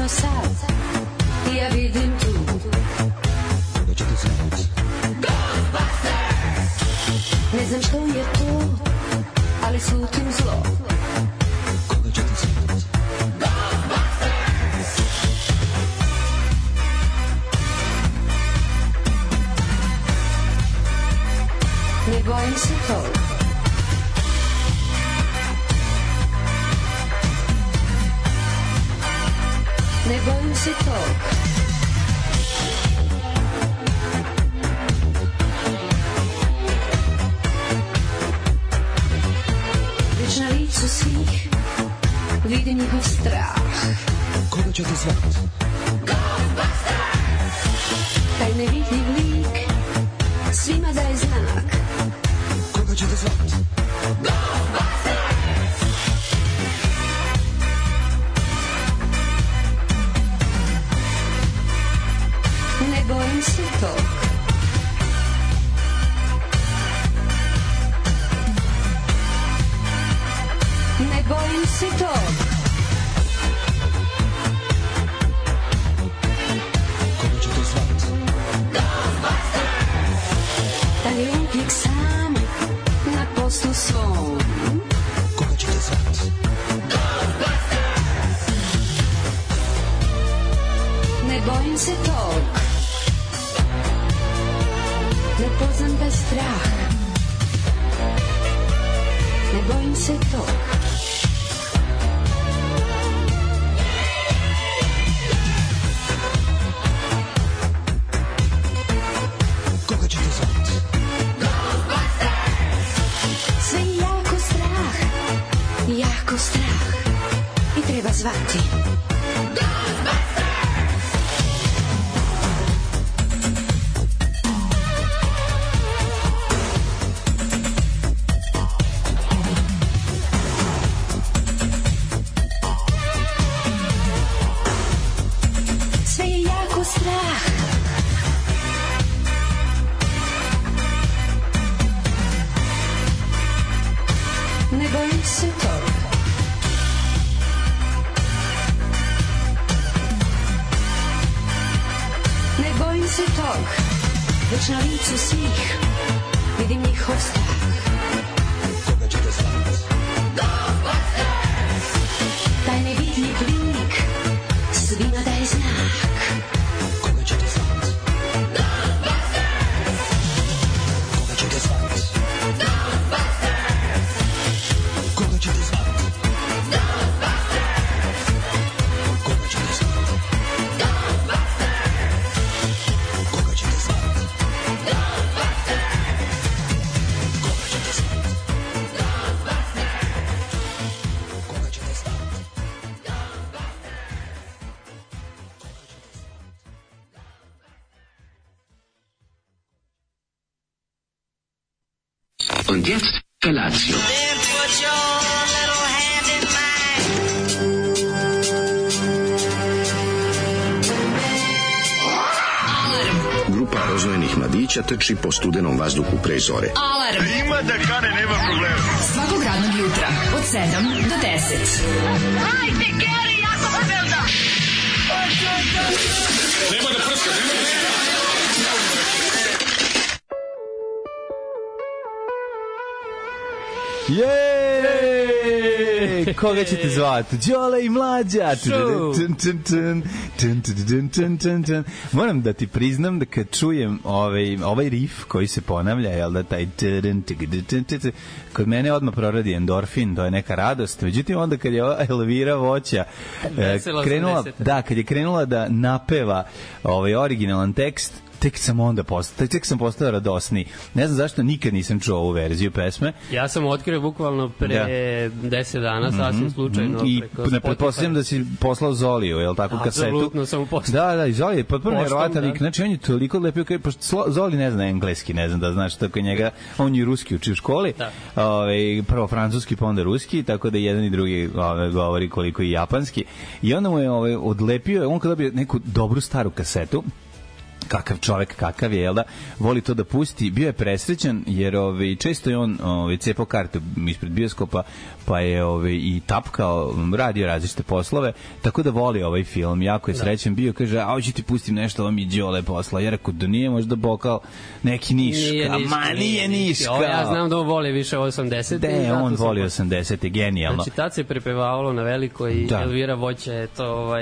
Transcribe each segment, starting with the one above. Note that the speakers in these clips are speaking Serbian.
samo sad ja vidim tu. Koga ćete zvati? Ghostbusters! Ne znam što je to, ali slutim zlo. Koga ćete zvati? Ghostbusters! Ne bojim se tog. Ne bojim se tog. Već na licu svih vidim njihov strah. Koga ćete zvati? Ghostbusters! Taj nevidljiv lik svima daje znak. Koga ćete zvati? Ghostbusters! Ne bojim se tog. Ne bojim se tog. Koga ćete zvati? Da je uvijek sam na poslu svom. Koga ćete zvati? Ne bojim se tog. Ne poznam taj strah. Ne bojim se tog. Koga ćete zvati? Sve je jako strah. Jako strah. I treba zvati. Sve je jako strah. Ne bojim se tog. Ne bojim se tog. Već na licu svih vidim njihov strah. Koga ćete zvati? Taj nevidljiv lik svima daje znak. Koga ćete zvati? Koga ćete zvati? Koga ćete zvati? Koga ćete zvati? Koga ćete zvati? Koga ćete zvati? Koga ćete zvati? Und jetzt Felatio. Then put your little hand in mine. Grupa rozvojenih mladića trči po studenom vazduhu pre zore. Alarm. Ima da kane, nema problema. Svakog radnog jutra, od 7 do 10. Hajde, Geri, jako se velda. Nema da prska, nema da prska. Jej! Koga ćete zvati? Đole i Mlađa. Moram da ti priznam da kad čujem ovaj riff koji se ponavlja, jel da taj kod mene odmah proradi endorfin, to je neka radost. Međutim, onda kad je Elvira Voća krenula, kad je krenula da napeva originalan tekst, tek sam postao radosniji. Ne znam zašto nikad nisam čuo ovu verziju pesme. Ja sam otkrio bukvalno pre 10 dana, sasvim slučajno. I ne pretpostavljam da si poslao Zoliju, je li tako, kasetu? Apsolutno sam mu poslao. Da, i Zoli je potpuno nevjerovatan lik. Znači, on je toliko lepio, pošto Zoli ne zna engleski, ne znam da znaš, tako njega, on je ruski uči u školi, prvo francuski, pa onda ruski, tako da jedan i drugi govori koliko i japanski. I onda mu je odlepio, on kada dobio neku dobru staru kasetu, kakav čovek kakav je, jel da, voli to da pusti. Bio je presrećan jer često je on cepao karte ispred bioskopa, pa je i tapkao, radio različite poslove, tako da voli ovaj film. Jako je srećan bio, kaže, hoću ti pustim nešto, ovo mi Đole posla. Ja rekao da nije možda bokal neki Niška. Nije Niška. Ja znam da on voli više 80. On voli 80. Genijalno. Znači, tad se prepevavalo na veliko i Elvira Voća je to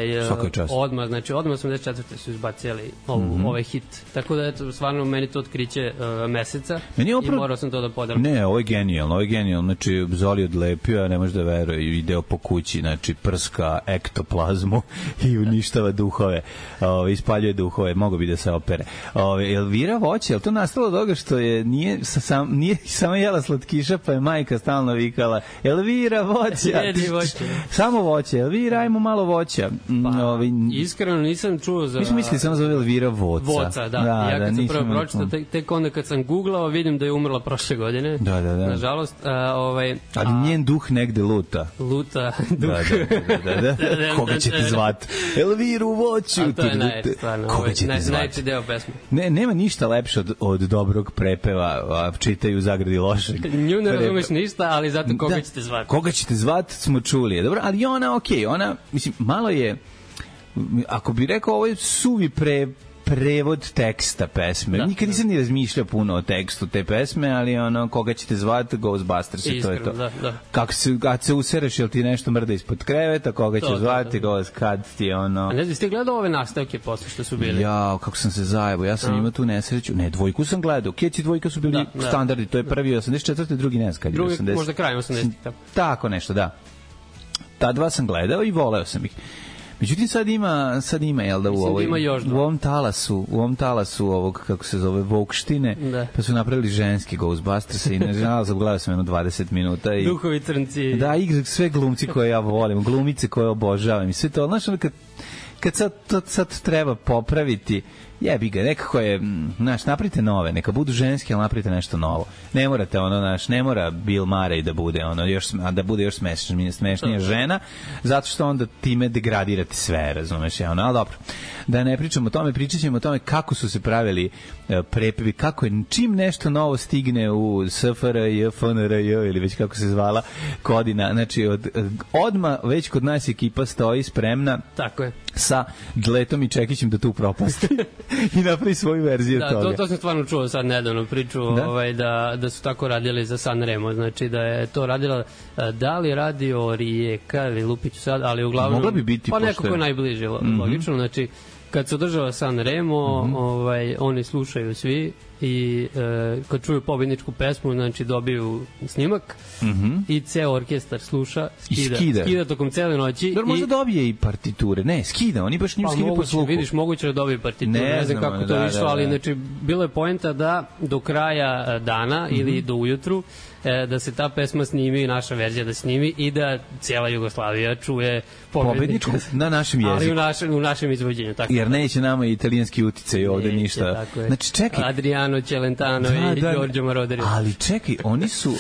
odmah, znači odmah 84. su izbacili ovaj hit. Tako da, eto, stvarno meni to otkriće meseca i morao sam to da podelim. Ne, ovo je genijalno. Znači, Zoli odlepio, ne može da veruje, ideo po kući, znači, prska ektoplazmu i uništava duhove. Ispaljuje duhove, mogo bi da se opere. Elvira Voća, je li to nastalo od toga što nije samo jela slatkiša, pa je majka stalno vikala Elvira Voća, samo voće, Elvira, ajmo malo voća. Iskreno nisam čuo za... Mi smo mislili samo za Elvira Voca. Da. Ja kad sam prvo pročitao, tek onda kad sam googlao, vidim da je umrla prošle godine. Da. Nažalost. Ali njen duh negde luta. Luta duh. Da. Koga će ti zvati? Elviru Voću. A to je najstvarno. Koga će ti zvati? Najči deo pesme. Nema ništa lepše od dobrog prepeva, čitaju u zagradi lošeg. Nju ne razumeš ništa, ali zato koga ćete zvati. Koga ćete zvati smo čuli. Dobro, ali ona, ona, mislim, malo je, ako bi rekao, ovo je suvi prevod teksta pesme. Nikad nisam ni razmišljao puno o tekstu te pesme, ali koga ćete zvati, Ghostbusters i to je to. Kako kad se usereš, jel ti nešto mrda ispod kreveta, koga će zvati, kad ti je ono... A ne znam, ste gledao ove nastavke posle što su bili? Ja, kako sam se zajebao, ja sam imao tu nesreću. Ne, dvojku sam gledao. Keci dvojka su bili standardi, to je prvi 84. drugi ne znam kad je 80. Drugi možda kraj 80. Tako nešto, da. Ta dva sam gledao i voleo sam ih. Međutim, sad ima, jel da, u ovom talasu ovog, kako se zove, Vokštine, pa su napravili ženski Ghostbusters i nažalost gledao sam 20 minuta. Duhovi crnci. Da, igra sve glumci koje ja volim, glumice koje obožavam i sve to. Znaš, kad sad treba popraviti, jebi ga, nekako je, napravite nove, neka budu ženske, ali napravite nešto novo. Ne morate, ne mora Bill Murray da bude, da bude još smešnija žena, zato što onda time degradirate sve, razumeš, ali dobro. Da ne pričamo o tome, pričat ćemo o tome kako su se pravili prepevi, kako je, čim nešto novo stigne u SFRJ, FNRJ, ili već kako se zvala Kodina, znači, odmah već kod nas ekipa stoji spremna. Tako je. Sa Dletom i Čekićem da tu propasti i napravi svoju verziju toga. To sam stvarno čuo sad nedavno priču da su tako radili za Sanremo, znači da je to radila da li radio Rijeka ili Lupiću sad, ali uglavnom mogla bi biti pa neko ko je najbliže, logično, znači kad se održava Sanremo, oni slušaju svi i kad čuju pobedničku pesmu, znači dobiju snimak i ceo orkestar sluša, skida tokom cele noći. Dobro, možda dobije i partiture. Ne, skida, oni baš njim skida po sluhu. Vidiš, moguće da dobije partiture, ne znam kako to išlo, ali znači bilo je poenta da do kraja dana ili do ujutru da se ta pesma snimi, naša verzija da snimi i da cijela Jugoslavija čuje pobedničku na našem jeziku. Ali u našem izvođenju. Tako. Jer neće nama italijanski uticaj ovde ništa. Znači, čekaj. Adriano Celentano i Giorgio Moroder. Ali čekaj, oni su,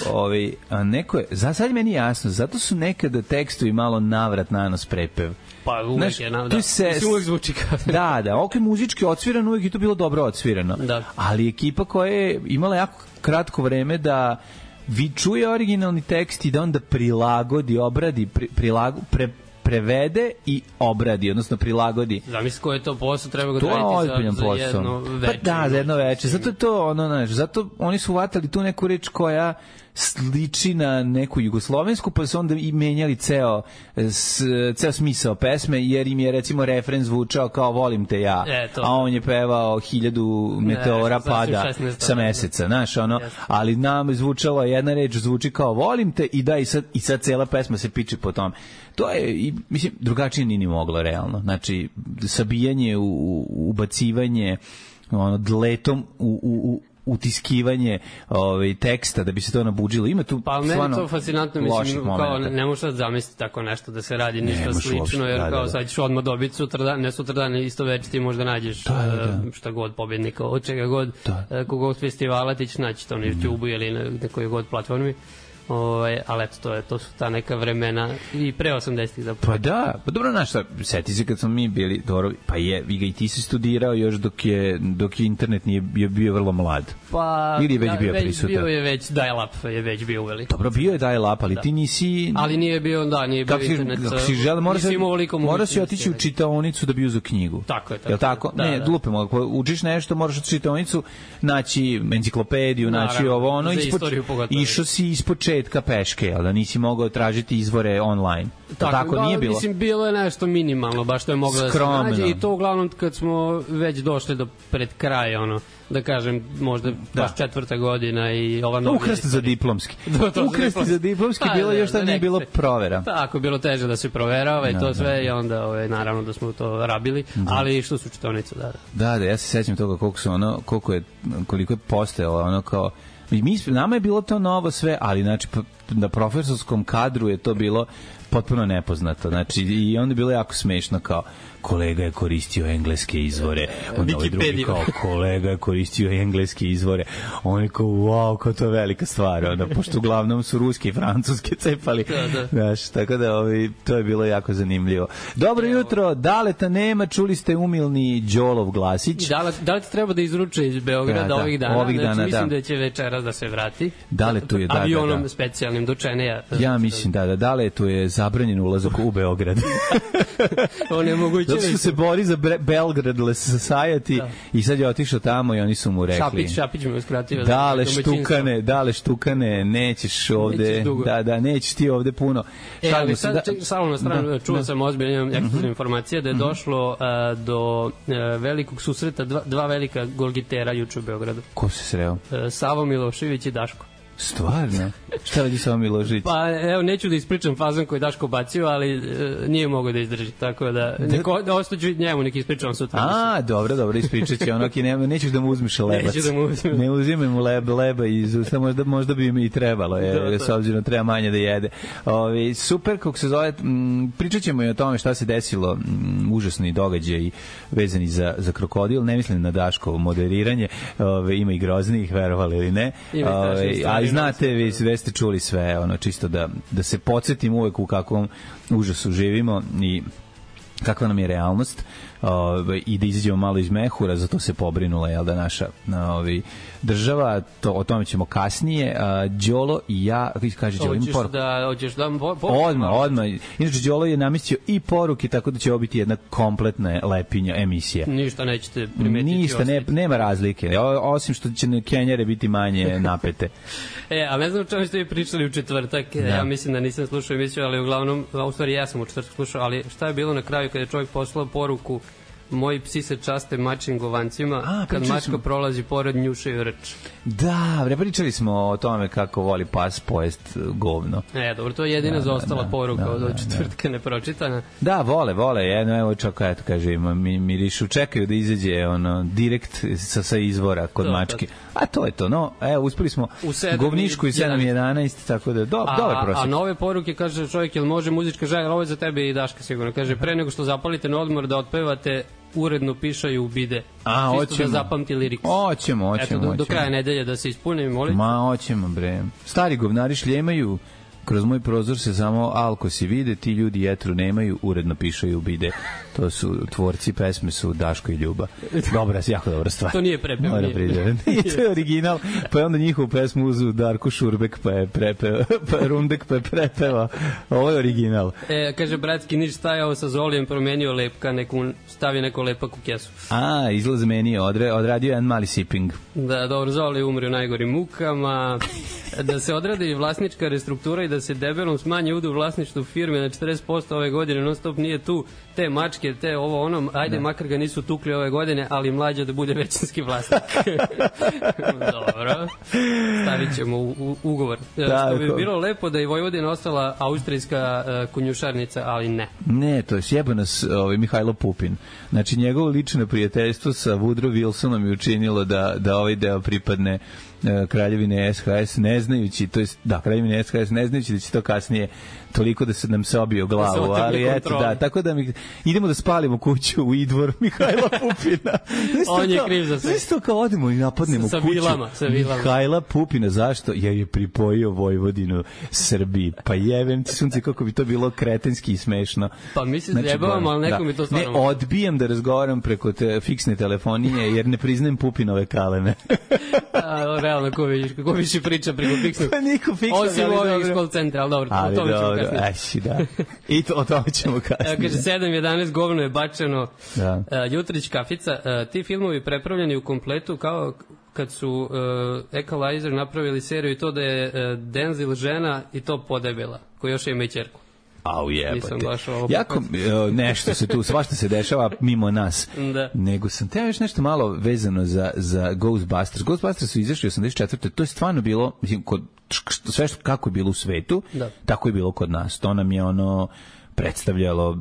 neko je, za sad meni jasno, zato su nekada tekstovi malo navrat nanos prepev. Pa uvek je, uvek zvuči kao. Da, ok, muzički odsvirano, uvek je to bilo dobro odsvirano. Ali ekipa koja je imala jako kratko vreme da vi čuje originalni tekst i da onda prilagodi, obradi, prevede i obradi, odnosno prilagodi. Zamisli koji je to posao, treba ga raditi za jedno veče. Pa da, za jedno veče. Zato je to, zato oni su vatali tu neku reč koja sliči na neku jugoslovensku, pa su onda i menjali ceo smisao pesme, jer im je recimo refren zvučao kao volim te ja, a on je pevao 1000 meteora pada sa meseca, znaš, ali nam zvučalo jedna reč, zvuči kao volim te i sad cela pesma se piče po tome. To je, mislim, drugačije ni moglo realno. Znači, sabijanje, ubacivanje, dletom utiskivanje teksta da bi se to nabuđilo. Ima tu pa meni to fascinantno, mislim, kao ne možeš sad zamisliti tako nešto da se radi ništa slično, jer kao sad ćeš odmah dobiti sutradan, ne sutradan, isto već ti možda nađeš šta god pobednika, od čega god, kogod festivala ti ćeš naći to na YouTube ili na nekoj god platformi. Ali eto, to su ta neka vremena i pre 80-ih zapravo. Pa da, pa dobro, znaš šta, seti se kad smo mi bili, dobro, pa je, i ti si studirao još dok je internet nije bio vrlo mlad. Pa, ili je već bio prisutan? Bio je već, dial-up je već bio uveliko. Dobro, bio je dial-up, ali ti nisi... Ali nije bio internet. Kako si žele, moraš si otići u čitaonicu da bi uzeo knjigu. Tako je. Jel tako? Ne, lupemo, ako učiš nešto, moraš otići u čitaonicu, naći enciklopediju, naći ovo, ono, išao si iz početka peške, ali da nisi mogao tražiti izvore online. Tako nije bilo. Mislim, bilo je nešto minimalno, baš to je moglo da se nađe, i to uglavnom kad smo već došli do pred kraja, da kažem, možda baš 4. godina i ova novija. Ukrsti za diplomski. Ukrsti za diplomski, bilo još da nije bilo provera. Tako, bilo teže da se proverava i to sve, i onda naravno da smo to rabili, ali što su čitonice, da, ja se sećam toga koliko je postojalo, kao nama je bilo to novo sve, ali znači na profesorskom kadru je to bilo potpuno nepoznato. Znači, i onda je bilo jako smešno, kao kolega je koristio engleske izvore. Onda ovaj drugi kao kolega je koristio engleske izvore. On je kao, wow, kao to je velika stvar. Pošto uglavnom su ruske i francuske cepali. Znaš, tako da to je bilo jako zanimljivo. Dobro jutro, Daleta nema, čuli ste umilni Đolov glasić. Da li ti treba da izruče iz Beograda ovih dana? Mislim da će večeras da se vrati. Daletu je, avionom specijalnim do Čeneja. Ja mislim, Daletu je zabranjen ulazak u Beograd. On je moguće. Zato što se bori za Belgrad Society i sad je otišao tamo i oni su mu rekli Šapić me uskratio. Dale štukane, nećeš ovde, nećeš ti ovde puno. Ali sad, samo na stranu, čuo sam ozbiljno ekskluzivne informacije da je došlo do velikog susreta dva velika golgitera juče u Beogradu. Ko se sreo? Savo Milošević i Daško. Stvarno? Šta radi Savo Milošević? Pa evo, neću da ispričam fazon koji je Daško bacio, ali nije mogao da izdrži, tako da ostaću njemu neki ispričavam sutra. Dobro, ispričat će nećeš da mu uzmiš lebac. Neću da mu uzmem. Ne uzimaj mu leba iz usta, možda bi mi i trebalo, s obzirom treba manje da jede. Super, kako se zove, pričat ćemo i o tome šta se desilo, užasni događaj vezani za krokodil, ne mislim na Daškovo moderiranje, ima i groznijih, verovali ili ne, a znate, vi ste čuli sve, čisto da se podsjetim uvek u kakvom užasu živimo i kakva nam je realnost, i da izađemo malo iz mehura, zato se pobrinula naša država, o tome ćemo kasnije. Đolo i ja, kaže Đolo, ima poruku. Hoćeš da Odmah. Inače, Đolo je namistio i poruke, tako da će ovo biti jedna kompletna lepinja emisija. Ništa nećete primetiti. Ništa, nema razlike, osim što će Kenjare biti manje napete. A ne znam o čemu ste vi pričali u četvrtak, ja mislim da nisam slušao emisiju, ali uglavnom, u stvari ja sam u četvrtak slušao, ali šta je bilo na kraju kada je čovjek poslao poruku: moji psi se časte mačim govancima, kad mačka prolazi pored njušaju rč. Da, pričali smo o tome kako voli pas pojest govno. Dobro, to je jedina zaostala poruka od četvrtka nepročitana. Da, vole, evo čak, eto, kaže, mirišu, čekaju da izađe direkt sa izvora kod mačke. A to je to, uspeli smo govnišku i 7.11, tako da, dobar prosjek. A nove poruke, kaže čovjek, jel može muzička želja, ovo je za tebe i Daška sigurno, kaže, pre nego što zapalite na odmor da otpevate uredno pišaju u bide. Čisto da zapamti liriks. Hoćemo. Eto, do kraja nedelje da se ispune, molite. Hoćemo, bre. Stari govnari šljemaju, kroz moj prozor se samo alkosi vide, ti ljudi jetru nemaju, uredno pišaju u bide. To su tvorci pesme, su Daško i Ljuba. Jako dobra stvar. To nije prepeo. I to je original, pa je onda njihovu pesmu uzu Darko Šurbek, pa je prepeo, pa Rundek, pa je prepeva. Ovo je original. Kaže, bratski Niš stajao sa Zolijem, promenio lepka, stavio neko lepak u kesu. Izlaz meni odradio jedan mali siping. Da, dobro, Zoli umri u najgorim mukama, da se odradi vlasnička restruktura i da se debelom smanji udio u vlasništvu firme na 40% ove godine, non stop nije tu, te mačke, te ovo ono, ajde, makar ga nisu tukli ove godine, ali mlađe da bude većinski vlasnik. Dobro, stavit ćemo u ugovor. Što bi bilo lepo da i Vojvodina ostala austrijska konjušarnica, ali ne. Ne, to je sjeba nas Mihajlo Pupin. Znači, njegovo lično prijateljstvo sa Woodrow Wilsonom je učinilo da ovaj deo pripadne Kraljevine SHS, ne znajući, to jest, da, Kraljevine SHS, ne znajući da će to kasnije toliko da se nam se obio glavu, ali eto, da, tako da idemo da spalimo kuću u Idvor Mihajla Pupina. On je kriv za sve. Isto kao odemo i napadnemo sa kuću vilama. Mihajla Pupina, zašto? Jer je pripojio Vojvodinu Srbiji. Pa jevem ti sunce kako bi to bilo kretenski i smešno. Pa mislim da jebavam, ali neko mi to stvarno... Ne, odbijam da razgovaram preko fiksne telefonije, jer ne priznajem Pupinove kalene. Realno, ko više priča preko fiksnog? Pa niko fiksnog, osim ovih call centra, ali dobro, o tome ćemo kasnije. Da. I o tome ćemo kasnije. Kaže, 7.11 govno je bačeno. Da. Jutrić kafica. Ti filmovi prepravljeni u kompletu kao kad su Equalizer napravili seriju i to da je Denzel žena i to podebela, koja još ima i ćerku. Au jebate. Jako nešto se tu, svašta se dešava mimo nas. Da. Nego sam teo još nešto malo vezano za Ghostbusters. Ghostbusters su izašli 84. To je stvarno bilo, mislim, sve što kako je bilo u svetu, tako je bilo kod nas. To nam je predstavljalo,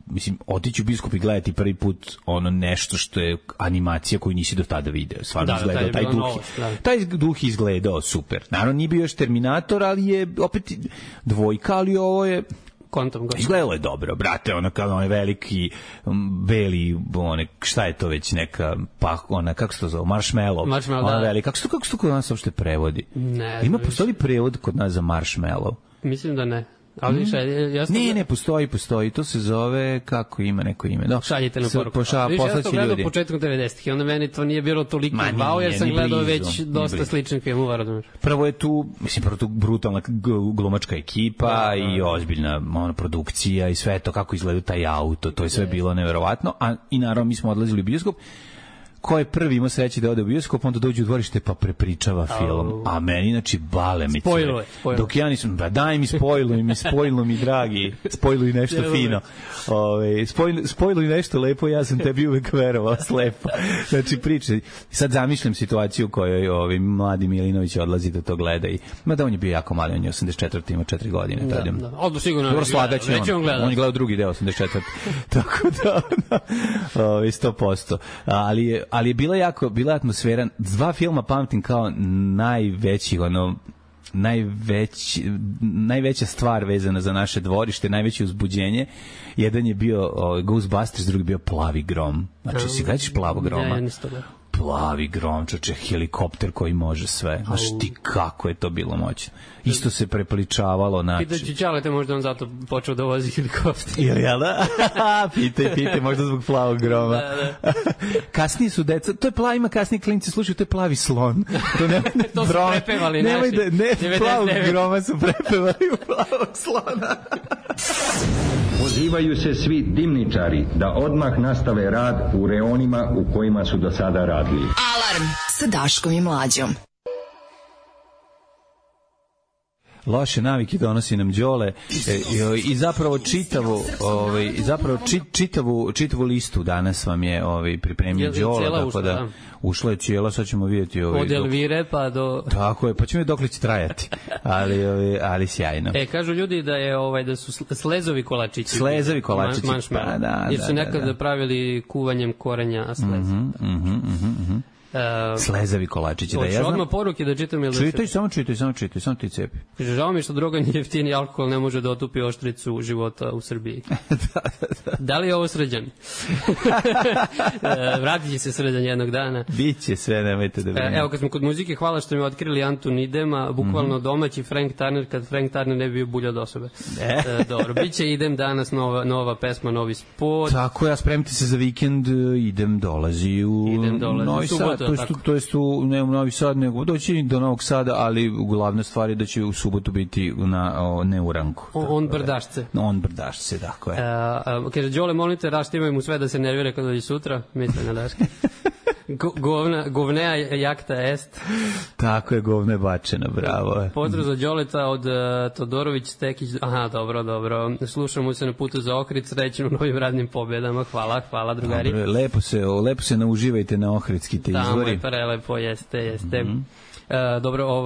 mislim, otići u bioskop i gledati prvi put nešto što je animacija koju nisi do tada video. Stvarno izgledao taj duh izgledao super. Naravno nije bio još Terminator, ali je opet dvojka, ali ovo je izgledalo je dobro, brate, kao onaj veliki beli, šta je to već neka, pa kako se to zove, marshmallow, ona velika, kako se to kod nas uopšte prevodi? Ima, postoji prevod kod nas za marshmallow? Mislim da ne. Ali ne, postoji, to se zove, kako ima neko ime. Šaljite na poruku. Ja sam gledao početkom 90-ih i onda meni to nije bilo toliko bao, jer sam gledao već dosta sličnih filmova, razumiješ. Prvo je tu, brutalna glumačka ekipa i ozbiljna produkcija i sve to, kako izgleda taj auto, to je sve bilo neverovatno, i naravno mi smo odlazili u bioskop. Ko je prvi ima sreće da ode u bioskop, onda dođe u dvorište pa prepričava film. A meni, znači, bale mi spojilo. Dok ja nisam, daj mi spojilo mi, dragi, spojilo nešto fino. Spojilo nešto lepo, ja sam tebi uvek verovao slepo. Znači, priče. Sad zamišljam situaciju u kojoj mladi Milinović odlazi da to gleda i, mada on je bio jako mali, on je 84, ima 4 godine. Odlo sigurno. Dobro, slagaće on je gledao drugi deo 84. Tako da, 100%. Ali je bila atmosfera, dva filma pamtim kao najveća stvar vezana za naše dvorište, najveće uzbuđenje. Jedan je bio Ghostbusters, drugi je bio Plavi grom. Znači, si gledaš Plavog groma? Plavi grom, čoče, helikopter koji može sve. Znaš ti kako je to bilo moćno. Isto se prepličavalo. Pitaću Ćalete, možda on zato počeo da vozi helikopter. Jel da? Pitaj, možda zbog Plavog groma. Kasnije su deca, to je ima kasnije klinci slušaju, to je Plavi slon. To su prepevali naši. Ne, Plavog groma su prepevali u Plavog slona. Pozivaju se svi dimničari da odmah nastave rad u reonima u kojima su do sada radili. Alarm sa Daškom i Mlađom. Loše navike donosi nam Đole i zapravo čitavu listu danas vam je pripremio Đole, tako da ušla je cijela, sad ćemo vidjeti od Elvire pa do... Tako je, pa ćemo dokle će trajati, ali sjajno. Kažu ljudi da je da su slezovi kolačići. Slezovi kolačići, pa da. Jer su nekada pravili kuvanjem korenja sleza. Slezavi kolačići, da ja znam. Odmah poruke da čitam ili... Čitaj, samo ti cepi. Žao mi što droga nije jeftini, alkohol ne može da otupi oštricu života u Srbiji. Da li je ovo Srđan? Vratit će se Srđan jednog dana. Biće sve, nemojte da vreme. Evo, kad smo kod muzike, hvala što mi otkrili Antun Idema, bukvalno domaći Frank Turner, kad Frank Turner ne bi bio bulja od osobe. Dobro, biće Idem danas, nova pesma, novi spot. Tako, ja spremite se za vikend, Idem dolazi u Novi Sad. To jest u Novi Sad, nego doći do Novog Sada, ali glavna stvar je da će u subotu biti ne u Ranku. On brdašce. On brdašce, tako je. Kaže, Đole, molim te, raštimaj mu sve da se nervira kada dođe sutra. Mislim na Daške. Govnea jakta est. Tako je, govne bačena, bravo. Pozdrav za Đoleta od Todorović Stekić. Aha, dobro. Slušamo se na putu za Ohrid, srećno u novim radnim pobjedama. Hvala drugari. Dobro, lepo se nauživajte na ohridski te izvori. Tamo je prelepo, jeste. Dobro,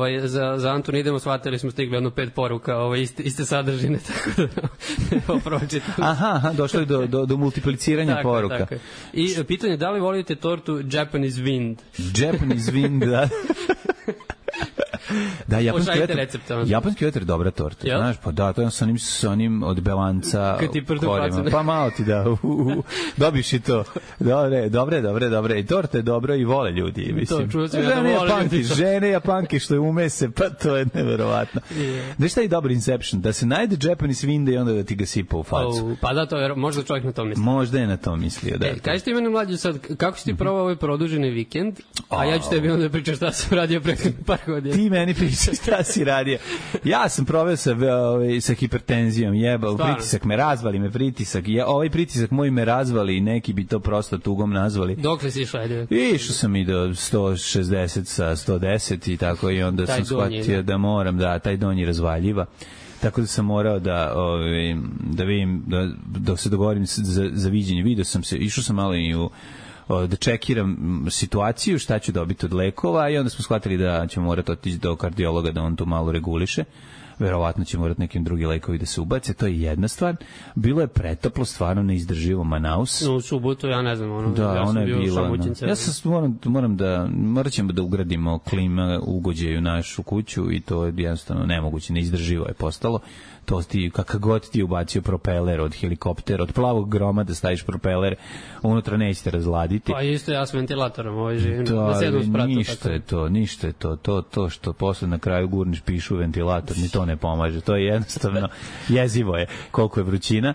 za Antun idemo, shvatili smo stigli 5 poruka, iste sadržine, tako da pročitam. Aha, došlo je do multipliciranja poruka. Tako. I pitanje, da li volite tortu Japanese Wind? Japanese Wind, da. Da, Pošaljite recept. Japanski vetar je dobra torta. Jel? Znaš, pa da, to je sa onim od belanca. Kad ti prdu korima. facu. Pa malo ti da, dobiš i to. Dobre. I torta je dobra i vole ljudi, mislim. To, čuo sam ja da vole ljudi. Žene Japanke što je umese, pa to je neverovatno. Znaš šta je dobar Inception? Da se najde Japanese vinda i onda da ti ga sipa u facu. Pa da, to je, možda čovjek na to misli. Možda je na to mislio, da. Kaži ti mene mlađe sad, kako si ti probao ovaj produženi vikend, a ja ću tebi onda pričati šta sam radio prethodnih par godina. Ti meni pričaš šta si radio. Ja sam proveo sa hipertenzijom, pritisak me razvali, ovaj pritisak moj me razvali i neki bi to prosto tugom nazvali. Dokle si išao, ajde? Išao sam i do 160 sa 110 i tako i onda sam shvatio da moram, taj donji razvaljiva. Tako da sam morao da vidim, dok se dogovorim za viđenje, išao sam malo i da čekiram situaciju, šta ću dobiti od lekova i onda smo shvatili da ćemo morati otići do kardiologa da on to malo reguliše. Verovatno će morati nekim drugi lekovi da se ubace, to je jedna stvar. Bilo je pretoplo, stvarno neizdrživo Manaus. U subotu, ja ne znam, da, ja sam bio šamućince. Ja sam morat ćemo da ugradimo klima ugođaju našu kuću i to je jednostavno nemoguće, neizdrživo je postalo. To ti, kakav god ti ubacio propeler od helikoptera, od plavog groma da staviš propeler, unutra nećete razladiti. Pa isto ja s ventilatorom živim na 7 spratu. Ništa je to što posle na kraju gurniš pišu u ventilator, ni to ne pomaže. To je jednostavno jezivo je koliko je vrućina.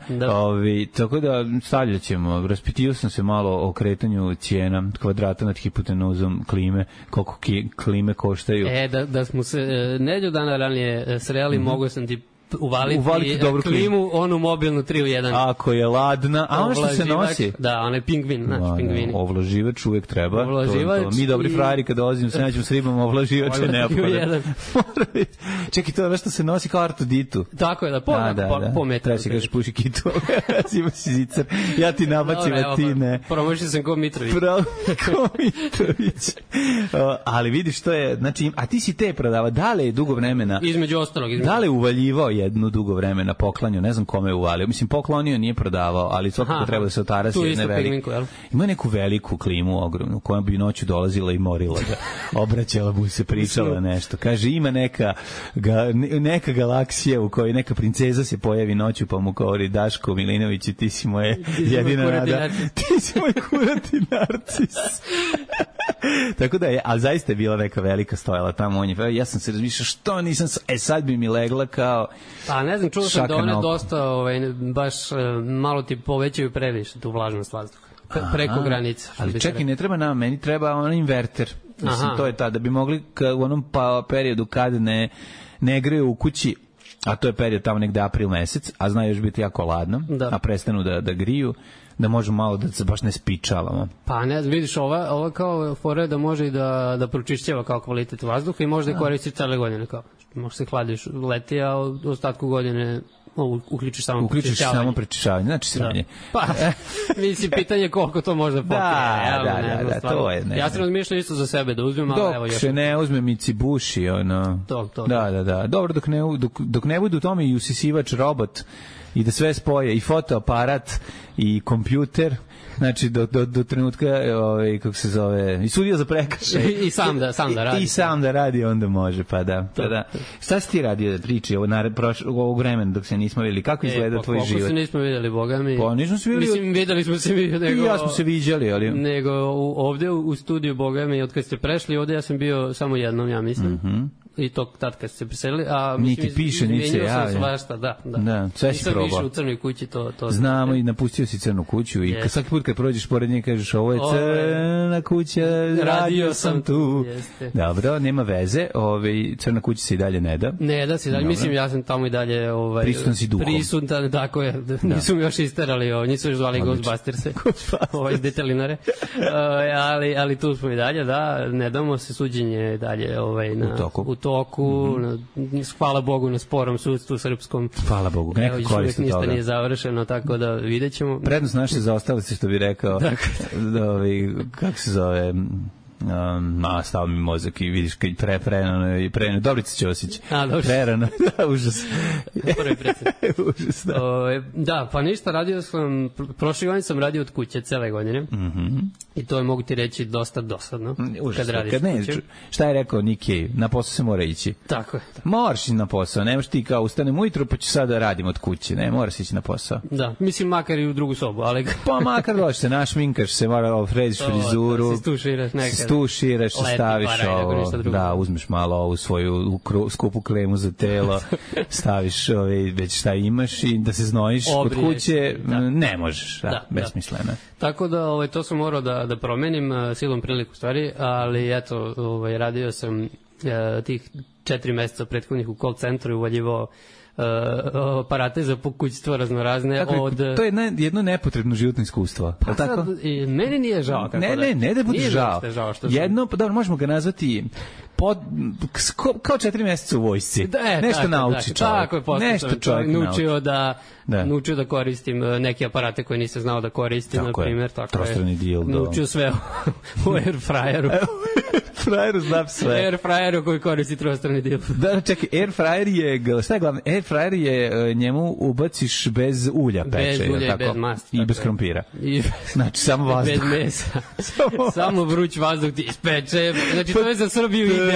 Tako da stavljat ćemo, raspitivao sam se malo o kretanju cijena kvadrata nad hipotenuzom klime, koliko klime koštaju. Da smo se nedelju dana ranije sreli, mogo sam ti uvaliti dobru klimu, onu mobilnu 3 u 1. Ako je ladna, a ono što se nosi? Da, onaj pingvin, znači pingvini. Ovlaživač uvek treba. Mi dobri frajeri kad dolazimo, se nađemo s ribom, ovlaživač je neophodan. Čekaj, to je ono što se nosi kao Artuditu. Tako je, po metru. Treba se kažeš puši kitu, ima si zicar, ja ti nabacim, a ti ne. Promošio sam ko Mitrović. Ali vidiš, to je, znači, a ti si te prodava, da li je dugo vremena? Između ostalog. Da li je uvaljivao jednu dugo vremena poklanju, ne znam kome je uvalio. Mislim, poklonio nije prodavao, ali svakako treba da se otarasi jedne velike. Ima neku veliku klimu ogromnu, koja bi noću dolazila i morila ga. Obraćala mu se, pričala nešto. Kaže, ima neka galaksija u kojoj neka princeza se pojavi noću, pa mu govori, Daško Milinović, ti si moje jedina nada. Ti si moj kurati narcis. Tako da je, ali zaista je bila neka velika stojala tamo. Ja sam se razmišljao, što nisam, sad bi mi legla kao pa ne znam, čuo sam da one dosta baš malo ti povećaju previše tu vlažnost vazduha preko granice. Ali čekaj, ne treba nam, meni treba onaj inverter. Mislim, to je da bi mogli u onom periodu kad ne greju u kući, a to je period tamo negde april mesec, a zna još biti jako ladno, a prestanu da griju, da možemo malo da se baš ne spičavamo. Pa ne, vidiš, ova kao fora da može i da pročišćava kao kvalitet vazduha i može da koristi cele godine, kao može se hladiš leti, a u ostatku godine uključiš samo prečišćavanje, znači sranje. Pa, mislim, pitanje koliko to može pokrije. Da, to je. Ja sam razmišljao isto za sebe da uzmem, ali evo još. Dok se ne uzme Mitsubishi, ono. To. Da. Dobro, dok ne budu u tome i usisivač robot i da sve spoje, i fotoaparat, i kompjuter, znači do trenutka kako se zove, i sudija za prekršaj i sam da radi. I sam da radi, onda može, pa da. Šta si ti radio da priči ovog vremena dok se nismo vidjeli? Kako izgleda tvoj život? Kako se nismo vidjeli, boga mi? Pa nismo se vidjeli. Mislim, vidjeli smo se nego... I ja smo se viđali, ali... Nego ovde u studiju, boga mi, od kad ste prešli, ovde ja sam bio samo jednom, ja mislim. I to tad kad ste se preselili, a niti piše, niti se javlja. Svašta, da. Sve si probao. Nisam više u crnoj kući, to znamo, i napustio si crnu kuću i svaki put kad prođeš pored nje kažeš, ovo je crna kuća, radio sam tu. Dobro, nema veze, crna kuća se i dalje ne da. Ne da se dalje, mislim, ja sam tamo i dalje prisutan si duhom. Prisutan, tako je, nisu mi još isterali, nisu još zvali Ghostbusters-e, iz Detelinare, ali tu smo i dalje, da, ne damo se, suđenje dalje u toku, hvala Bogu na sporom sudstvu srpskom. Hvala Bogu, neko koristi toga. Ništa nije završeno, tako da vidjet ćemo. Prednost naše zaostalosti, što bi rekao, kako se zove, stao mi mozak i vidiš kad prerano, Dobrica Ćosić. Dobro. Prerano, da, užas. Prvi predsjednik. Užas, da. Da, pa ništa, radio sam, prošle godine sam radio od kuće cele godine. I to je, mogu ti reći, dosta dosadno. Užas, kad radiš kad ne, od kuće. šta je rekao Nick Cave, na posao se mora ići. Tako je. Moraš ići na posao, nemaš ti kao ustanem ujutru pa ću sad da radim od kuće, ne, moraš ići na posao. Da, mislim makar i u drugu sobu, ali... Pa makar doći se, našminkaš se, mora frediš frizuru, da se stuširaš nekad. Stuširaš, staviš ovo, da, uzmeš malo ovu svoju skupu kremu za telo, staviš već šta imaš i da se znojiš kod kuće, ne možeš, besmisleno. Tako da to sam morao da promenim silom priliku stvari, ali eto, radio sam tih 4 meseca prethodnih u call centru i uvaljivao aparate za pokućstvo raznorazne. Tako, to je jedno nepotrebno životno iskustvo. Pa tako? Meni nije žao. Ne da bude žao. Jedno, dobro, možemo ga nazvati kao 4 meseca u vojsci. Nešto nauči čovjek. Tako je, nešto čovjek naučio da koristim neke aparate koje nisam znao da koristim, na primjer. Trostrani dildo. Naučio sve u airfryeru. Airfryeru znam sve. Airfryeru koji koristi trostrani dildo. Da, čekaj, airfryer je, šta je glavno? Airfryer je, njemu ubaciš bez ulja peče. Bez ulja i bez masti. I bez krompira. Znači, samo vazduh. Bez mesa. Samo vruć vazduh ti ispeče. Znači, to je za Srbiju idealno.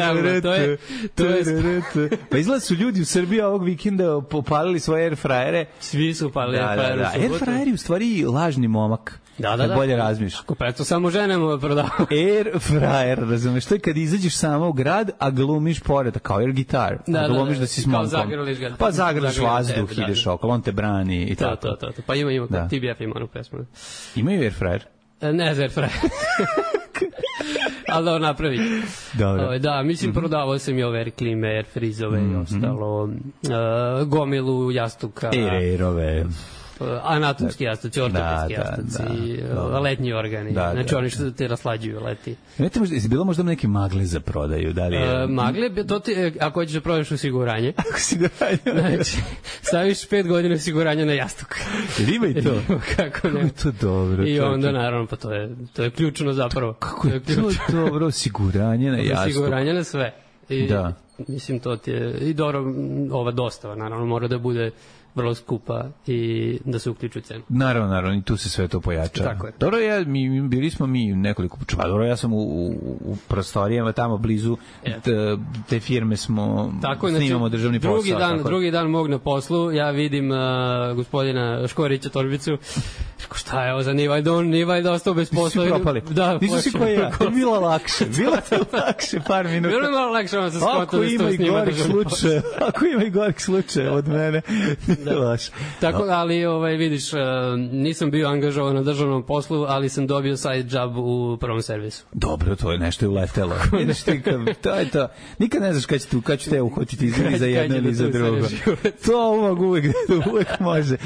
Pa izgleda su ljudi u Srbiji ovog vikenda popalili svoje airfryere. Svi su palili airfryer u subotu. Airfryer je u stvari lažni momak. Da. Bolje razmišljaš. Ako pa eto samo ženemo prodavamo. Airfryer, razumeš, to je kad izađeš samo u grad, a glumiš pored, kao air gitar. Glumiš da si s momkom. Pa zagrliš vazduh, ideš okolo, on te brani i tako. To. Pa ima, TBF ima onu pesmu. Imaju airfryer? Ne za airfryer. Ali da napravi. Da, mislim, prodavao sam i ove air klime, air frizove i ostalo. Gomilu jastuka. Airove. Anatomski jastuci, ortopedski jastuci, letnji organi. Znači oni što te raslađuju leti. Jesi bilo možda neke magle za prodaju? Magle, to ti, ako hoćeš da prodaš osiguranje. Osiguranje? Znači, staviš 5 godina osiguranja na jastuk. Ima i to? Kako ne? Je to dobro. I onda, naravno, pa to je ključno zapravo. Kako je to dobro, osiguranje na jastuk? Osiguranje na sve. Da. Mislim, to ti je, i dobro, ova dostava, naravno, mora da bude vrlo skupa i da se uključu cenu. Naravno, i tu se sve to pojača. Tako je. Dobro, bili smo mi nekoliko puta. Dobro, ja sam u prostorijama tamo blizu te firme snimamo državni posao. Drugi dan mog na poslu, ja vidim gospodina Škorića Torbicu. Šta je ovo za Nivaj da ostao bez posla? Svi propali. Da, nisu si koji ja. To je bilo lakše. Bilo je lakše par minuta. Bilo je malo lakše, vam se skontali. Ako ima i gorih slučaja od mene. Tako, ali vidiš, nisam bio angažovan na državnom poslu, ali sam dobio side job u prvom servisu. Dobro, to je nešto uletelo. Vidiš ti, to je to. Nikad ne znaš kad ću te uhvatiti ili za jedno ili za drugo. To uvek može.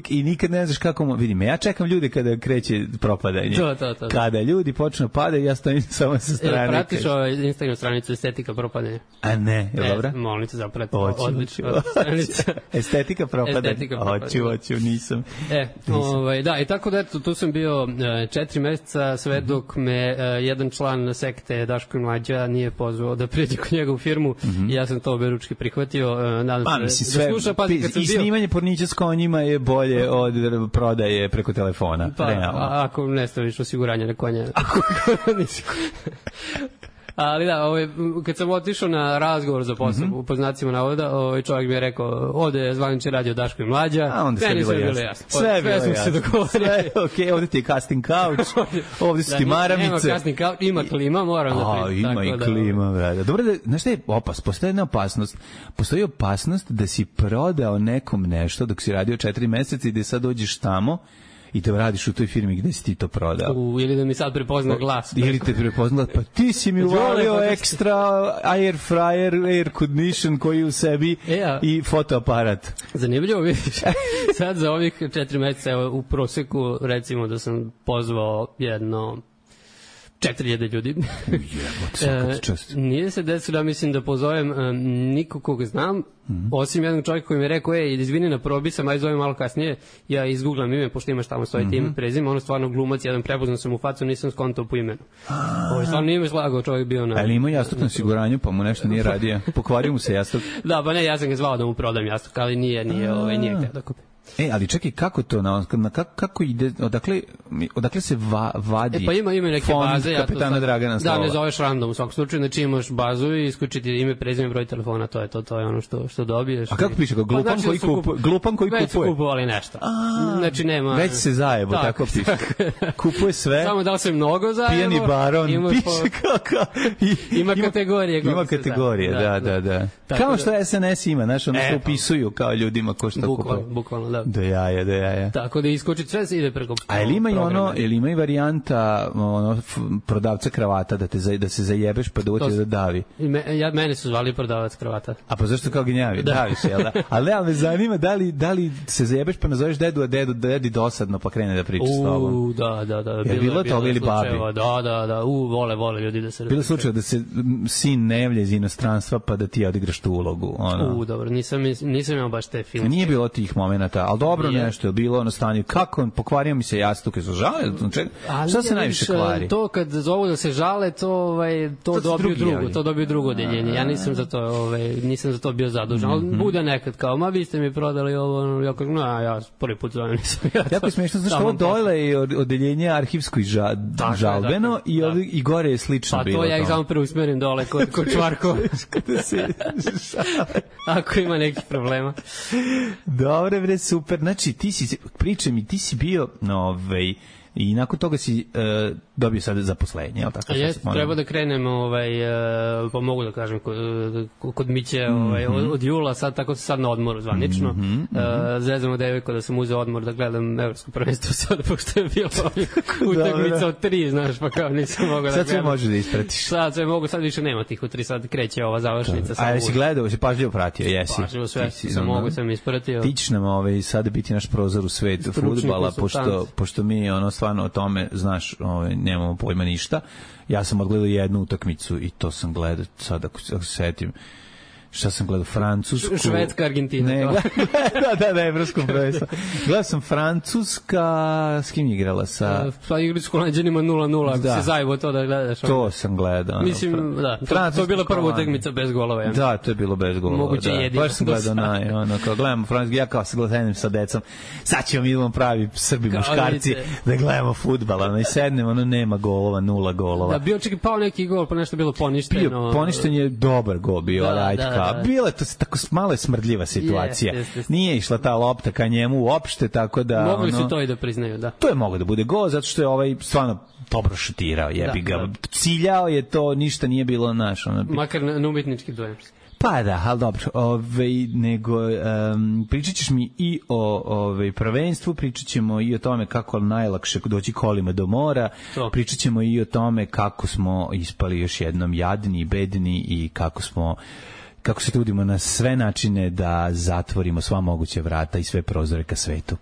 I nikad ne znaš kako vidim, ja čekam ljude kada kreće propadanje. To. Kada ljudi počnu padati, ja stojim samo sa strane. Pratiš Instagram stranicu Estetika propadanja? A ne, je dobra? Molim te zapratiti. Odlično. Estetika propadanja. Hoću, nisam. Da, i tako da, eto, tu sam bio 4 meseca, sve dok me jedan član sekte Daško i Mlađa nije pozvao da priđe kod njega u firmu i ja sam to oberučki prihvatio. Nadam se da sluša, pazi, kad sam bio... I snimanje pornića s konjima je bolje od prodaje preko telefona. Pa, ako ne staviš osiguranje na konja. Ali da, kad sam otišao na razgovor za posao, po znacima navoda, čovjek mi je rekao, ovde je zvanični radio Daško i Mlađa. A onda sve bilo jasno. Sve smo se dogovorili. Okej, ovde ti je casting couch, ovde su ti maramice. Nema casting couch, ima klima, moram da priđem. Ima i klima, brada. Dobro, znaš šta je opasnost? Postoji jedna opasnost. Postoji opasnost da si prodao nekom nešto dok si radio 4 meseca i da sad dođeš tamo i da radiš u toj firmi gde si ti to prodao. Ili da mi sad prepozna glas. Ili te prepozna, pa ti si mi uvalio ekstra air fryer, air condition koji u sebi i fotoaparat. Zanimljivo, vidiš. Sad za ovih 4 meseca u proseku recimo da sam pozvao jedno 4000 ljudi. Svaka ti čast. Nije se desilo, ja mislim da pozovem nikog koga znam, osim jednog čovjeka koji mi je rekao, izvini na probi sam, aj zovem malo kasnije, ja izgooglam ime, pošto imaš tamo svoje ime, prezime, ono stvarno glumac, jedan prepoznao sam u facu, nisam skontao po imenu. Ovo je stvarno nije me slagao, čovjek bio na... Ali ima jastuk na osiguranju, pa mu nešto nije radio. Pokvario mu se jastuk. Da, pa ne, ja sam ga zvao da mu prodam jastuk, ali nije htio da kupi. Ali čekaj, kako to, kako ide, odakle se vadi pa ima neke fond baze, kapetana Dragana Slava? Da, ne zoveš random u svakom slučaju, znači imaš bazu i iskući ti ime, prezime, broj telefona, to je ono što dobiješ. A kako piše, glupan koji kupuje? Već su kupovali nešto. Znači nema... Već se zajebo, tako piše. Kupuje sve. Samo da li se mnogo zajebo. Pijani baron, piše kako. Ima kategorije. Ima kategorije, da. Kao što SNS ima, znaš, ono se upisuju kao ljudima ko što kupuje. Bukvalno, da. Do jaja. Tako da iskoči sve se ide preko. A ili ima i varijanta prodavca kravata da se zajebeš pa da uđe da davi. Mene su zvali prodavac kravata. A pa zašto kao gnjavi? Davi se, jel da? Ali me zanima da li se zajebeš pa nazoveš dedu, a dedi dosadno pa krene da priča s tobom. Da. Je bilo toga ili babi? Da. Vole ljudi da se... Bilo slučaj da se sin ne javlja iz inostranstva pa da ti odigraš tu ulogu. Dobro, nisam imao baš te filmske. Nije bilo tih momenata, ali dobro nešto je bilo na stanju. Kako? Pokvario mi se jastuk, je su žale? Šta se najviše kvari? To kad zovu da se žale, to dobiju drugo odeljenje. Ja nisam za to bio zadužen. Ali bude nekad kao, vi ste mi prodali ovo, ja kažem, ja prvi put zovem nisam ja to. Jako je smiješno, znaš, ovo dole je odeljenje arhivsko i žalbeno i gore je slično bilo. Pa to ja ih samo preusmerim dole kod Čvarkova. Ako ima nekih problema. Dobre, bre, super. Znači, pričaj mi, ti si bio i nakon toga si dobio sad zaposlenje, jel tako? Treba da krenem, pa mogu da kažem, kod Miće od jula, tako se sad na odmoru zvanično. Zezamo devojko da sam uzeo odmor da gledam evropsko prvenstvo sada, pošto je bilo utakmica od 3, znaš, pa kao nisam mogao da gledam. Sad sve možeš da ispratiš. Sad sve mogu, sad više nema tih u 3, sad kreće ova završnica. A jesi gledao, si pažljivo pratio, jesi? Pažljivo sve, sam ispratio. Ti ćeš nam sada biti naš prozor u svet fudbala, pošto mi stvarno o tome, znaš, nemamo pojma ništa. Ja sam odgledao jednu utakmicu i to sam gledao, sad ako se setim, šta sam gledao, Francusku... Švedska, Argentina. Ne, da, evropskom prvenstvu. Gledao sam Francuska, s kim je igrala? Pa igri s Holanđanima 0-0, ako se zajevo to da gledaš. To sam gledao. Mislim, da, to je bila prva utakmica bez golova. Da, to je bilo bez golova. Moguće jedino. Baš sam gledao kao gledamo Francusku, ja kao se gledam sa decom, sad ćemo idemo pravi Srbi muškarci da gledamo fudbal, i sednemo, nema golova, 0 golova. Da, bio čak i pao neki gol, pa nešto bilo poništeno. Poništen je dobar gol bio, bila je to tako malo smrdljiva situacija. Nije išla ta lopta ka njemu uopšte, tako da... Mogli su to i da priznaju, da. To je moglo da bude gol, zato što je stvarno dobro šutirao, jebi ga. Ciljao je to, ništa nije bilo naš. Makar na umetnički dojem. Pa da, ali dobro, nego pričat ćeš mi i o prvenstvu, pričat ćemo i o tome kako je najlakše doći kolima do mora, pričat ćemo i o tome kako smo ispali još jednom jadni, bedni i kako se trudimo na sve načine da zatvorimo sva moguća vrata i sve prozore ka svetu.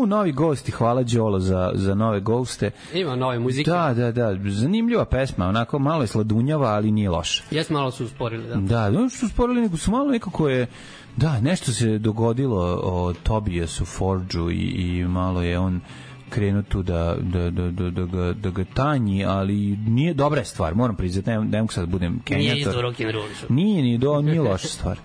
Novi gosti, hvala Đolo za nove goste. Ima nove muzike. Da, zanimljiva pesma, onako malo je sladunjava, ali nije loša. Malo su usporili, da. Da, su usporili, nego su malo nekako je, nešto se dogodilo o Tobiasu Forgeu i malo je on krenuo tu da ga tanji, ali nije dobra stvar, moram priznati, ne mogu sad budem kenjator. Nije isto rock'n'roll. Nije loša stvar.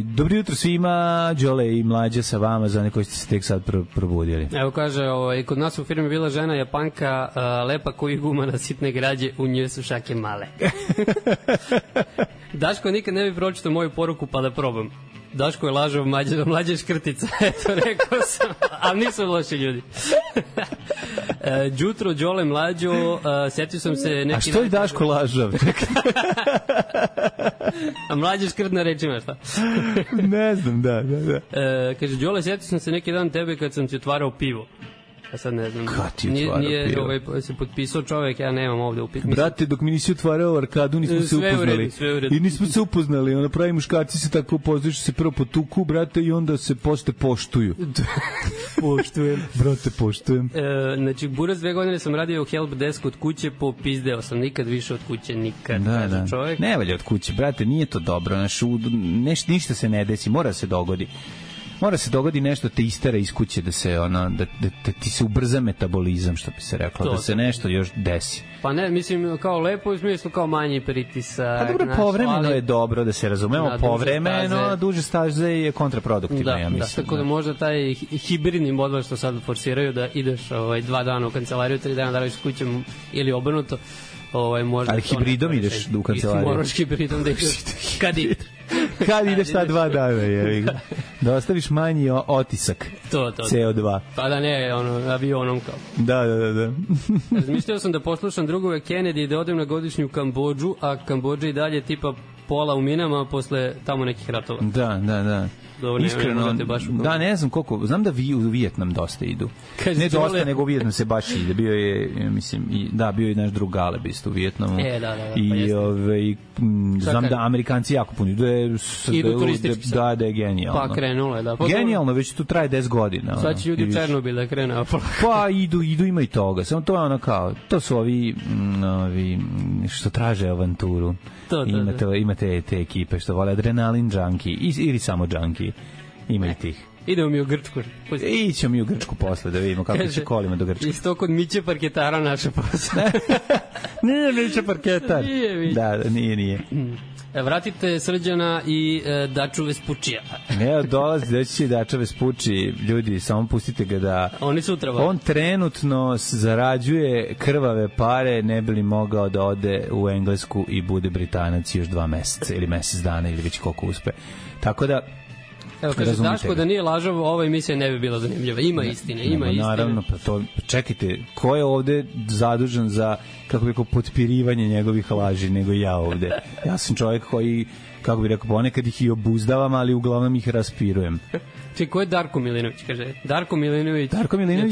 Dobro jutro svima, Đole i Mlađa sa vama, za one koji ste se tek sad probudili. Evo kaže, kod nas u firmi bila žena Japanka, lepa koji guma na sitne građe, u njoj su šake male. Daško nikad ne bi pročitao moju poruku pa da probam. Daško je lažov, Mlađa je škrtica, eto, rekao sam, ali nisu loši ljudi. Đutro, Đole, Mlađo, setio sam se neki... A što je Daško lažov? A Mlađa je škrtna rečima, šta? Ne znam, da. Kaže, Đole, setio sam se neki dan tebe kad sam ti otvarao pivo. Ja sad ne znam. Kad ti otvarao pivo? Se potpisao čovek, ja nemam ovde upit. Brate, dok mi nisi otvarao arkadu, nismo se upoznali. Sve u redu. I nismo se upoznali. Ono, pravi muškarci se tako upoznaju što se prvo potuku, brate, i onda se posle poštuju. Poštujem. Brate, poštujem. Znači, Buraz 2 godine sam radio u help desku od kuće, popizdeo sam nikad više od kuće, nikad. Da. Čovjek. Ne valja od kuće, brate, nije to dobro. Ništa se ne desi, mora se dogodi. Mora se dogodi nešto te istera iz kuće da se da ti se ubrza metabolizam, što bi se reklo, da se nešto još desi. Pa ne, mislim kao lepo u smislu kao manji pritisak. A dobro, povremeno je dobro da se razumemo, povremeno duže staze je kontraproduktivno, ja mislim. Da, tako da možda taj hibridni model što sad forsiraju da ideš 2 dana u kancelariju, 3 dana da radiš s kućom ili obrnuto, možda. Ali hibridom ideš u kancelariju. Moraš hibridom da ideš kad ideš ta 2 dana, je. Da ostaviš manji otisak. To. CO2. Pa da ne, avionom kao. Da. Razmišljao sam da poslušam drugove Kennedy i da odem na godišnju Kambodžu, a Kambodža i dalje tipa pola u minama posle tamo nekih ratova. Da. Iskreno, da, ne znam koliko, znam da u Vijetnam dosta idu. Ne dosta, nego u Vijetnam se baš ide. Bio je, mislim, bio je naš drug Galeb isto u Vijetnamu. Da. I znam da Amerikanci jako puno idu turistički sad. Da je genijalno. Pa krenulo je, da. Genijalno, već tu traje 10 godina. Sad će ljudi u Černobil da krenu. Pa idu, ima i toga. Samo to je ono kao, to su ovi što traže avanturu. Imate te ekipe što vole adrenalin junkie ili samo junkie. Ima i tih. Idemo mi u Grčku. Ićemo mi u Grčku posle da vidimo kako će kolima do Grčke. Isto kod Miće Parketara naše posle. Nije Miće Parketar. Da, nije. Vratite Srđana i Daču Vespučija. Ne, dolazi da će Dača Vespuči. Ljudi, samo pustite ga da... Oni sutra. On trenutno zarađuje krvave pare, ne bi li mogao da ode u Englesku i bude Britanac još 2 meseca ili mesec dana ili već koliko uspe. Tako da... Evo, kaže Daško da nije lažov, ova emisija ne bi bila zanimljiva. Ima istine. Naravno, pa to, čekajte, ko je ovde zadužen za, kako bi rekao, potpirivanje njegovih laži, nego ja ovde. Ja sam čovjek koji, kako bi rekao, ponekad ih i obuzdavam, ali uglavnom ih raspirujem. Čekaj, ko je Darko Milinović, kaže? Darko Milinović. Je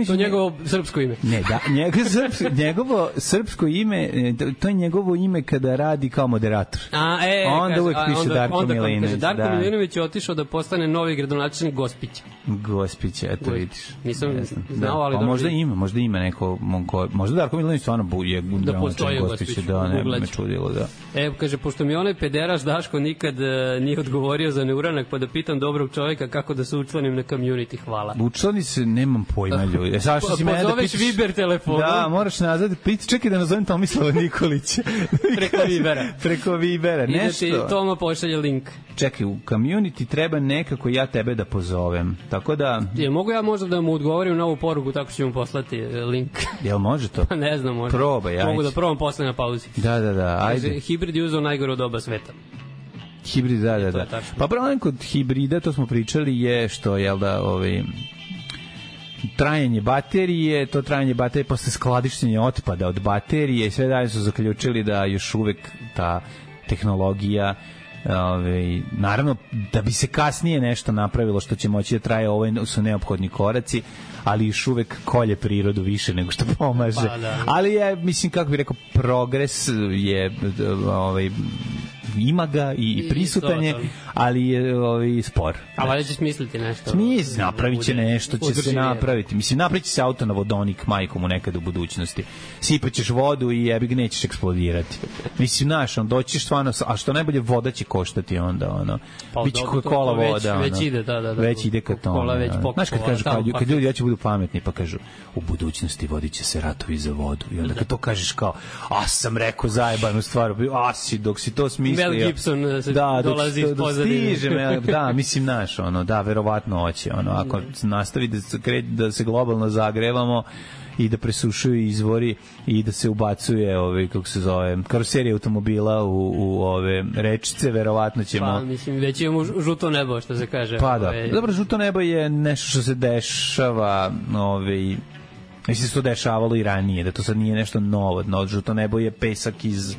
to njegovo srpsko ime. Ne, njegovo srpsko ime, to je njegovo ime kada radi kao moderator. Onda uvek piše Darko Milinović. Darko Milinović je otišao da postane novi gradonačelnik Gospića. Gospića, eto vidiš. Nisam znao, ali... Pa možda ima neko... Možda Darko Milinović stvarno je gradonačelnik Gospića, da, ne bi me čudilo, da. Evo, kaže, pošto mi onaj pederaš Daško nikad nije odgovorio za neuranak, pa da pitam dobrog čovjeka kako da se učlanim na community, hvala. Učlani se, nemam pojma ljudi. Pozoveš Viber telefonom. Da, moraš nazad, čekaj da nazovem Tomislava Nikolića. Preko Vibera, nešto. I da ti Toma pošalje link. Čekaj, u community treba nekako ja tebe da pozovem, tako da... Mogu ja možda da mu odgovorim na ovu poruku, tako ću mu poslati link. Jel može to? Pa ne znam, možda. Probaj, ajde. Mogu da probam posle na pauzi. Da, ajde. Hibrid je uzao najgore od oba sveta. Hibrid, da. Pa problem kod hibrida, to smo pričali, je što, trajanje baterije, posle skladištenja otpada od baterije i sve dalje su zaključili da još uvek ta tehnologija, naravno da bi se kasnije nešto napravilo što će moći da traje, ovo su neophodni koraci, ali još uvek kolje prirodu više nego što pomaže. Ali je, mislim, kako bih rekao, progres je ima ga i prisutan je, ali je spor. A valjda će smisliti nešto. Napravit će nešto, će se napraviti. Mislim, napravit će se auto na vodonik majkom u nekad u budućnosti. Sipaćeš vodu i jebig nećeš eksplodirati. Mislim, doćiš stvarno, a što najbolje, voda će koštati onda, biće kola voda. Već ide, da. Već ide ka tome. Znaš, kad kažu, kad ljudi hoće budu pametni, pa kažu, u budućnosti vodit će se ratovi za vodu. I onda kad to kažeš kao, sam rekao zajebanu stvar, dok si to smislio. Mel Gibson dolazi iz pozadine. Da, mislim, verovatno hoće. Ako nastavi da se globalno zagrevamo i da presušuju izvori i da se ubacuje karoserija automobila u ove rečice, verovatno ćemo... Pa, mislim, već imamo žuto nebo, što se kaže. Pa da, dobro, žuto nebo je nešto što se dešava Mislim se to dešavalo i ranije, da to sad nije nešto novo, žuto nebo je pesak iz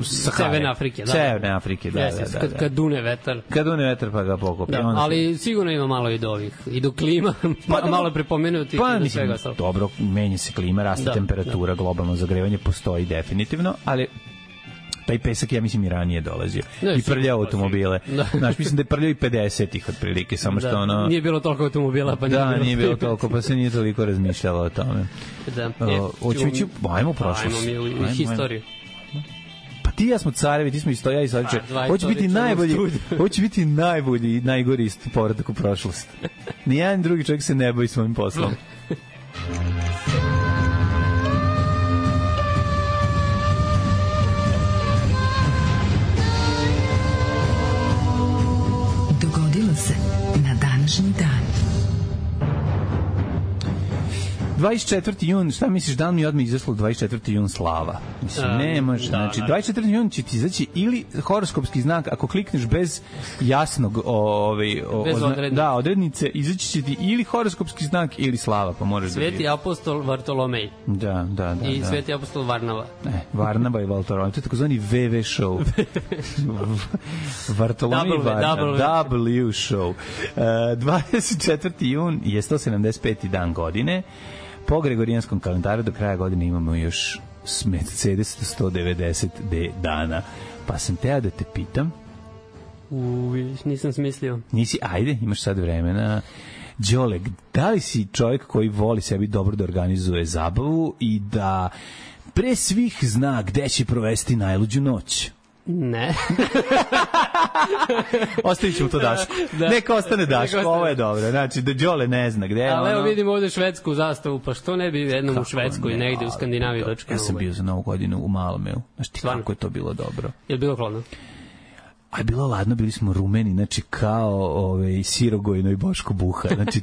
Severne Afrike. Severne Afrike, da. Kad dune vetar. Kad dune vetar pa ga pokopi. Da, ali sigurno ima malo i do ovih, i do klima, malo je prepomenuti. Pa mislim, dobro, menja se klima, raste temperatura, globalno zagrevanje postoji definitivno, ali taj pesak, ja mislim, i ranije dolazio. I prljao automobile. Znaš, mislim da je prljao i 50-ih otprilike, samo što ono... Nije bilo toliko automobila, pa nije bilo toliko, pa se nije toliko razmišljalo o tome. Ajmo u prošlost. Ajmo mi u historiju. Pa ti ja smo carevi, ti smo ja i Sadiče. Hoće biti najbolji i najgori povratak u prošlost. Nijedan drugi čovjek se ne boji svojim poslom. Se na današnji dan. 24. jun, šta misliš, dan mi odmah izašlo 24. jun slava? Mislim, ne može. Znači, 24. jun će ti izaći ili horoskopski znak, ako klikneš bez jasnog odrednice, izaći će ti ili horoskopski znak ili slava, pa možeš Sveti apostol Vartolomej. Da. I Sveti apostol Varnava. Varnava i Vartolomej. To je takozvani VV show. Vartolomej i Varnava. W show. 24. jun je 175. dan godine. Po gregorijanskom kalendaru do kraja godine imamo još Mercedes 190 dana. Pa sam teo da te pitam. Nisam smislio. Nisi, ajde, imaš sad vremena. Đole, da li si čovjek koji voli sebi dobro da organizuje zabavu i da pre svih zna gde će provesti najluđu noć? Ne. Ostavit ćemo to Dašku. Neka ostane Dašku, ovo je dobro. Znači, da Đole ne zna gde je. Ali evo vidimo ovde švedsku zastavu, pa što ne bi jednom u Švedskoj, negde u Skandinaviji dočekano? Ja sam bio za Novu godinu u Malmeu. Znaš ti kako je to bilo dobro? Je li bilo hladno? A je bilo ladno, bili smo rumeni, znači kao Sirogojno i Boško Buha, znači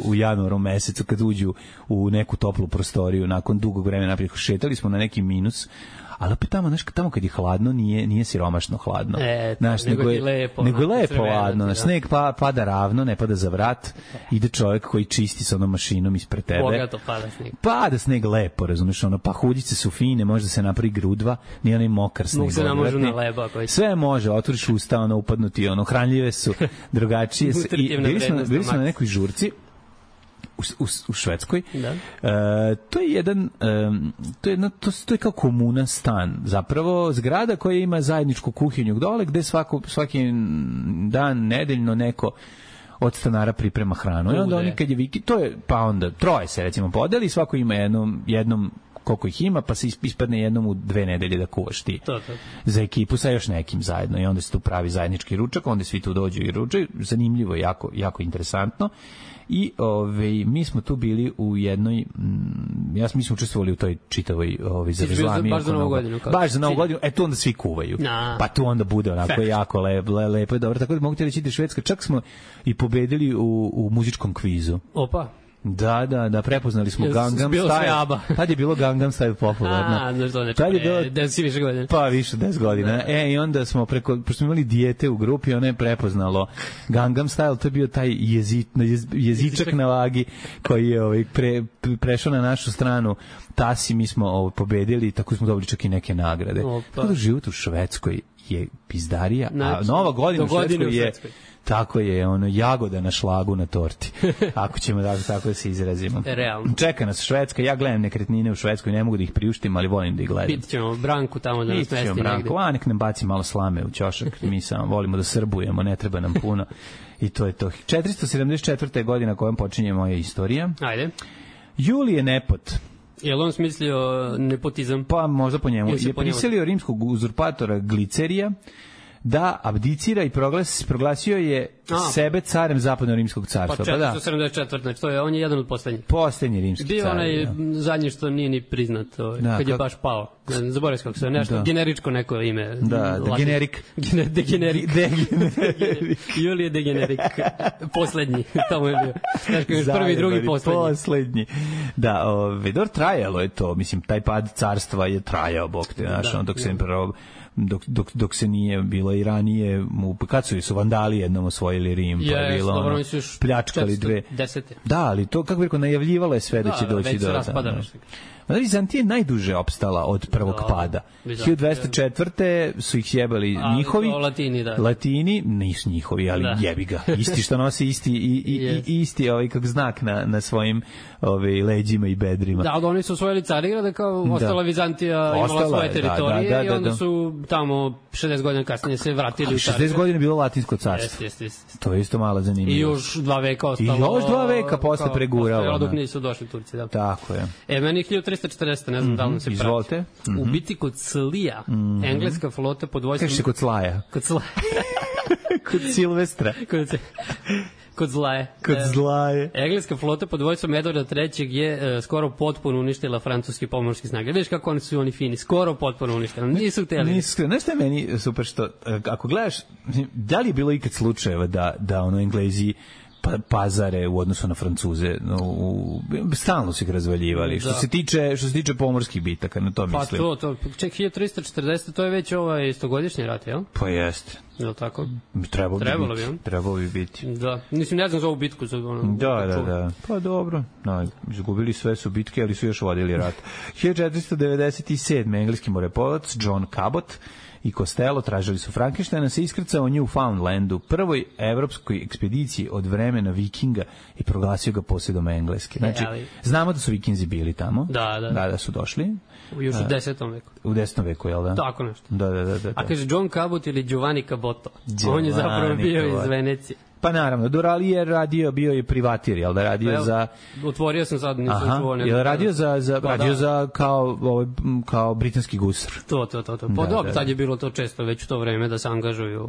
u januaru mesecu kad uđu u neku toplu prostoriju, nakon dugog vremena naprijed, šetali smo na neki minus, ali opet tamo kad je hladno nije siromašno hladno. Nego je lepo ladno. Znaš, sneg pada ravno, ne pada za vrat. Ide čovjek koji čisti sa onom mašinom ispred tebe. Bogato pada sneg. Pada sneg lepo, razumiješ, pa hudice su fine, može da se napravi grudva, nije onaj mokar sneg. Mogu se namožu na leba. Sve može, otvoriš usta, upadnuti, hranljive su, drugačije su. I bili smo na nekoj žurci u Švedskoj. To je kao komuna stan, zapravo zgrada koja ima zajedničku kuhinju dole gde svaki dan nedeljno neko od stanara priprema hranu. I onda oni kad je pa onda troje se recimo podeli, svako ima jednom koliko ih ima, pa se ispadne jednom u 2 nedelje da kuvaš ti. Za ekipu sa još nekim zajedno i onda se tu pravi zajednički ručak, onda svi tu dođu i ručaju. Zanimljivo, jako interesantno. I mi smo tu bili u jednoj, mi smo učestvovali u toj čitavoj zavrzlami. Baš za Novu godinu. Baš za Novu godinu, tu onda svi kuvaju. Pa tu onda bude onako jako lepo i dobro. Tako da mogu ti reći da Švedska, čak smo i pobedili u muzičkom kvizu. Opa. Da, prepoznali smo Gangnam Style. Tad je bilo Gangnam Style popularno. Znaš to neče, 10 više godina. Pa više 10 godina. I onda smo pošto smo imali dijete u grupi, ona je prepoznalo Gangnam Style, to je bio taj jezičak na vagi koji je prešao na našu stranu. Tasi, mi smo pobedili, tako smo dobili čak i neke nagrade. Tako da život u Švedskoj je pizdarija, a Nova godina u Švedskoj je... Tako je, jagoda na šlagu na torti. Ako ćemo tako da se izrazimo. Realno. Čeka nas Švedska, ja gledam nekretnine u Švedskoj, ne mogu da ih priuštim, ali volim da ih gledam. Pitat ćemo Branku tamo da nas mesti negde. Nek nam baci malo slame u ćošak, mi samo volimo da srbujemo, ne treba nam puno. I to je to. 474. godina kojom počinje moja istorija. Ajde. Julije Nepot. Je li on smislio nepotizam? Pa možda po njemu. Je prisilio rimskog uzurpatora Glicerija da abdicira i proglasio je sebe carem zapadno-rimskog carstva. Pa 474, znači on je jedan od poslednjih. Poslednji rimski car. Bio onaj zadnji što nije ni priznat, kad je baš pao. Zaboravim kako se nešto, generičko neko ime. Da, generik. Degenerik. Julije Degenerik. Poslednji, tamo je bio. Znači, prvi, drugi, poslednji. Da, trajalo je to, mislim, taj pad carstva je trajao, bog te, dok se dok se nije bilo i ranije, kad su vandali jednom osvojili palili Rim, pa je bilo dobro, ono, oni su još pljačkali dve. 410. Da, ali to, kako bih rekao, najavljivalo je sve da će doći već do... se raspada. Vizantija je najduže opstala od prvog pada. 1204. su ih sjebali njihovi. Latini, da. Latini, nisu njihovi, ali jebi ga. Isti što nosi isti kako znak na svojim leđima i bedrima. Da, oni su osvojili Carigrad, kao ostala Vizantija imala svoje teritorije i onda su tamo 60 godina kasnije se vratili u Carigrad. 60 godina je bilo Latinsko carstvo. To je isto malo zanimljivo. I još 2 veka ostalo. I još 2 veka posle preguralo. Dok nisu došli Turci, da. Tako je. Meni 1340, ne znam da li se prati. Izvolite. U biti kod Slija, engleska flota pod vojstvom... Kaže se kod Slaja. Kod Slaja. Kod Silvestra. Kod Zlaje. Kod Zlaje. Engleska flota pod vojstvom Edvarda III je skoro potpuno uništila francuski pomorski snage. Vidiš kako oni fini, skoro potpuno uništili. Nisu htjeli. Znaš što je meni super što, ako gledaš, da li je bilo ikad slučajeva da Englezi pazare u odnosu na Francuze, stalno su ih razvaljivali. Što se tiče pomorskih bitaka, na to mislim. Pa to, ček, 1340, to je već istogodišnji rat, jel? Pa jeste. Jel tako? Trebalo bi biti. Da, mislim, ne znam za ovu bitku. Da. Pa dobro, izgubili sve su bitke, ali su još vodili rat. 1497. engleski moreplovac John Cabot i Costello tražili su Frankensteina, se iskrcao u Newfoundlandu, prvoj evropskoj ekspediciji od vremena Vikinga i proglasio ga posjedom Engleske. Znači, znamo da su Vikinzi bili tamo. Da su došli. Još u 10. veku. U 10. veku, jel da? Tako nešto. Da. A kaže John Cabot ili Giovanni Caboto. On je zapravo bio iz Venecije. Pa naravno, Dorali je bio je privatir, jel da radio za... Otvorio sam sad, nisam čuo. Jel radio za kao britanski gusar. To. Pa dobro, tad je bilo to često već u to vreme da se angažuju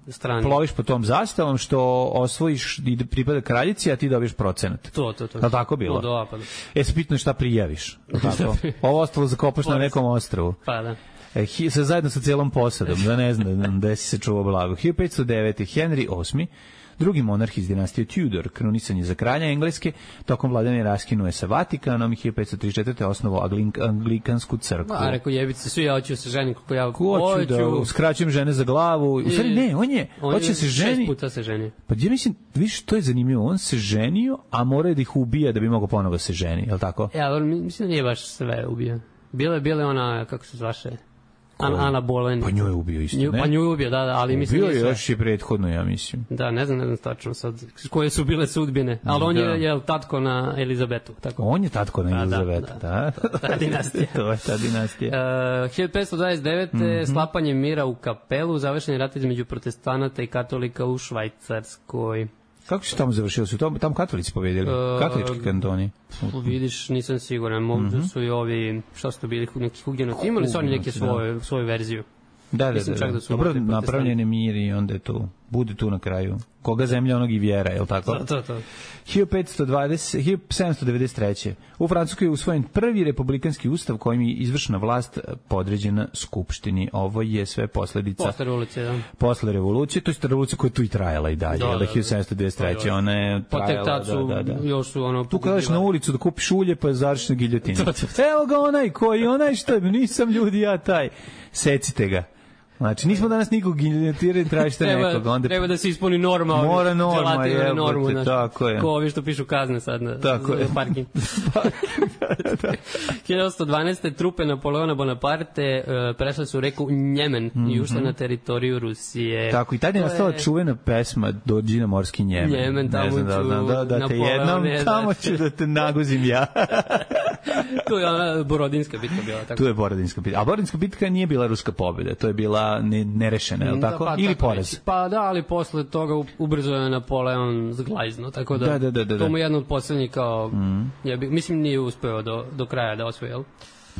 strani. Ploviš po tom zastavom što osvojiš i pripada kraljici, a ti dobiješ procenat. To. Je tako bilo? Se pitno šta prijaviš. Ovo ostalo zakopaš na nekom ostrvu. Pa da. Zajedno sa cijelom posadom, da ne znam da si se čuvao blago. 1509. Henry VIII, drugi monarh iz dinastije Tudor, krunisan je za kralja Engleske, tokom vladavine raskinuje sa Vatikanom i 1534. osnovao Anglikansku crkvu. Rekao jebice, svi ja hoću se ženi kako ja hoću. Da skraćujem žene za glavu. U stvari ne, on hoće se ženi. 6 puta se ženi. Pa ja mislim, viš, to je zanimljivo, on se ženio, a mora da ih ubija da bi mogao ponovo se ženi, je li tako? Ja, mislim da nije baš sve ubija. Bile ona, kako se zvaše? Ana Boleyn. Pa nju je ubio isto, ne? Pa nju je ubio, da, ali mislim... Ubio je još i prethodno, ja mislim. Da, ne znam tačno sad koje su bile sudbine, ali on je tatko na Elizabetu. Tako. On je tatko na Elizabetu, da. Ta dinastija. To je ta dinastija. 1529. Slapanje mira u Kapelu, završen rat između protestanata i katolika u Švajcarskoj. Kako se tamo završilo? Su tamo katolici pobedili? Katolički kantoni? Vidiš, nisam siguran. Možda su i ovi, šta su to bili, neki hugenoti. Imali su oni neke svoju verziju. Da. Dobro, napravljeni mir i onda je tu. Bude tu na kraju. Koga zemlja, onog i vjera, je li tako? To. 1793. U Francuskoj je usvojen prvi republikanski ustav kojim je izvršna vlast podređena skupštini. Ovo je sve posledica... Posle revolucije, da. Posle revolucije, to je revolucija koja tu i trajala i dalje. 1793. Ona je trajala... Pa tek tad su, još su ono... Tu kada na ulicu da kupiš ulje, pa završiš na giljotini. Evo ga onaj što nisam ljudi, ja taj. Secite ga. Znači, nismo danas nikog giljotirali, tražite nekog. Onda... Treba da se ispuni norma. Mora norma, normu, tako je. Ko ovi što pišu kazne sad na parking. 1812. trupe Napoleona Bonaparte prešle su reku Njemen i ušle na teritoriju Rusije. Tako, i tad je nastala čuvena pesma Dođi na morski Njemen. Njemen, tamo ću da te jednom, tamo ću da te naguzim ja. Tu je ona Borodinska bitka bila. Tako. Tu je Borodinska bitka. A Borodinska bitka nije bila ruska pobjeda, to je bila nerešena, je li tako? Pa, ili poraz? Pa da, ali posle toga ubrzo je Napoleon zglajzno, tako da to mu je jedno od poslednjih kao, mislim nije uspeo do kraja da osvoje, jel?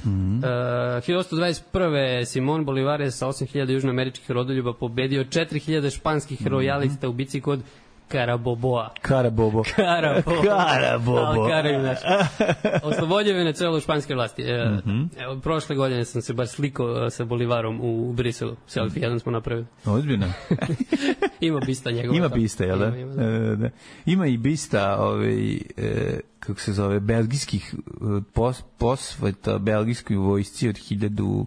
1821. Simon Bolivar je sa 8.000 južnoameričkih rodoljuba pobedio 4.000 španskih rojalista u bici kod Caraboboa. Carabobo. Oslobodio Venezuelu španske vlasti. Evo, prošle godine sam se baš slikao sa Bolivarom u Briselu. Selfie jedan smo napravili. Ozbiljno. Ima bista njegova. Ima bista, jel da? Ima i bista kako se zove, belgijskih posveta belgijskoj vojsci od 1000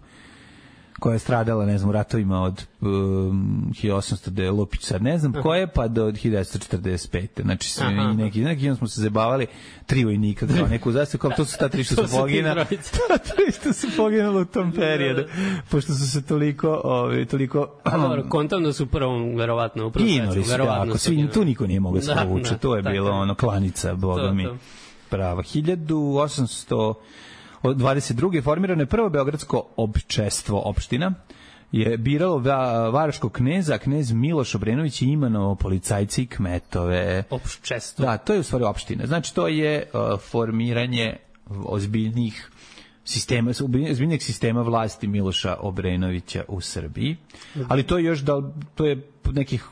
koja je stradala, ne znam, u ratovima od 1800 de Lupić, sad ne znam koje, pa do 1945. Znači, i neki smo se zabavali, 3 vojnika, kao neku zastavu, kao to su ta 3 što su poginali. Ta 3 što su poginali u tom periodu, pošto su se toliko... Kontam da su u prvom, verovatno, u prvom ginuli su, ako svi, tu niko nije mogao se povuče, to je bilo ono, klanica, boga mi. Prava. 1822. formirano je prvo beogradsko općestvo opština, je biralo Varaškog kneza, knez Miloš Obrenović i imenovao policajci i kmetove. Opščestvo. Da, to je u stvari opština. Znači, to je formiranje ozbiljnih sistema vlasti Miloša Obrenovića u Srbiji. Ali to je još to je nekih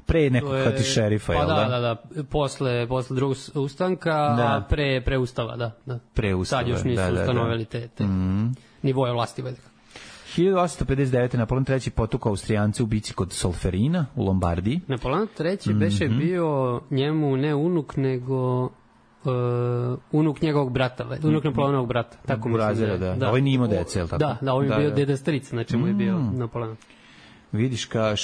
pre nekog hati šerifa, pa jel da? Da. Posle drugog ustanka, a pre ustava, da. Pre ustava, sad još nisu ustanovili te nivoje vlasti. 1859. Napoleon III. Potukao Austrijance u bici kod Solferina u Lombardiji. Napoleon III. Beše bio njemu ne unuk, nego unuk njegovog brata, unuk Napoleonovog brata. Tako mislim da. Ovo nije imao dece, je li tako? Da, ovo je bio deda stric, znači mu je bio Napoleon. Vidiš ka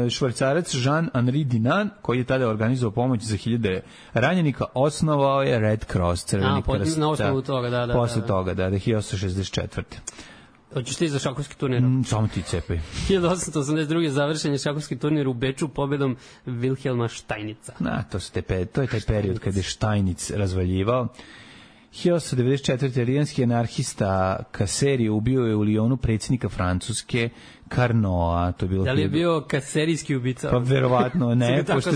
švajcarac Jean-Henri Dinan, koji je tada organizovao pomoć za 1000 ranjenika, osnovao je Red Cross, Crveni krst. Na osnovu toga, da. Posle toga, 1864. Hoćeš ti za šahovski turnir? Samo ti cepaj. 1882. završen je šahovski turnir u Beču pobedom Wilhelma Steinica. To je taj period kada je Steinic razvaljivao. 1894. Rijanski anarhista Kaseri ubio je u Lyonu predsjednika Francuske Carnoa, to je bilo... Da li je bio kaserijski ubica? Pa verovatno ne, pošto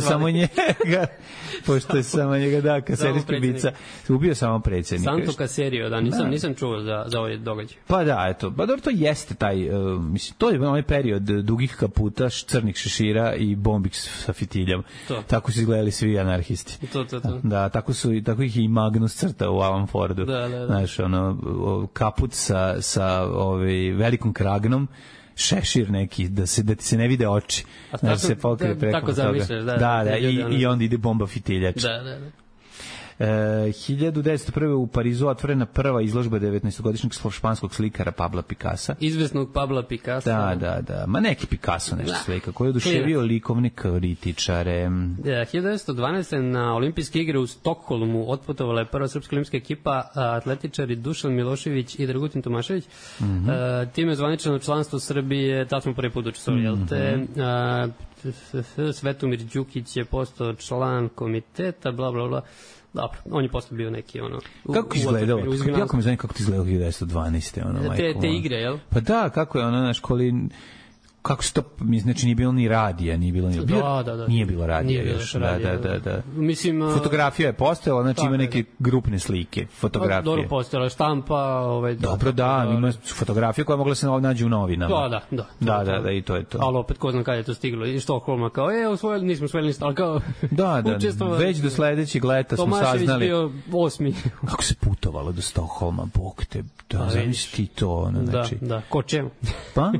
je samo njega, da, kaserijski ubica. Ubio samo predsjednika. Santo Caserio, da, nisam čuo za ovaj događaj. Pa da, eto, pa dobro, to jeste taj, mislim, to je onaj period dugih kaputa, crnih šešira i bombi sa fitiljama. Tako su izgledali svi anarhisti. To. Da, tako ih i Magnus crta u Alan Fordu. Da. Znaš, kaput sa velikom kragnom, šešir neki, da ti se ne vide oči, da se pokrije preko toga. Tako zamišljaš, da, i onda ide bomba fitiljač. Da. 1901. u Parizu otvorena prva izložba 19-godišnjeg španskog slikara Pabla Picassa. Izvesnog Pabla Picassa. Da. Ma neki Picasso nešto slika, koji je oduševio likovne kritičare. 1912. na olimpijske igre u Stokholmu otputovala je prva srpska olimpijska ekipa, atletičari Dušan Milošević i Dragutin Tomašević. Time je zvaničano članstvo Srbije, tad smo prvi put učestvovali, jel te? Svetomir Đukić je postao član komiteta, bla, bla, bla. Dobro, on je posle bio neki kako izgledalo? Kako mi zanima kako ti izgledalo 1912. Te igre, jel? Pa da, kako je ono naš kako se to, znači nije bilo ni radija, nije bilo nije bilo radija još. Da. Mislim, fotografija je postojala, znači ima neke grupne slike, fotografije. Dobro postojala, štampa, Dobro, ima fotografija koja mogla se nađe u novinama. Da, i to je to. Ali opet, ko znam kada je to stiglo, iz Štokholma, kao, nismo osvojili ništa, ali kao... Da, već do sledećeg leta smo saznali... Tomašević bio 8. Kako se putovalo do Štokholma, bog te, da, zamisli to, znači... Da, ko čemu? Pa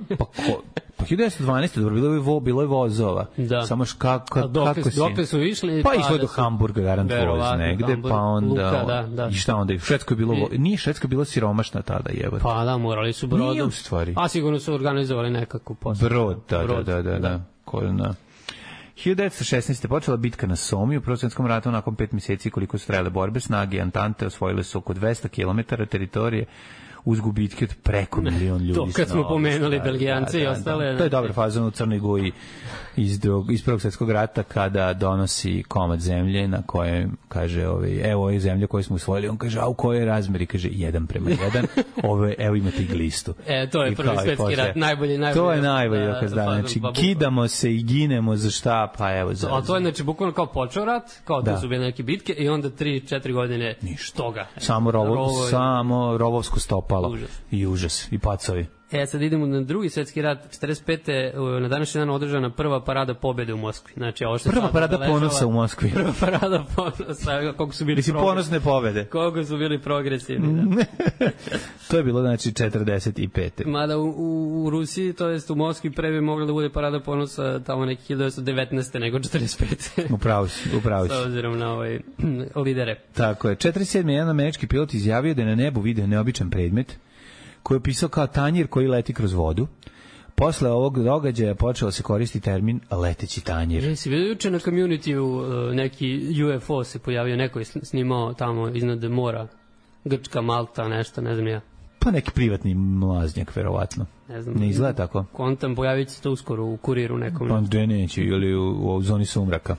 1912. dobro, bilo je vozova. Da. Samo kako dokle su išli? Pa išlo do Hamburga, garant voz negde, pa onda... Luka, I šta onda? Švedsko je bilo... Nije Švedsko bilo siromašna tada, jebate. Pa da, morali su brodom. Nije u stvari. A sigurno su organizovali nekako posao. Brod, da. 1916. počela bitka na Somi u Prvom svjetskom ratu. Nakon 5 mjeseci koliko su trajale borbe, snage Antante osvojile su oko 200 km teritorije uz gubitke od preko 1 milion ljudi. To kad smo pomenuli Belgijance i ostale. To je dobra faza u Crnoj Gori iz Prvog svjetskog rata, kada donosi komad zemlje na kojem kaže, evo je zemlja koju smo usvojili, on kaže, a u kojoj razmeri? Kaže 1:1, evo imate i glistu. To je Prvi svjetski rat, najbolji. To je najbolji dokaz, da, znači kidamo se i ginemo za šta, pa evo za... A to je, znači, bukvalno kao počeo rat, kao da su bile neke bitke i onda 3-4 godine toga. Samo rovovsko stopalo. I užas, i pacovi. Sad idemo na Drugi svjetski rat. 45. na današnji dan održana prva parada pobjede u Moskvi. Znači, prva parada ponosa u Moskvi. Prva parada ponosa, koliko su bili ponosne pobjede. Koliko su bili progresivni. Da. To je bilo, znači, 45. Mada u Rusiji, to jest u Moskvi, pre bi mogla da bude parada ponosa tamo neki 1919. nego 45. Upravo si. Sa obzirom na lidere. Tako je. 47. jedan američki pilot izjavio da je na nebu vidio neobičan predmet koji je opisao kao tanjir koji leti kroz vodu. Posle ovog događaja počeo se koristi termin leteći tanjir. Jesi vidio juče na community-u neki UFO se pojavio, neko je snimao tamo iznad mora, Grčka, Malta, nešto, ne znam ja. Pa neki privatni mlaznjak, verovatno. Ne znam. Ne izgleda tako. Kontam, pojavit se to uskoro u kuriru nekom. Pa gde neće, ili u zoni sumraka.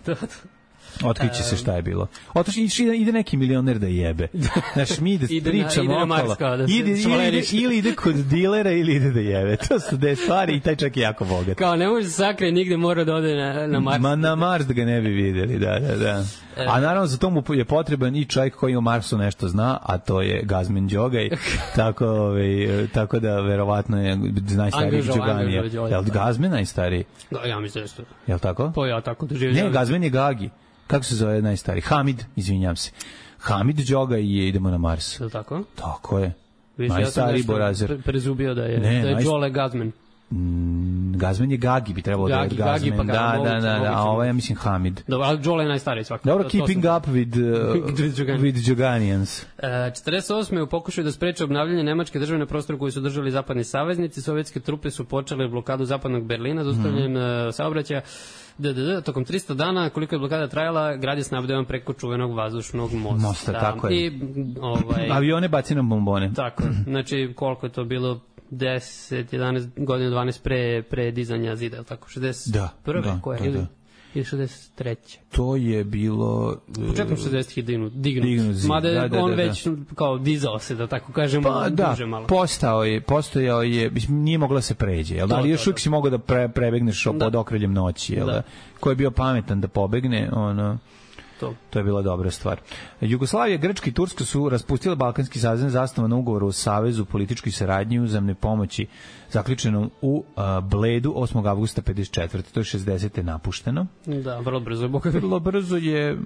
Otkriće se šta je bilo. Ide neki milioner da jebe. Znaš, mi da pričamo okolo. Ili ide kod dilera ili ide da jebe. To su dve stvari i taj čak je jako bogat. Kao ne može se sakrije nigde, mora da ode na Mars. Ma na Mars da ga ne bi videli, da. A naravno za to mu je potreban i čovjek koji o Marsu nešto zna, a to je Gazmen Đogaj. Tako da verovatno je najstariji Đoganija. Je li Gazmen najstariji? Da, ja mislim da je to. Je li tako? To ja tako doživljam. Ne, Gazmen je Gagi. Kako se zove najstariji? Hamid, izvinjam se. Hamid Đogaj i idemo na Mars. Je li tako? Tako je. Viš, najstariji Borazer. Ja sam prezubio da je Đole Gazmen. Gazmen je Gagi, bi trebalo da je Gazmen. Pa da, a ovo ja mislim Hamid. Dobro, ali Đole je najstariji svakako. Dobro, keeping up with Đoganians. 48. u pokušaju da spreče obnavljanje nemačke države na prostoru koji su držali zapadni saveznici, sovjetske trupe su počele blokadu zapadnog Berlina za ustavljanjem saobraćaja. Tokom 300 dana, koliko je blokada trajala, grad je snabdevan preko čuvenog vazdušnog mosta. Tako je. I, avione baci na bombone. Tako, znači koliko je to bilo 10, 11 godina, 12 pre dizanja zida, je li tako? 61. Da. Ili 63. To je bilo... Početkom 60-ih dignut. Mada on već kao dizao se, da tako kažemo, duže malo. Postojao je, nije mogla se pređe, ali još uvijek si mogao da prebegneš pod okriljem noći, ko je bio pametan da pobegne, to je bila dobra stvar. Jugoslavija, Grčka i Turska su raspustile Balkanski savez zasnovan na ugovoru o savezu političkoj saradnji i uzajamne pomoći zaključenom u Bledu 8. avgusta 54. To je 60. napušteno. Da, vrlo brzo je. Vrlo brzo je,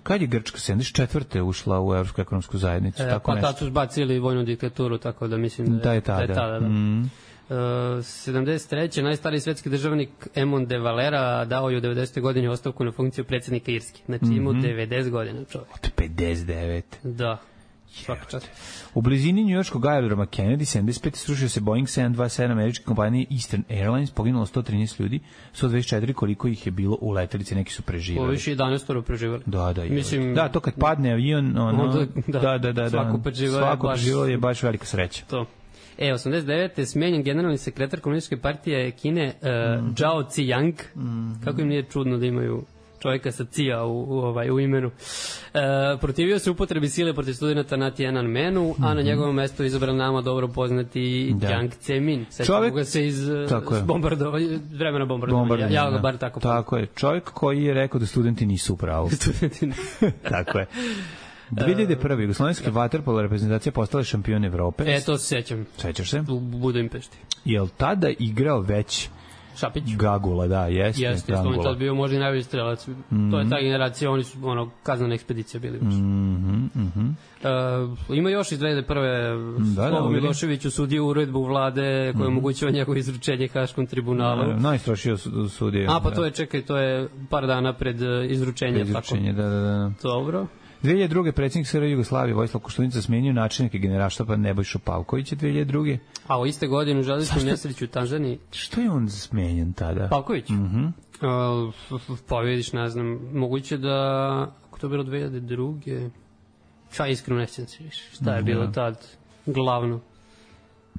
kad je Grčka 74. ušla u Evropsku ekonomsku zajednicu? Pa tad su zbacili vojnu diktaturu, tako da mislim da je tada. 73. najstariji svetski državnik Emon de Valera dao je u 90. godini ostavku na funkciju predsjednika Irske. Znači imao 90 godina čovjek. Od 59. Da. Svaka čast. U blizini njujorškog aerodroma Kennedy 75. srušio se Boeing 727 američke kompanije Eastern Airlines, poginulo 113 ljudi, 124 koliko ih je bilo u letelici, neki su preživali. Ovo više 11 preživali. Da, to kad padne avion, svako preživalo je baš velika sreća. To. 89. smenjen generalni sekretar komunističke partije Kine Zhao Ziyang. Kako im nije čudno da imaju čovjeka sa Cija u imenu. Protivio se upotrebi sile protiv studenta na Tiananmenu, a na njegovom mestu izabran nama dobro poznati Jiang Zemin. Sećamo ga se iz vremena bombardovanja. Ja ga bar tako poznam. Tako je. Čovjek koji je rekao da studenti nisu u pravu. Tako je. 2001. Jugoslovenska vaterpolo reprezentacija postala šampion Evrope. To se sećam. Sećaš se? U Budimpešti. Je li tada igrao već Šapić? Gagula, da, jeste. On je tad bio možda i najbolji strelac. To je ta generacija, oni su kaznana ekspedicija bili. Ima još iz 2001. Slobo Milošević usudio uredbu vlade koja omogućava njegovo izručenje Haškom tribunalu. Najstrošio sudio. Pa to je par dana pred izručenje. Da. Dobro. 2002. predsjednik SR Jugoslavije Vojislav Koštunica smenio načelnika Generalštaba Nebojšu Pavkovića 2002. A u iste godine u železničkom nesreću u Tanzaniji. Što je on smenjen tada? Pavković? Pa vidiš, ne znam, moguće da, ako to bilo 2002. Iskreno ne sjećam se više. Šta je bilo tad glavno?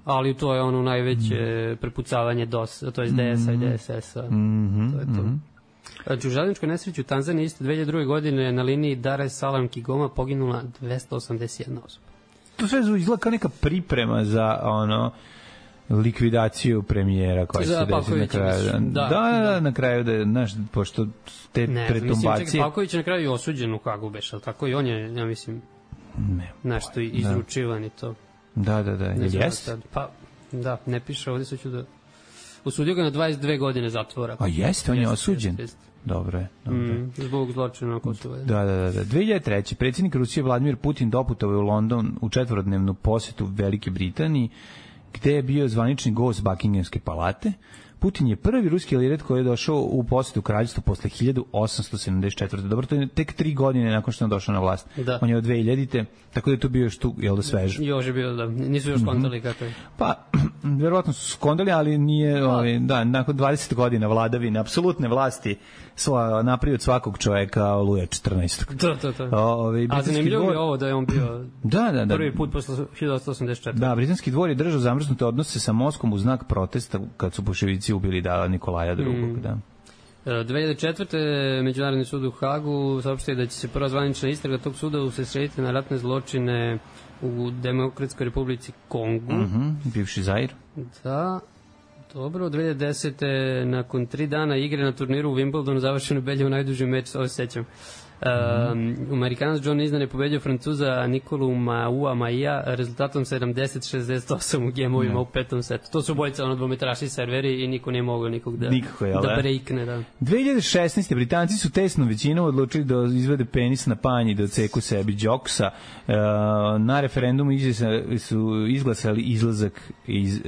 Ali to je ono najveće prepucavanje DOS-a, to je DS-a i DSS-a. To je to. U železničkoj nesreću u Tanzaniji iste 2002. godine na liniji Dar es Salaam Kigoma poginula 281 osoba. To sve izgleda kao neka priprema za likvidaciju premijera koja se desi na kraju. Da, na kraju pošto te pretumbacije... Mislim, Pavković je na kraju osuđen u Hagu, ali tako i on je, ja mislim, nešto izručivan i to. Da. Jeste? Pa, da, ne piše ovdje, sad ću da... Osudio ga na 22 godine zatvora. A jeste, on je osuđen? Dobro je. Zbog zločina na Kosovu. Da. 2003. predsjednik Rusije Vladimir Putin doputovao je u London u 4-dnevnu posetu Velike Britaniji, gde je bio zvanični gost Buckinghamske palate. Putin je prvi ruski lider koji je došao u posetu kraljevstvu posle 1874. Dobro, to je tek 3 godine nakon što je došao na vlast. Da. On je od 2000. Tako da je to bio još tu, jel da, svež. Još je bio, da. Nisu još kontali kako je. Pa, verovatno su skondali, ali nije, da, nakon 20 godina vladavine, apsolutne vlasti, napravio od svakog čoveka Luja 14. To. A zanimljivo je ovo da je on bio prvi put posle 1884. Da, britanski dvor je držao zamrznute odnose sa Moskvom u znak protesta kad su bolševici ubili Nikolaja II. Da. 2004. Međunarodni sud u Hagu saopštio da će se prva zvanična istraga tog suda usredsrediti na ratne zločine u Demokratskoj republici Kongu. Bivši Zair. Da. Dobro, 2010. nakon 3 dana igre na turniru u Wimbledonu završeno Beljev najduži meč, ovo se sećam. Amerikanac John Isner je pobedio Francuza Nikolu Maia rezultatom 70-68 u gemovima u petom setu. To su obojica dvometrašni serveri i niko nije mogao nikog da breakne. Da. 2016. Britanci su tesnom većinom odlučili da izvede penis na panj i da ceku sebi džoksa. Na referendumu su izglasali izlazak iz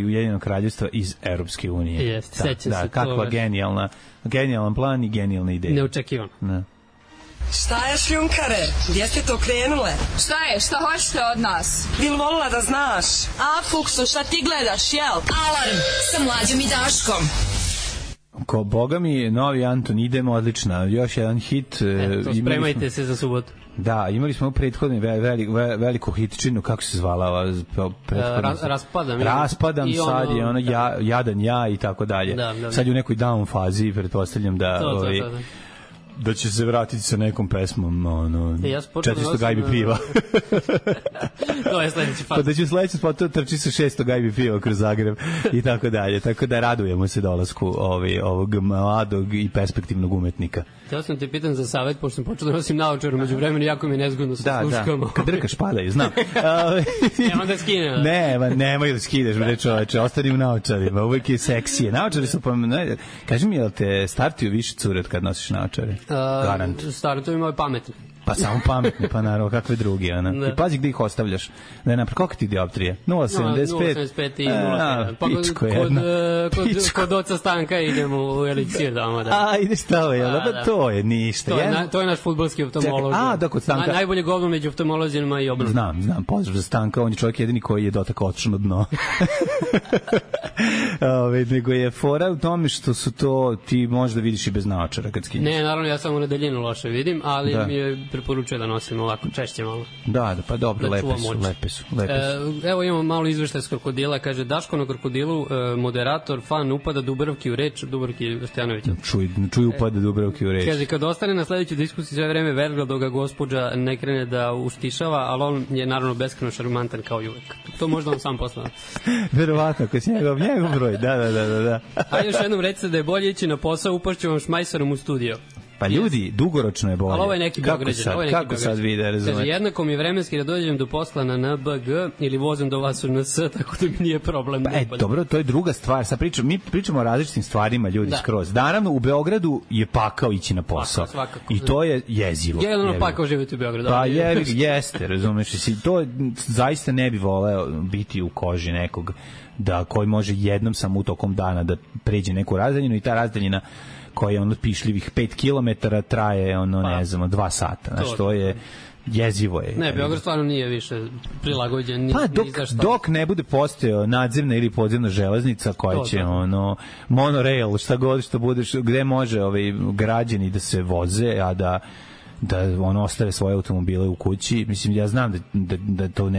Ujedinjenog kraljevstva iz Europske unije. Seća se. Kakva genijalan plan i genijalna ideja. Neočekivano. Ne. Šta je, šljunkare? Gdje ste to krenule? Šta je? Šta hoćete od nas? Bil volila da znaš? A, Fuksu, šta ti gledaš, jel? Alarm sa Mlađom i Daškom. Ko boga mi, novi Anton, idemo, odlična. Još jedan hit. Spremajte se za subotu. Da, imali smo prethodni veliku hitčinu, kako se zvala ova Raspadam, sad je ono Jadan ja i tako dalje. Sad je u nekoj down fazi, pretpostavljam da da će se vratiti sa nekom pesmom 400 gajbi piva. To je sledeći faz. Pa da će sledeći spot trči sa 600 gajbi piva kroz Zagreb i tako dalje. Tako da radujemo se dolasku ovog mladog i perspektivnog umetnika. Htio sam te pitan za savjet, pošto sam počeo da nosim naočaru među vremenu, jako mi je nezgodno sa sluškama. Da, kad drkaš padaju, znam. Nemam da skinem. Nemoj da skineš, bre čoveče, ostani u naočarima, uvek je seksije. Naočari su, kaži mi, jel te startuju više curet kad nosiš naočare? Garant. Startuju imaju pametne. Pa samo pametni, pa naravno, kakve drugi, ona. I pazi gde ih ostavljaš. Koliko ti dioptrije? 0,75? 0,75 i 0,7. Pa pičko jedna. Kod oca Stanka idemo u eliksir doma. A, ideš tamo, jel? Pa to je ništa. To je naš fudbalski oftalmolog. Da, kod Stanka. Najbolje govno među oftalmolozima i obrnu. Znam, pozdrav za Stanka, on je čovjek jedini koji je dotakao otišao na dno. Nego je fora u tome što su to, ti možda vidiš i bez naočara kad skinješ. Ne, naravno, ja samo na daljinu loše vidim, ali mi je preporučuje da nosim ovako češće malo. Da, pa dobro, lepe su. Evo imamo malo izveštaj s krokodila, kaže Daško na krokodilu, moderator, fan upada Dubravki u reč, Dubravki Stjanovića. Čuj upada Dubravki u reč. Kaže, kad ostane na sledećoj diskusiji sve vreme verga dok ga gospođa ne krene da uštišava, ali on je naravno beskreno šarmantan kao i uvek. To možda on sam poslao. Verovatno, ako si njegov broj, da. A još jednom recite da je bolje ići na posao, upašću vam šmajsarom u studio. Pa ljudi, dugoročno je bolje. Ali ovo je neki Beograđan. Kako sad vide, razumete? Kaže, jednako mi je vremenski da dođem do posla na NBG ili vozim do vas u NS, tako da mi nije problem. Pa, dobro, to je druga stvar. Sad mi pričamo o različitim stvarima, ljudi, skroz. Naravno, u Beogradu je pakao ići na posao. I to je jezivo. Jedno pakao živjeti u Beogradu. Pa jeste, razumeš. To zaista ne bi voleo biti u koži nekog koji može jednom samo u tokom dana da pređe neku razdaljinu i ta razdaljina koja je pišljivih 5 km traje 2 sata. Znači, to je jezivo je. Ne, Beograd stvarno nije više prilagođen. Pa dok ne bude postojao nadzemna ili podzemna železnica koja će monorail, šta god što budeš, gde može građani da se voze, a da ostave svoje automobile u kući. Mislim, ja znam da to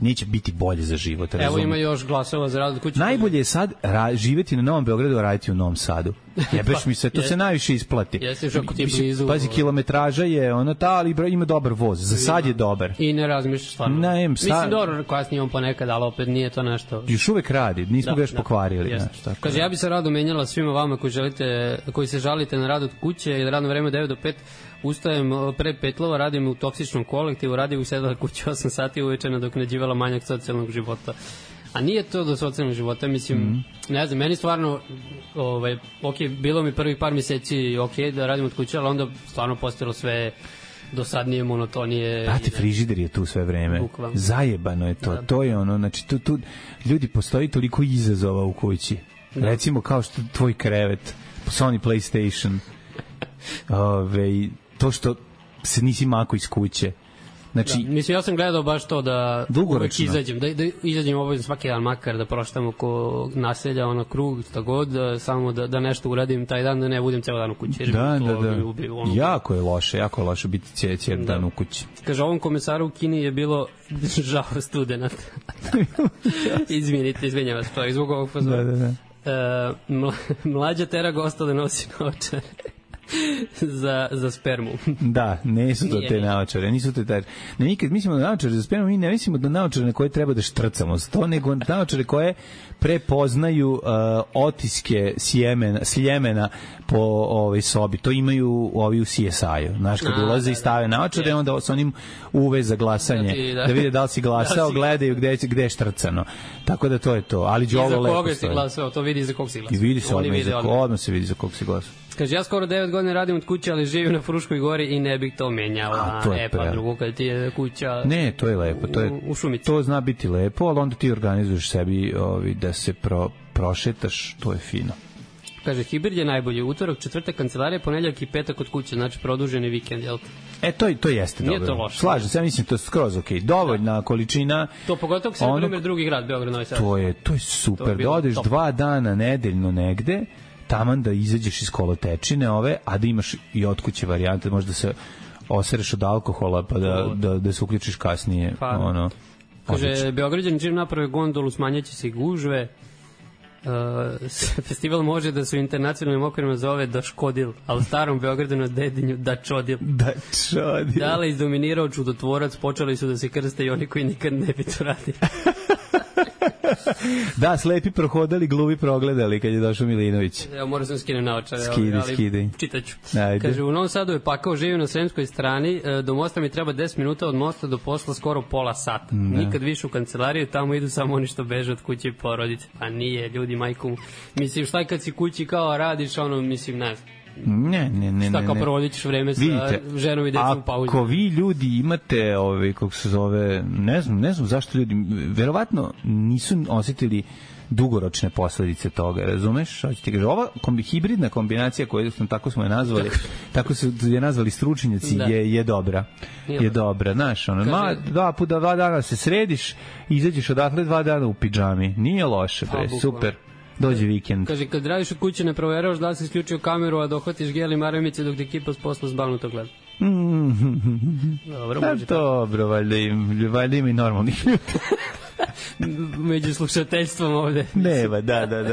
neće biti bolje za život. Evo ima još glasova za rad od kuće. Najbolje je sad živjeti na Novom Beogradu, a raditi u Novom Sadu. Jebeš mi se, to se najviše isplati. Pazi, kilometraža je ali ima dobar voz. Za sad je dobar. I ne razmišljaš stvarno. Mislim, dobro, kasnije on ponekad, ali opet nije to nešto. Još uvek radi, nismo ga još pokvarili. Kaže, ja bi se rado menjala svima vama koji se žalite na rad od kuće ili radno vreme 9 do 5. Ustajem pre Petlova, radim u toksičnom kolektivu, radim u sedala kući 8 sati uveče nadoknađivala manjak socijalnog života. A nije to do socijalnog života, mislim, ne znam, meni stvarno, bilo mi prvih par mjeseci da radim od kuće, ali onda stvarno postojalo sve dosadnije, monotonije. Brate, frižider je tu sve vreme. Zajebano je to. To je znači, tu ljudi, postoji toliko izazova u kući. Recimo kao što tvoj krevet, Sony PlayStation, to što se nisi mako iz kuće. Znači, mislim, ja sam gledao baš to da uvek izađem, da izađem obavezno svaki dan makar da proštam oko naselja, krug, šta god, samo da nešto uradim taj dan, da ne budem ceo dan u kući. Da. Jako je loše biti cijel dan u kući. Kaže, ovom komesaru u Kini je bilo žao studenta. Izvinjavam se, to je zbog ovog pozora. Mlađa tera gosta da nosi naočare. za spermu. Da, nisu to te naočare, nisu to te. Ne, nikad mislimo da naočare za spermu, mi ne mislimo da naočare na koje treba da štrcamo, to nego naočare koje prepoznaju otiske sljemena po sobi. To imaju ovi u CSI-u. Znaš, kad ulaze i stave naočare, onda sa onim UV za glasanje, da vide da li si glasao, gledaju gde je štrcano. Tako da to je to. Ali Đolo lepo stoji. I za koga si glasao, to vidi za kog si glasao. I vidi se odmah se vidi za kog si glasao. Kaže, ja skoro 9 godina radim od kuće, ali živim na Fruškoj gori i ne bih to menjala. Pa drugo, kad ti je kuća... Ne, to je lepo. U šumici. To zna biti lepo, ali onda ti organizuješ sebi da se prošetaš, to je fino. Kaže, hibrid je najbolji. Utorak, četvrtak, kancelarija, ponedeljak i petak od kuće, znači produženi vikend, jel te? To jeste dobro. Nije to loše. Slažem se, ja mislim to je skroz okej. Dovoljna količina. To pogotovo se na primjer drugi grad, Beograd, Novi Sad. To je super. Da odeš 2 dana nedeljno negde, taman da izađeš iz kolotečine a da imaš i od kuće varijante, možda se osereš od alkohola pa da se uključiš kasnije. Kaže, Beograđani čim naprave gondolu, smanjaće se i gužve. Festival može da se u internacionalnim okvirima zove Da Škodil, a u starom Beogradu na Dedinju Da Čodil. Dale izdominirao čudotvorac, počeli su da se krste i oni koji nikad ne bi to radili. Da, slepi prohodali, gluvi progledali kad je došao Milinović. Evo, moram sam skinem naočare, skidaj. Čitaću. Kaže, u Novom Sadu je pakao, živim na Sremskoj strani, do mosta mi treba 10 minuta, od mosta do posla skoro pola sata. Nikad više u kancelariju, tamo idu samo oni što beže od kuće i porodice. Pa nije, ljudi, majku. Mislim, šta kad si kući kao radiš, mislim, ne znam. Ne. Šta kao provodićeš vreme sa ženom i decom u pauzi. Ako vi ljudi imate, kako se zove, ne znam zašto ljudi, verovatno nisu osetili dugoročne posledice toga, razumeš? Ova hibridna kombinacija koju tako smo je nazvali, tako su je nazvali stručnjaci, je dobra. Je dobra, znaš, 2 dana se središ, izađeš odatle 2 dana u pidžami. Nije loše, super. Dođe vikend. Kaže, kad radiš od kuće ne proveravaš da li si isključio kameru, a dohvatiš gel i maramice dok te ekipa s posla zbalnuto gleda. Dobro, može tako. Dobro, valjda ima i normalnih ljudi. Među slušateljstvom ovde. Nema, da.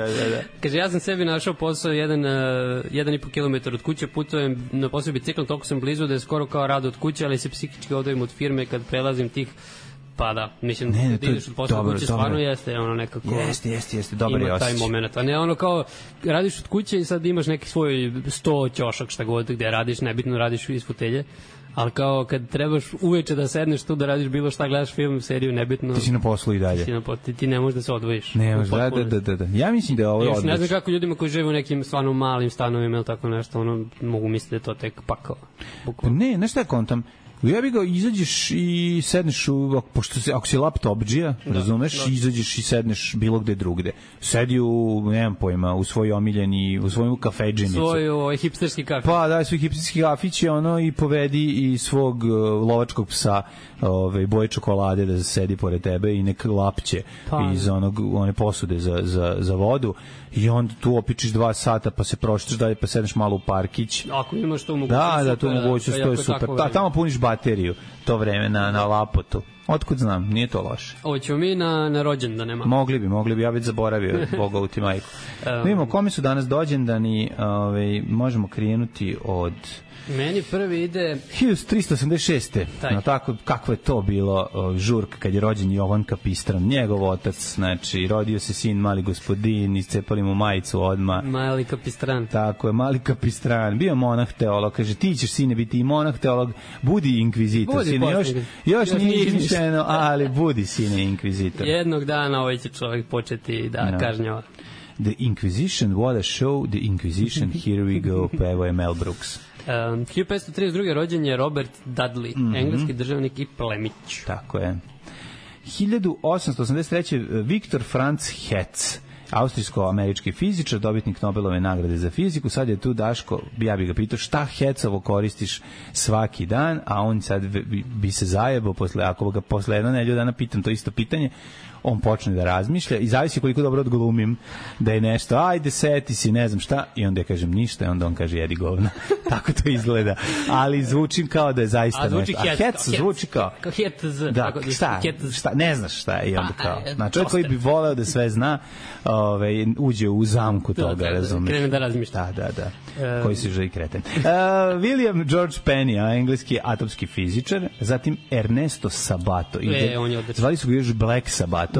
Kaže, ja sam sebi našao posao 1,5 kilometar od kuće, putujem na posao biciklom, toliko sam blizu da je skoro kao rad od kuće, ali se psihički odvojim od firme kad prelazim tih. Pa da, mislim da ideš od posla kuće, stvarno jeste nekako... Jeste, dobar je osjećaj. Ima taj moment, a ne kao radiš od kuće i sad imaš neki svoj 100 ćošak šta god gde radiš, nebitno radiš iz fotelje, ali kao kad trebaš uveče da sedneš tu da radiš bilo šta, gledaš film, seriju, nebitno... Ti si na poslu i dalje. Ti ne možeš da se odvojiš. Ne možeš, da. Ja mislim da je ovo odlično. Ne znam kako ljudima koji žive u nekim stvarno malim stanovima ili tako nešto, mogu misliti da je to tek pakao. Ne, nešto je kontam. Ja bih ga izađeš i sedneš ako si laptopđija, razumeš, izađeš i sedneš bilo gde drugde. Sedi nemam pojma, u svoj omiljeni, u svoju kafedžinicu. Svoj hipsterski kafić. Pa daj svoj hipsterski kafić i povedi i svog lovačkog psa boje čokolade da sedi pored tebe i nek lapće iz one posude za vodu. I onda tu opičiš 2 sata, pa se proštaš dalje, pa sedneš malo u parkić. Ako imaš to mogućnost. Da, to mogućnost, to je super. Tamo puniš bateriju to vreme na lapotu. Otkud znam, nije to loše. Hoćemo mi na rođendan, nema? Mogli bi, ja već zaboravio, Boga u ti majku. Vidimo, kome su danas dođendani, možemo krenuti od... Meni prvi ide 1386. No tako, kako je to bilo žurka kad je rođen Jovan Kapistran, njegov otac, znači rodio se sin Mali gospodin, iscepali mu majicu odma. Mali Kapistran. Tako je, Mali Kapistran, bio monah teolog, kaže ti ćeš sine biti i monah teolog, budi inkvizitor, sine, još nije izmišljeno, ali budi sine inkvizitor. Jednog dana ovaj će čovjek početi da kažnjava. The Inquisition, what a show, The Inquisition, here we go, pevo je Mel Brooks. 1532. rođen je Robert Dudley, engleski državnik i plemić. Tako je. 1883. Viktor Franz Hertz, austrijsko-američki fizičar, dobitnik Nobelove nagrade za fiziku. Sad je tu Daško, ja bih ga pitao šta hecovo koristiš svaki dan, a on sad bi se zajebao ako ga posle jedno nedelju dana pitam to isto pitanje, on počne da razmišlja i zavisi koliko dobro odglumim da je nešto, ajde seti si, ne znam šta, i onda ja kažem ništa i onda on kaže jedi govna. Tako to izgleda. Ali zvučim kao da je zaista nešto. A hec zvuči kao hetz. Da, šta, ne znaš šta je i onda kao. Znači, čovjek koji bi voleo da sve zna, uđe u zamku toga, razumiješ. Krene da razmišlja. Da. Koji si želi kreten. William George Penny, engleski atomski fizičar, zatim Ernesto Sabato. On je odličan. Zvali su ga još Black Sabato.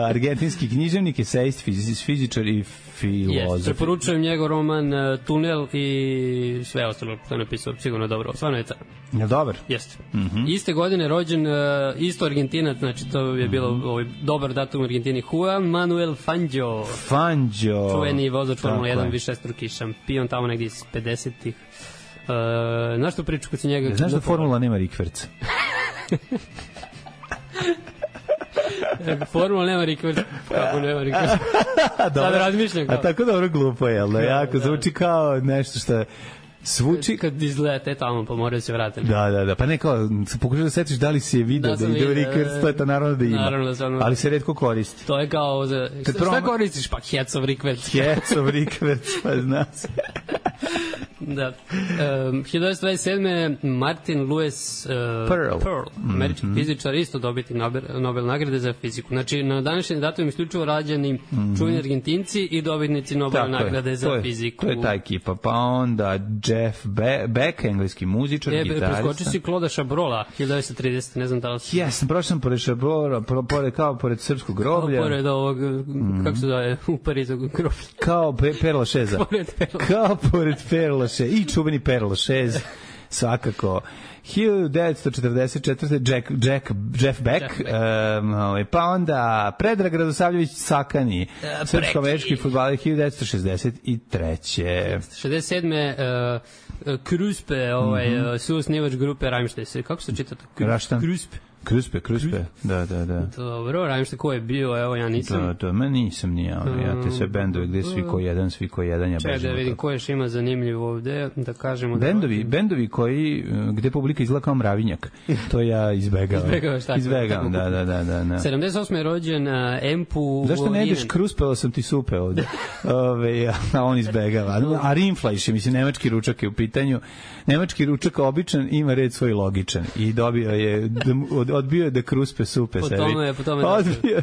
Argentinski književnik, esejist, fizičar i filozof. Preporučujem njegov roman Tunel i sve ostalo što je napisao, sigurno dobro. Stvarno je je dobar? Jeste. Iste godine rođen isto Argentinac, znači to je bilo dobar datum u Argentini, Juan Manuel Fangio. Čuveni vozač Formula 1, višestruki šampion, tamo negdje iz 50-ih. Znaš što priču kad si njega... Znaš da Formula nema rikverca? Formula nema rikverca. Kako nema rikverca? Sad razmišljam kao. A tako dobro glupo je, ali jako zvuči kao nešto što... Svuči kad izlete tamo pa moraju se vratiti. Da, pa ne kao pokušaj da setiš da li si je video da ide Rikers, to je to naravno da ima. Ali se retko koristi. To je kao šta koristiš pa Hecov Rikverc. Hecov Rikverc, pa zna se. Da. 1927. Martin Lewis Pearl, američki fizičar, isto dobiti Nobel nagrade za fiziku. Znači, na današnji datum isključivo rađeni čuveni Argentinci i dobitnici Nobel nagrade za fiziku. To je ta ekipa. Pa onda Jeff Beck, engleski muzičar, gitarista. Preskoči si Claude Chabrola, 1930, ne znam da li si... Jesam, prošao sam pored Chabrola, kao pored srpskog groblja. Kao pored ovog, kako se zove, u Parizu groblja. Kao Perla Šeza. Kao pored Perla Šeza. I čuveni Perla Šez, svakako. 1944. Jeff Beck, pa onda Predrag Radosavljević Sakani, srpsko-američki fudbaler, 1963. 67. Kruspe, suosnivač grupe Rammstein. Kako se čita to? Kruspe. Da. Dobro, Rammstein ko je bio, evo ja nisam. Da, nisam ni ja. Ja te sve bendove gde svi ko jedan, ja bežim. Čekaj da vidim ko još ima zanimljivo ovde, da kažemo. Bendovi koji, gde publika izgleda kao mravinjak, to ja izbegavam. Izbegavam, da. 78. je rođen Empu. Zašto ne ideš Kruspeo sam ti supe ovde? A on izbegava. A Rimfleisch, mislim, nemački ručak je u pitanju. Nemački ručak običan ima red svoj logičan i dobio je odbio je da Kruspe supe sebi. Po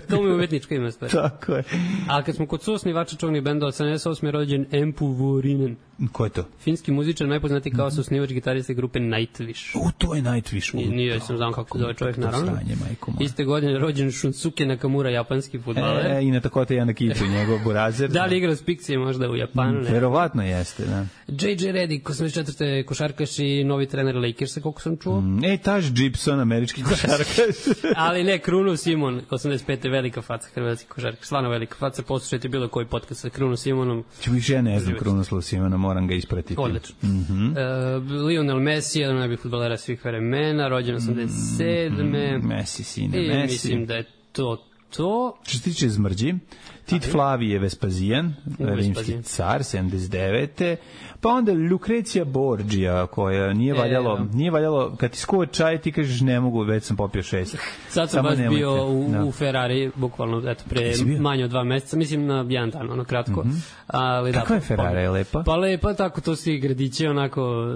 tome umetnička ima stvar. Tako je. A kad smo kod suosnivača čuvnih bendova, 78. je rođen Empu Vuorinen. Ko je to? Finski muzičar, najpoznatiji kao suosnivač gitariste grupe Nightwish. To je Nightwish. Nije, sam znam kako zove čovjek, naravno. Iste godine je rođen Shunsuke Nakamura, japanski fudbaler. I na Takota Yanakichi, njegov burazer. Da li igra s Pixije možda u Japanu? Verovatno jeste, da. J.J. Redick, 84. košarkaš i novi trener Lakersa, koliko sam čuo. Taj Gibson, američki košarkaš. Ali ne, Kruno Simon, 85. velika faca, hrvatski košarkaš, stvarno velika faca, poslušajte bilo koji podcast sa Kruno Simonom. Ja ne znam Krunoslav Simona, moram ga ispratiti. Odlično. Lionel Messi, jedan najboljih fudbalera svih vremena, rođen 87. Messi, sine, Messi. Mislim da je to. Što se tiče zmrđi, Tit Flavije Vespazijan, rimski car, 79. Pa onda Lucrecija Borgia, koja nije valjalo, kad ti skuva čaj, ti kažeš ne mogu, već sam popio 6. Sad sam baš bio u Ferrari, bukvalno, pre manje od 2 meseca, mislim na jedan dan, ono kratko. Kako je Ferrari, je lepa? Pa lepa, tako to svi gradići, onako...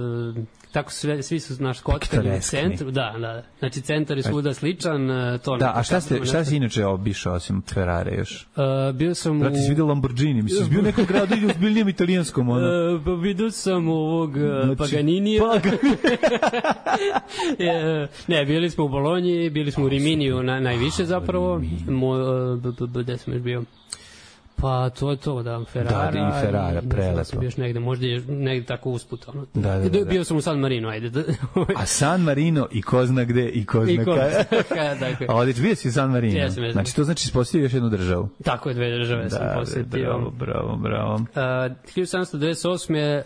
Tako svi su naš kockani u centru, da. Znači centar je svuda sličan, to. Da, a šta si inače obišao osim Ferrari još? Bio sam Brate, si vidio Lamborghini, mislim, si bio u nekom gradu ili u zbiljnijem italijanskom, ono? Vidio sam ovog Paganinija. Ne, bili smo u Bolonji, bili smo u Riminiju najviše zapravo. Gde sam još bio? Pa to je to, da, Ferrara. Da, i Ferrara, prelepo. Sam bio još negde, možda je negde tako usput. Ono. Da. Bio sam u San Marino, ajde. A San Marino i ko zna gde i ko zna kada. A odić, bio si u San Marino. Jesam. Znači, to znači ispostavio još jednu državu. Tako je, 2 države sam posetio. Bravo. 1798. je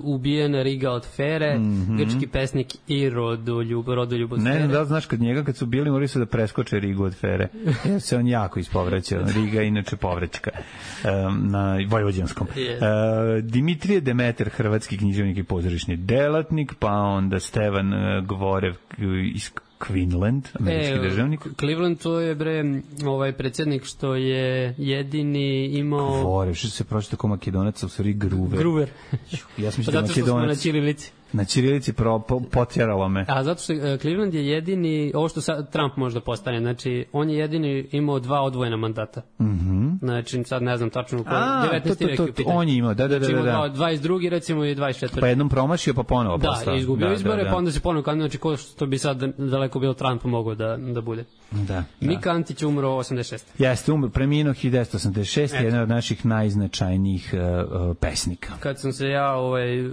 ubijen Riga od Fere, grčki pesnik i rodoljub od Fere. Ne, da znaš, kad su bili, morali su da preskoče Rigu od Fere. Jer se on jako ispovraćao. Riga je inače povraćka na vojvođanskom. Dimitrije Demeter, hrvatski književnik i pozorišni delatnik, pa onda Stevan Gvorev iz Quinlan, američki državnik. Cleveland, to je predsjednik što je jedini imao... Gvorev, što se pročita kao Makedonac, u stvari Gruver. Ja sam zato što smo na ćirilici. Na ćirilici potjeralo me. A zato što Cleveland je jedini, ovo što sad Trump možda postane, znači on je jedini imao 2 odvojena mandata. Znači sad ne znam tačno u kojoj 19. vek je pitanje. On je imao, da. Znači imao 22. recimo i 24. Pa jednom promašio pa ponovo postao. Da, izgubio izbore, pa onda se ponovo kandidatio, znači ko što bi sad daleko bilo Trump mogao da bude. Da. Mika Antić umro 86. Jeste, preminuo 1986, jedan od naših najznačajnijih pesnika. Kad sam se ja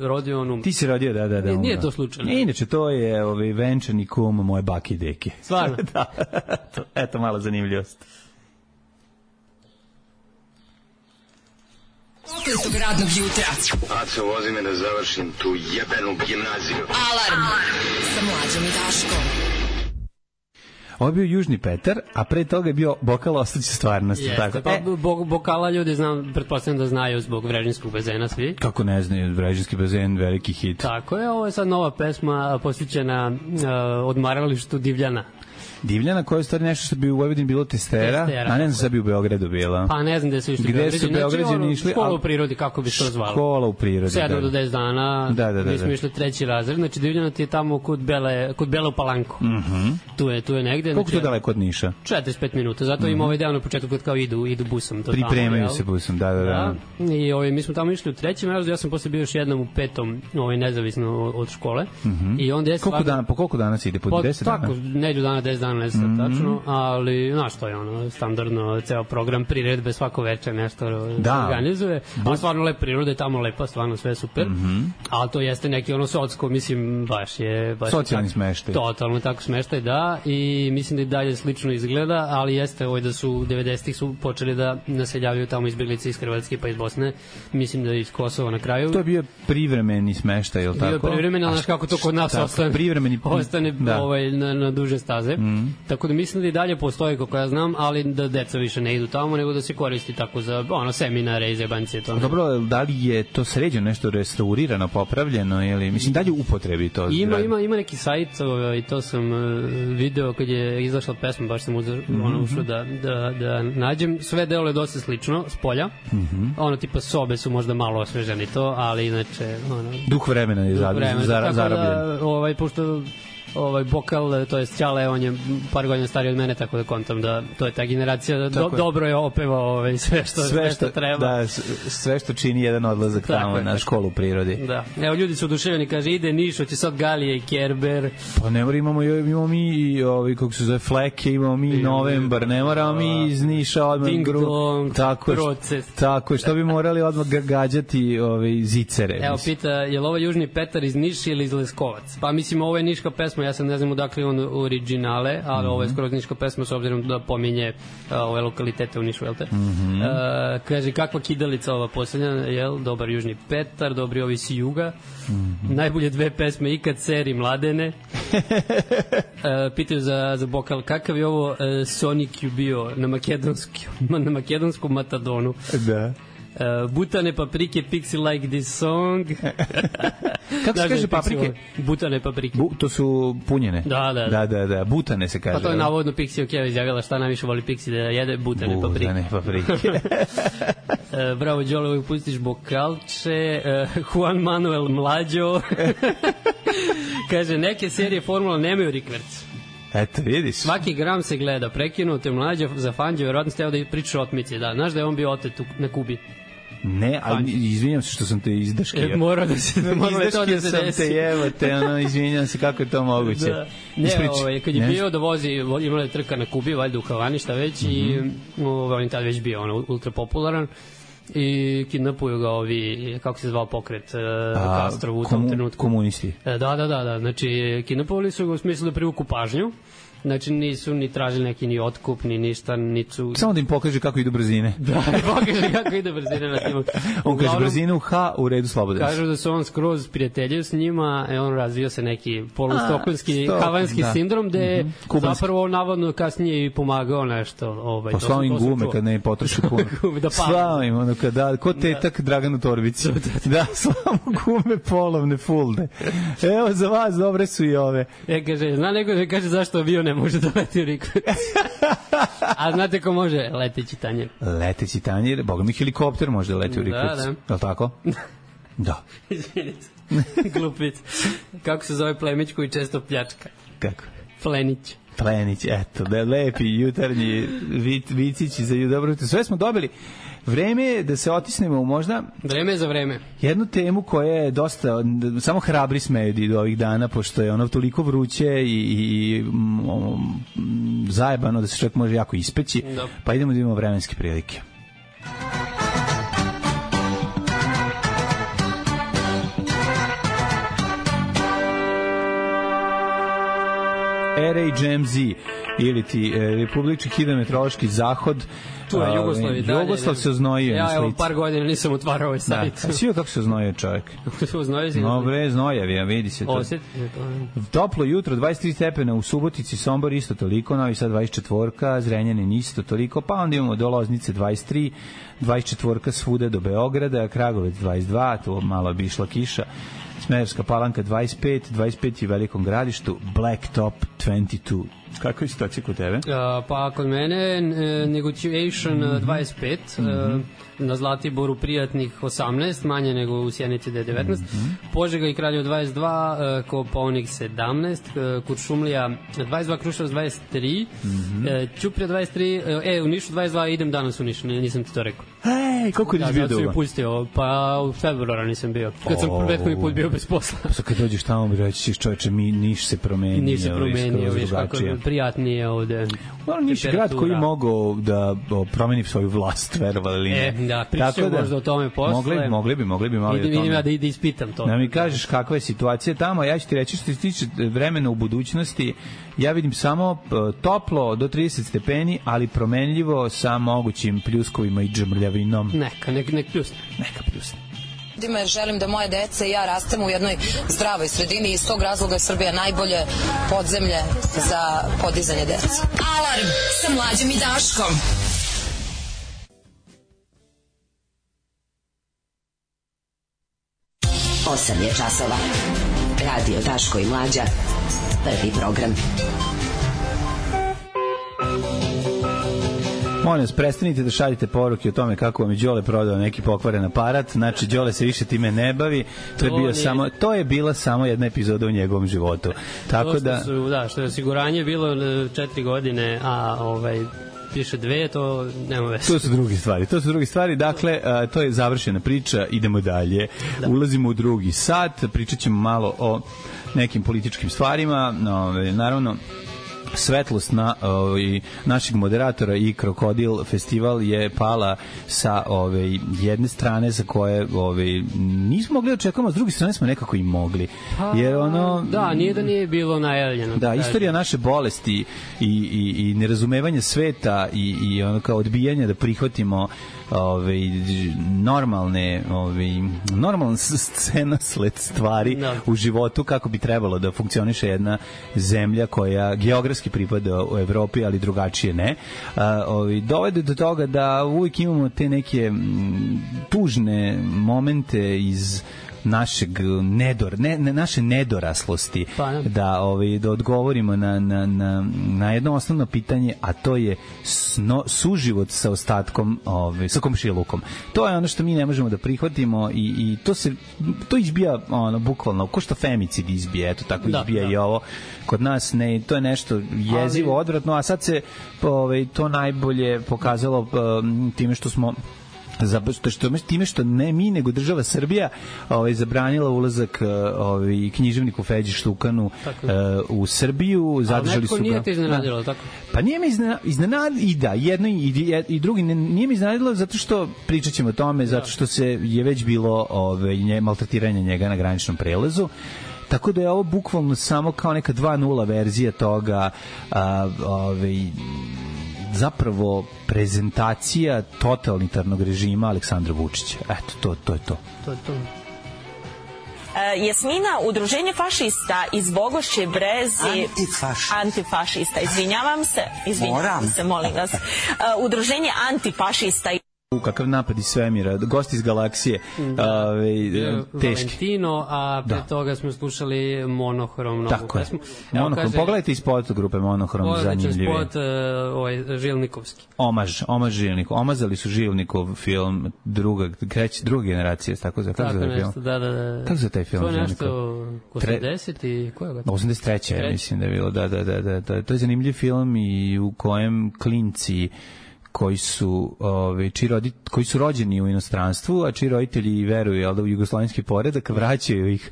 rodio Ti si rodio, da. Nije to slučajno. Inače, to je venčani kum moje bake i deke. Stvarno? Da. Eto, mala zanimljivost. Prokletog radnog jutra. Aco, vozi me da završim tu jebenu gimnaziju. Alarm sa Mlađom i Daškom. Ovo je bio Južni Petar, a pre toga je bio Bokal Ostaće stvarnosti. Jeste, pa Bokala ljudi pretpostavljam da znaju zbog Vrežinskog bazena svi. Kako ne znaju, Vrežinski bazen, veliki hit. Tako je, ovo je sad nova pesma posvećena odmaralištu Divljana. Divljana, koja je stvari nešto što bi u Vojvodini bilo testera, a ne znam da bi u Beogradu bila. Pa ne znam gde su išli Beograđani. Gde su Beograđani išli? Škola u prirodi, kako bi se to zvalo. Škola u prirodi, 7 do 10 dana, mi smo išli 3. razred, znači Divljana ti je tamo kod Bele u Palanku. Tu je negde. Koliko to daleko od Niša? 45 minuta, zato ima ovaj deo na početku kad kao idu busom. Pripremaju se busom, da. I mi smo tamo išli u 3. razredu, ja sam posle bio još jednom u 5. nezavisno od škole. I onda je po koliko dana se ide? Po 10 dana? Tako, neđu dana, 10 dana, ne znam tačno. Ali, znaš, to je standardno, ceo program priredbe svako večer nešto organizuje. A stvarno lep prirode, tamo lepa, stvarno sve super. Ali to jeste neki socko, mislim, baš je... Socijalni smeštaj. Totalno tako smeštaj, da. I mislim da i dalje slično izgleda, ali jeste da su 90-ih su počeli da naseljavaju tamo izbjeglice iz Hrvatske pa iz Bosne. Mislim da iz Kosova na kraju. To je bio privremeni smeštaj, je li tako? Bio privremeni, ali znaš kako to kod nas ostane na duže staze. Tako da mislim da i dalje postoji, kako ja znam, ali da deca više ne idu tamo, nego da se koristi tako za seminare i zebancije. Dobro, da li je to sređeno, nešto restaurirano, popravljeno, ili mislim dalje upotrebi to? Ima neki sajt, i to sam video kad je izašla pesma, baš sam ušao da nađem. Sve deluje dosta slično, s polja. Tipa sobe su možda malo osveženi to, ali inače... Duh vremena je zarobljen. Pošto Bokal, to je Ćale, on je par godina stariji od mene, tako da kontam da to je ta generacija, dobro je opevao sve što treba. Da, sve što čini jedan odlazak tamo na školu u prirodi. Da. Evo, ljudi su oduševljeni, kaže, ide Niš, hoće sad Galije i Kerber. Pa ne mora, imamo mi i kako se zove, Fleke, imamo mi Novembar, ne moramo mi iz Niša odmah. Ding dong, proces. Tako je, što bi morali odmah gađati zicere. Evo, pita, je li ovo Južni Petar iz Niša ili iz Leskovac? Pa mislim, ovo je niška pesma, ja sam ne znam odakle on originale, ali ovo je skoro niška pesma s obzirom da pominje ove lokalitete u Nišu, jel te? Kaže, kakva kidalica ova poslednja, jel? Dobar Južni Petar, dobri ovi si juga. Najbolje 2 pesme ikad, Seri Mladene. Pitaju za Bokal, kakav je ovo Sonic bio na makedonskom Matadonu? Da. Butane paprike, Pixie like this song. Kako se kaže paprike? Butane paprike. To su punjene. Da. Butane se kaže. Pa to je navodno Pixie Okeva izjavila šta najviše voli Pixie da jede butane paprike. Bravo, Đole, uvijek pustiš Bokalče. Juan Manuel Mlađo. Kaže, neke serije formula nemaju rikverc. Eto, vidiš. Svaki gram se gleda, prekinuo te Mlađo za fanđe, verovatno ste da pričaš o otmici, da. Znaš da je on bio otet na Kubi? Ne, ali izvinjam se što sam te izdaškio. Mora da se Izdaškio sam te, jevate, izvinjam se kako je to moguće. Da. Ne, kad je bio da vozi, imala je trka na Kubi, valjda u Havani, šta već, i on je tad već bio ultra popularan, i kidnapuju ga ovi, kako se zvao pokret, Castro u tom trenutku. Komunisti. Da, znači kidnapovali su ga u smislu da privuku pažnju. Znači nisu ni tražili neki ni otkup, ni ništa, nisu... Samo da im pokaže kako idu brzine. Da, pokaže kako idu brzine na snimu. On kaže brzine u H, u redu slobodan. Kažu da su on skroz prijateljio s njima, on razvio se neki polustokholmski, havanski sindrom, gde je zapravo navodno kasnije i pomagao nešto. Pa slao im gume kad ne potroši puno. Slao im, ono kada, ko tetak Draganu Torbici. Da, slao gume polovne, fulde. Evo za vas, dobre su i ove. Kaže, zna neko da kaže zašto avion ne može da leti u Rikvicu. A znate ko može? Leteći tanjir. Leteći tanjir, boga mi helikopter može da leti u Rikvicu. Da. Je li tako? Da. Izvinite. Glupic. Kako se zove plemić koji često pljačka? Kako? Plenić. Plenić, eto, da je lepi jutarnji vicići za dobro. Sve smo dobili. Vreme je da se otisnemo u možda... Vreme za vreme. Jednu temu koja je dosta... Samo hrabri smeju do ovih dana, pošto je ono toliko vruće i zajebano da se čovjek može jako ispeći. Da. Pa idemo da imamo vremenske prilike. RHMZ ili ti Republički hidrometeorološki zahod. Tu je Jugoslav se oznojio. Ja evo par godina nisam otvarao ovaj sajt. Da. Svi kako se oznojio čovjek. Oznojio si? No bre, znojavi, vidi se to. Osjet? Toplo jutro, 23 stepena u Subotici, Sombor isto toliko, Novi Sad 24, Zrenjanin isto toliko, pa onda imamo do Loznice 23, 24 svuda do Beograda, Kragovec 22, tu malo bi išla kiša. Smederevska Palanka 25, 25 je u Velikom Gradištu, Blacktop 22. Kako je situacija kod tebe? Pa kod mene Negotiation 25, na Zlatiboru prijatnih 18, manje nego u Sjenici da je 19, Požega i Kraljevo 22, Kopaonik 17, Kuršumlija 22, Kruševac 23, Ćuprija 23, u Nišu 22, idem danas u Nišu, nisam ti to rekao. Ej, koliko je bio doma? Ja sam ju pustio, pa u februara nisam bio, kad sam prethodni put bio bez posla. Pa kad dođeš tamo, reći ćeš čoveče, Niš se promenio. Niš se promenio, viš kako prijatnije ovde. Niš je grad koji mogao da promeni svoju vlast, verovali ili ne. Da, pričat ćemo možda o tome posle. Mogli bi malo o tome. Vidim ja da ispitam to. Da mi kažeš kakva je situacija tamo, ja ću ti reći što se tiče vremena u budućnosti, ja vidim samo toplo do 30 stepeni, ali promenljivo sa mogućim pljuskovima i džmrljavinom. Nek pljusne. Neka pljusne. Jer želim da moje dece i ja rastemo u jednoj zdravoj sredini i iz tog razloga je Srbija najbolje podzemlje za podizanje dece. Alarm sa Mlađom i Daškom. 8 je časova. Radio Daško i Mlađa. Prvi program. Molim vas, prestanite da šaljite poruke o tome kako vam je Đole prodao neki pokvaren aparat. Znači, Đole se više time ne bavi. To je bila samo jedna epizoda u njegovom životu. Tako da... Što je osiguranje bilo 4 godine, a piše 2, to nema veze. To su druge stvari. Dakle, to je završena priča, idemo dalje. Da. Ulazimo u drugi sat, pričat ćemo malo o nekim političkim stvarima. Naravno, svetlost našeg moderatora i Krokodil festival je pala sa jedne strane za koje nismo mogli očekujemo, a s druge strane smo nekako i mogli. Jer da, nije da nije bilo najavljeno. Da, istorija naše bolesti i nerazumevanja sveta i ono kao odbijanja da prihvatimo normalna scena sled stvari u životu kako bi trebalo da funkcioniše jedna zemlja koja geografski pripada u Evropi, ali drugačije ne. Dovede do toga da uvijek imamo te neke tužne momente iz našeg naše nedoraslosti da odgovorimo na jedno osnovno pitanje, a to je suživot sa ostatkom, sa komšilukom. To je ono što mi ne možemo da prihvatimo i to izbija bukvalno, ko što femicid izbije, eto tako izbija i ovo kod nas, ne, to je nešto jezivo, odvratno, a sad se to najbolje pokazalo time što smo time što ne mi nego država Srbija zabranila ulazak književniku Feđi Štukanu u Srbiju, zadržali su ga. Ali neko nije te iznenadilo, tako? Pa nije me iznenadilo, i da, jedno i drugi, nije me iznenadilo zato što, pričat ćemo o tome, zato što je već bilo maltretiranje njega na graničnom prelazu. Tako da je ovo bukvalno samo kao neka 2.0 verzija toga, zapravo prezentacija totalitarnog režima Aleksandra Vučića. Eto, to je to. To je to. Jasmina, udruženje fašista iz Bogošće Brezi... Antifašista, izvinjavam se, molim vas. Udruženje antifašista... Kakav napad iz svemira, gost iz galaksije, teški. Valentino, a pre toga smo slušali Monohrom, novu pesmu. Monohrom, pogledajte iz spota grupe Monohrom, zanimljivije. Pogledajte spot Žilnikovski. Omaž Žilnikov, omazali su Žilnikov film druga generacija, tako za film. Da. Kako za taj film Žilnikov? To je nešto 80 i koja ga? 83. mislim da je bilo, da. To je zanimljiv film i u kojem klinci koji su rođeni u inostranstvu, a čiji roditelji veruju u jugoslovenski poredak, vraćaju ih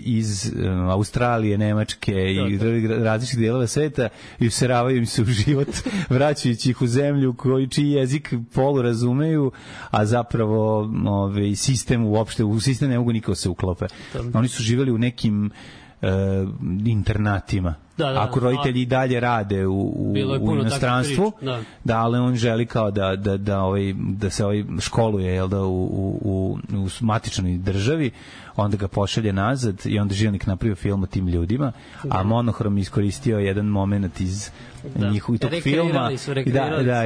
iz Australije, Nemačke i različitih delova sveta i useravaju im se u život, vraćajući ih u zemlju čiji jezik polu razumeju, a zapravo sistem uopšte, u sistem ne mogu nikako se uklope. Oni su živeli u nekim internatima. Ako roditelji i dalje rade u inostranstvu, ali on želi kao da se školuje u matičnoj državi, onda ga pošalje nazad i onda Žilnik napravio film o tim ljudima, a Monohrom iskoristio jedan moment iz njihovog tog filma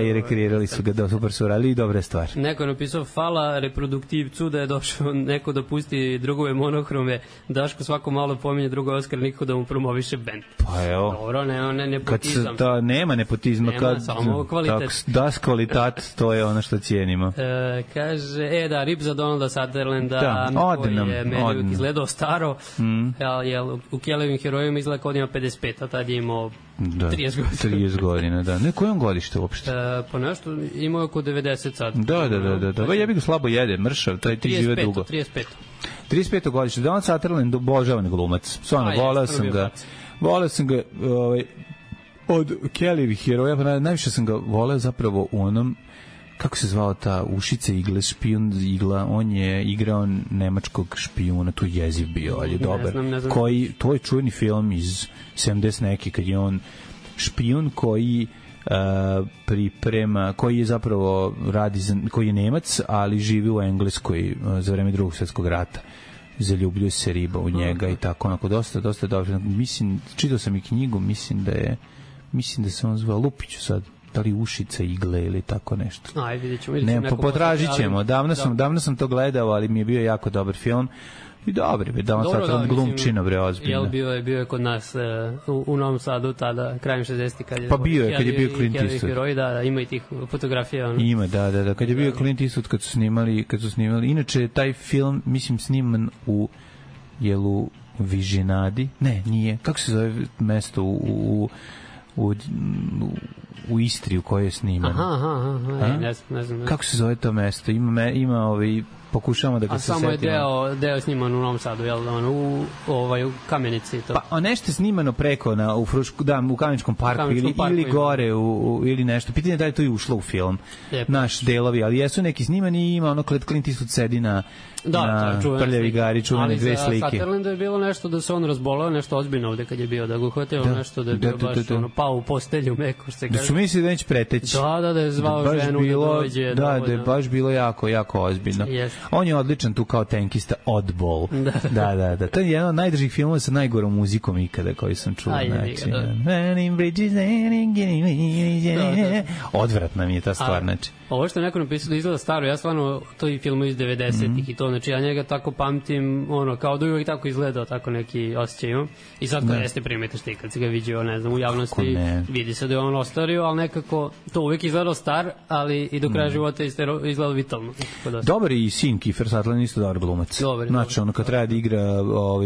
i rekreirali su ga, super su radili i dobre stvari. Neko je napisao hvala reproduktivcu da je došao neko da pusti drugove Monohrome, Daško svako malo pominje drugo Oskar, nikako da mu promoviše bend. Pa evo, dobro, ne nepotizam. Nema nepotizma, samo kvalitet. Das kvalitat, to je ono što cijenimo. Kaže, rip za Donalda Sutherlanda, koji je meni izgledao staro, u Kelevim herojima izgleda kao da ima 55, a tad je imao 30 godina, da. Ne, koje on godište uopšte? Pa nešto, imao je oko 90 sad. Da. Ja bih ga slabo jede, mršav, ti žive dugo. 35 godište. Donald Sutherland, obožavan glumac. Stvarno, voleo sam ga od Kellyvih heroja, pa najviše sam ga voleo zapravo u onom, kako se zvao ta Ušice igle, špijun igla, on je igrao nemačkog špijuna, tu jeziv bio, ali je dobar. To je čuveni film iz 70 neki, kad je on špijun koji priprema, koji je zapravo koji je Nemac, ali živi u Engleskoj za vreme Drugog svjetskog rata. Zaljubljuje se riba u njega i tako, onako, dosta dobro. Mislim, čitao sam i knjigu, mislim da se on zvao Lupiću sad, da li Ušica igle ili tako nešto. Aj, vidjet ćemo. Potražit ćemo. Davno sam to gledao, ali mi je bio jako dobar film. I dobri, da on sad glumčino, bre, ozbiljno. Bio je kod nas u Novom Sadu tada, krajem 60-ih, kad je... Pa bio je, kad je bio Clint Eastwood. Da, ima i tih fotografija. Ima, da, kad je bio Clint Eastwood, kad su snimali. Inače, taj film, mislim, sniman u Vižinadi. Ne, nije. Kako se zove mesto u Istri u kojoj je sniman? Ne znam. Kako se zove to mesto? Ima pokušavamo da ga se setimo. A samo je deo sniman u Novom Sadu, jel, u Kamenici to. Pa nešto je snimano preko u Kameničkom parku ili gore ili nešto. Pitanje je da je to i ušlo u film. Naš delovi, ali jesu neki snimani i ima ono Clint Eastwood sedi na Prljavi gari, čuvene dve slike. Ali za Sutherlanda je bilo nešto da se on razbolao, nešto ozbiljno ovde kad je bio, da ga uhvatio nešto da je bio baš pao u postelju meko, što se kaže. Da su mislili da neće preteći. Da je zvao ženu da dođe. Da je baš bilo jako ozbiljno. On je odličan tu kao tenkista, Oddball. Da. To je jedan od najdržih filmova sa najgorom muzikom ikada koji sam čuo. Odvratna mi je ta stvar, znači. Ovo što je neko napisao da izgleda staro, ja stvarno to i filmu iz 90-ih i to, znači ja njega tako pamtim, kao da uvijek tako izgledao, tako neki osjećaj imam. I sad kad jeste primetiš ti, kad si ga vidio, ne znam, u javnosti, vidi se da je on ostario, ali nekako to uvijek izgledao star, ali i do kraja života izgledao vitalno. Dobar i sin Kiefer Sutherland isto dobar glumac. Znači, ono kad treba da igra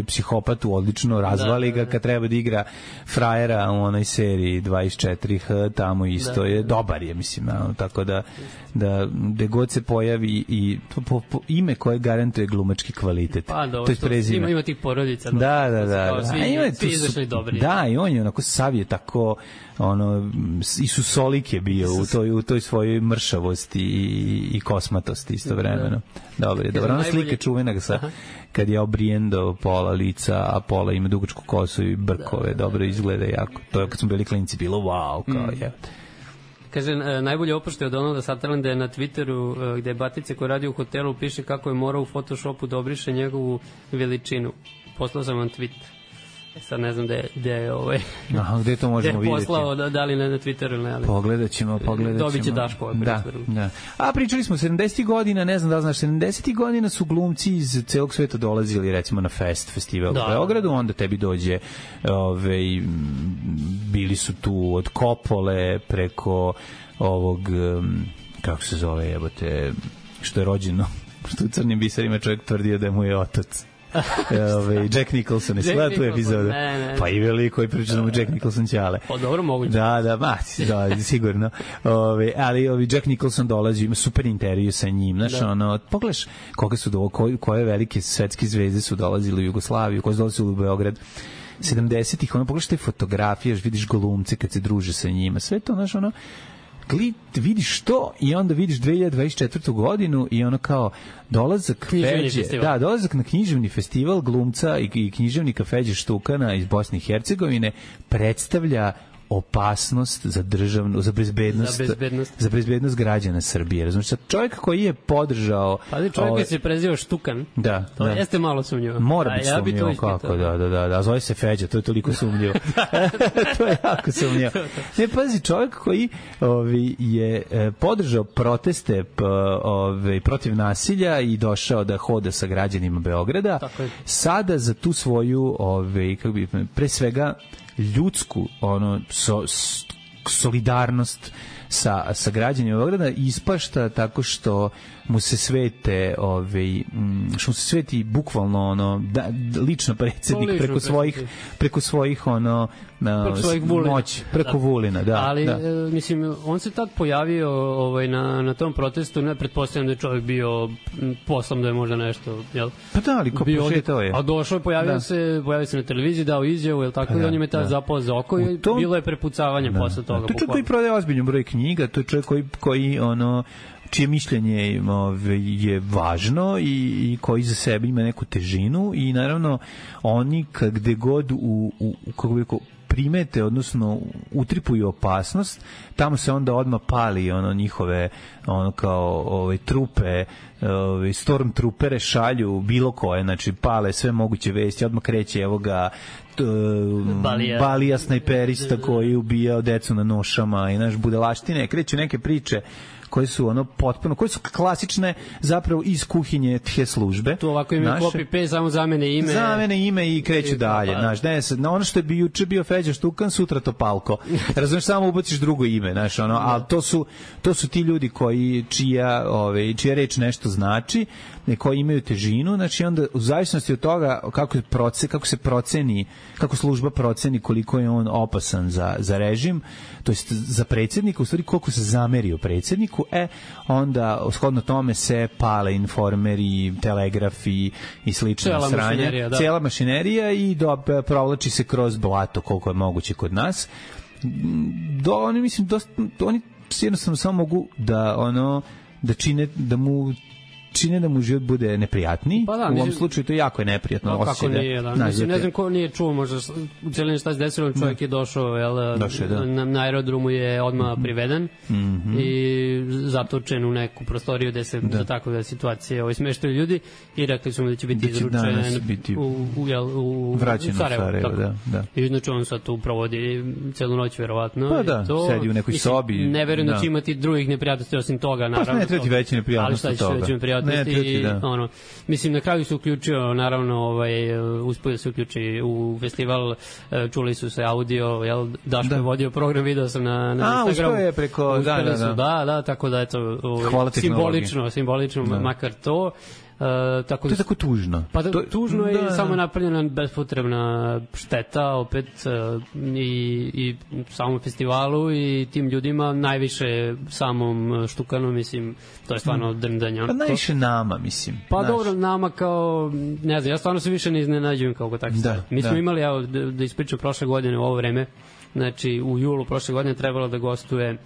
psihopatu, odlično razvali ga, kad treba da igra frajera u onoj seriji 24H, tamo isto je, dobar je, mislim, tako da da gde god se pojavi i po ime koje garantuje glumački kvalitet. Pa dobro, to je prezime. Ima tih porodica. Da. Svi izašli dobri. Da, i on je onako sav je tako Isusolik je bio u toj svojoj mršavosti i kosmatosti istovremeno. Dobro, ona slika čuvena kad je obrijen do pola lica, a pola ima dugačku kosu i brkove, dobro izgleda jako. To je kad smo bili klinci bilo wow, kao je. Kaže, najbolje oprošte od Donalda Sutherlanda je na Twitteru gde Batice koji radi u hotelu piše kako je morao u Photoshopu da obriše njegovu veličinu. Poslao sam vam tweet. Sad ne znam gde je Aha, gde to možemo vidjeti? Gde je poslao, da li na Twitteru ili ne. Ali. Pogledat ćemo. Dobit će Daško ovaj predstavu. Da. A pričali smo 70. godina, ne znam da li znaš, 70. godina su glumci iz celog sveta dolazili recimo na festival u Beogradu, onda tebi dođe bili su tu od Kopole preko ovog kako se zove jebote, što je rođeno što u Crnim biserima čovjek tvrdio da mu je otac. Jack Nicholson je sleda tu epizodu. Pa i veliko je priča da mu Jack Nicholson ćale. Pa dobro, moguće. Da, sigurno. Ali Jack Nicholson dolazi, ima super intervju sa njim. Znaš, pogledaš koga su koje velike svetske zvezde su dolazili u Jugoslaviju, koje su dolazili u Beograd 70-ih, pogledaš te fotografije, vidiš glumce kad se druže sa njima, sve to, znaš, vidiš to i onda vidiš 2024. godinu i kao dolazak na književni festival glumca i književnika Feđe Štukana iz Bosne i Hercegovine predstavlja opasnost za državnu, za bezbednost građana Srbije. Razumiješ, čovjek koji je podržao... Ali čovjek koji se prezivao Štukan, to jeste malo sumnjivo. Mora biti sumnjivo, kako, da. A zove se Feđa, to je toliko sumnjivo. To je jako sumnjivo. Ne, pazi, čovjek koji je podržao proteste protiv nasilja i došao da hoda sa građanima Beograda, sada za tu svoju, pre svega, ljudsku solidarnost sa građanima Beograda ispašta tako što mu se svete bukvalno lično predsjednik preko svojih moći, preko Vulina, da. Ali mislim, on se tad pojavio na tom protestu, ne pretpostavljam da je čovjek bio poslom da je možda nešto, jel? Pa da, ali ko prošetao je? A došao je, pojavio se na televiziji, dao izjavu, jel tako, i on je me tad zapao za oko i bilo je prepucavanje posle toga. To je čovjek koji prodaje ozbiljno broj knjiga, to je čovjek koji čije mišljenje je važno i koji za sebe ima neku težinu i naravno oni gde god primete, odnosno utripuju opasnost, tamo se onda odmah pali njihove trupe, stormtroopere šalju bilo koje, znači pale sve moguće vesti, odmah kreće Balija snajperista koji je ubijao decu na nošama i budalaštine, kreću neke priče koje su koje su klasične zapravo iz kuhinje tje službe. Tu ovako ime copy-paste, samo zamene ime i kreću dalje. Ono što je juče bio Feđa Štukan, sutra Topalko. Razumiješ, samo ubaciš drugo ime, ali to su ti ljudi čija reč nešto znači, koji imaju težinu, znači onda u zavisnosti od toga kako služba proceni koliko je on opasan za režim, to jest za predsjednika, u stvari koliko se zamerio predsjedniku, onda shodno tome se pale informeri, telegrafi i slične sranje, cijela mašinerija i provlači se kroz blato koliko je moguće kod nas. Oni jednostavno samo mogu da čine da mu život bude neprijatniji. U ovom slučaju to jako je neprijatno. Kako nije, da. Ne znam ko nije čuo, možda u celini šta se desilo, čovjek je došao, na aerodromu je odmah priveden i zatočen u neku prostoriju gde se za takve situacije smeštaju ljudi i rekli su mu da će biti izručen u Sarajevo. I znači on sad tu provodi celu noć verovatno. Pa da, sedi u nekoj sobi. Ne verujem da će imati drugih neprijatnosti osim toga, naravno. Pa ne treba ti veće neprijatnosti od toga. Mislim, na kraju se uključio, naravno, uspio da se uključi u festival, čuli su se audio, Daško je vodio program, video sam na Instagramu. Uspio je preko, da, tako da, eto, simbolično, makar to. To je tako tužno. Pa tužno je i samo napravljena bespotrebna šteta opet i samom festivalu i tim ljudima, najviše samom Štukanu, mislim, to je stvarno drndanje. Pa najviše nama, mislim. Pa dobro, nama kao, ne znam, ja stvarno se više ne iznenađujem kao takvi stvari. Mi smo imali, evo, da ispričam, prošle godine u ovo vreme, znači u julu prošle godine trebalo da gostuje